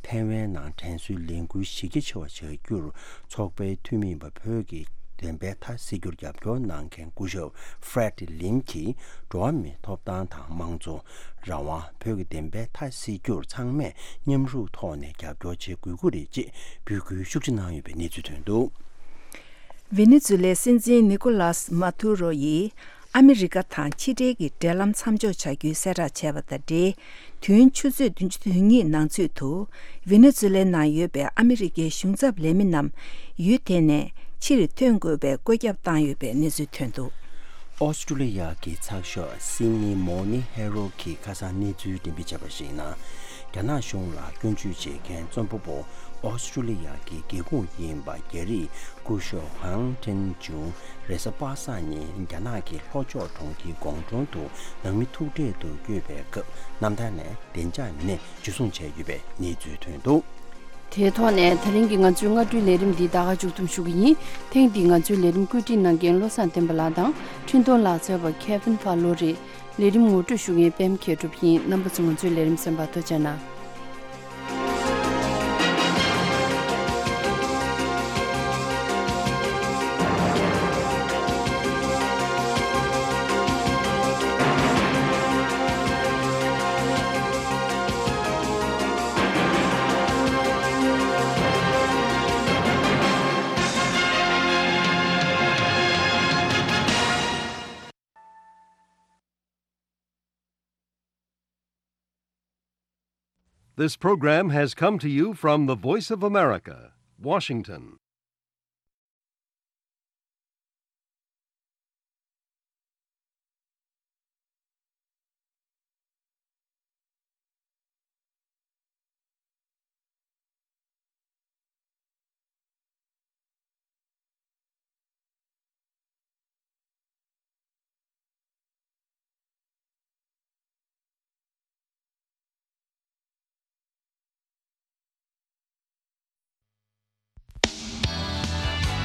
ཐའེ་ཝན་ནང་དྲན་གསོའི་ལས་འགུལ་གཞི་རྒྱ་ཆེ་བ་བྱ་རྒྱུར་ཚོགས་པའི་འཐུས་མི་ཡིན་པ་བོད་ཀྱི་བདེན་པའི་མཐའ་གསལ་རྒྱུར་རྒྱབ་སྐྱོར་གནང་མཁན་སྐུ་ཞབས་Fred Lim གྱིས་འགྲོ་བ་མིའི་ཐོབ་ཐང་དང་དམངས་གཙོ། རང་དབང་། བོད་ཀྱི་བདེན་པའི་མཐའ་གསལ་རྒྱུར་ཚང་མས་མཉམ་རུབ་ཐོག་ནས་རྒྱབ་སྐྱོར་བྱེད་དགོས་ཀྱི་རེད་ཅེས་འབོད་སྐུལ་ཤུགས་ཆེ་གནང་ཡོད་པའི་གནས་ཚུལ་ཐོན་འདུག། ཝེ་ནེ་ཛུ་ལའི་སྲིད་འཛིན་ནི་ཀོ་ལཱས་མཱ་ཐུ་རོ་ཡིས་ཨ་མི་རི་ཀ་དང་ཕྱི་འབྲེལ་གྱི་འབྲེལ་ལམ་མཚམས་འཇོག་བྱ་རྒྱུའི་གསལ་བསྒྲགས་བྱས་པ་དང་འབྲེལ། དུས་ཡུན་ཆུ་ཚོད་བདུན་ཅུ་དོན་གཉིས་ནང་ཚུད་དུ་ཝེ་ནེ་ཛུ་ལའི་ནང་ཡོད་པའི་ཨ་མི་རི་ཀའི་གཞུང་ཚབ་ལས་མི་རྣམས་ཡུལ་དེ་ནས་ཕྱིར་ཐོན་དགོས་པའི་བཀོད་ཁྱབ་བཏང་ཡོད་པའི་གནས་ཚུལ་ཐོན་འདུག། ཨོ་སི་ཀྲུ་ལི་ཡ་གི་ཚགས་ཤོག་སིད་ནི་མོར་ནིང་ཧེ་རལ་གྱིས་ཁ་སང་གནས་ཚུལ་འགྲེམས་སྤེལ་བྱས་པར་གཞིགས་ན། རྒྱ་ནག་གཞུང་ལ་སྐྱོན་བརྗོད་བྱེད་མཁན་རྩོམ་པ་པོ་ཨོ་སི་ཀྲུ་ལི་ཡ་གི་སྒེའུ་ཁུང་ཡིན་པ་རྒྱ་རིགས་སྐུ་ཞབས་ཧང་ཀྲེན་ཅུང་རེས་གཟའ་པ་སངས་ཉིན་རྒྱ་ནག་གི་ལྷོ་ཕྱོགས་གྲོང་ཁྱེར་ཀོང་ཀྲོང་དུ་ནང་མི་ཐུག་འཕྲད་དུ་བསྐྱོད་པའི་སྐབས་གནམ་ཐང་ནས་བདེ་འཇགས་མི་སྣས་འཇུ་བཟུང་བྱས་ཡོད་པའི་གནས་ཚུལ་ཐོན་འདུག། དེའི་ཐོག་ནས་ད་རིང་གི་ང་ཚོའི་སྔ་དྲོའི་ལས་རིམ་འདི་ད་ག་མཇུག་བསྡོམས་ཞུ་གི་ཡིན། ཐེངས་འདིའི་ང་ཚོའི་ལས་རིམ་བཀོད་སྒྲིག་གནང་མཁན་བློ་བཟང་བསྟན་པ་ལགས་དང་འཕྲིན་གཏོང་ལག་རྩལ་བ་Kevin Fowler རེད། ལས་རིམ་ངོ་སྤྲོད་ཞུ་མཁན་པད་མ་མཁས་གྲུབ་ཡིན། རྣམ་པ་ཚོ་ང་ཚོའི་ལས་རིམ་གསན་པར་ཐུགས་རྗེ་གནང་། This program has come to you from the Voice of America, Washington.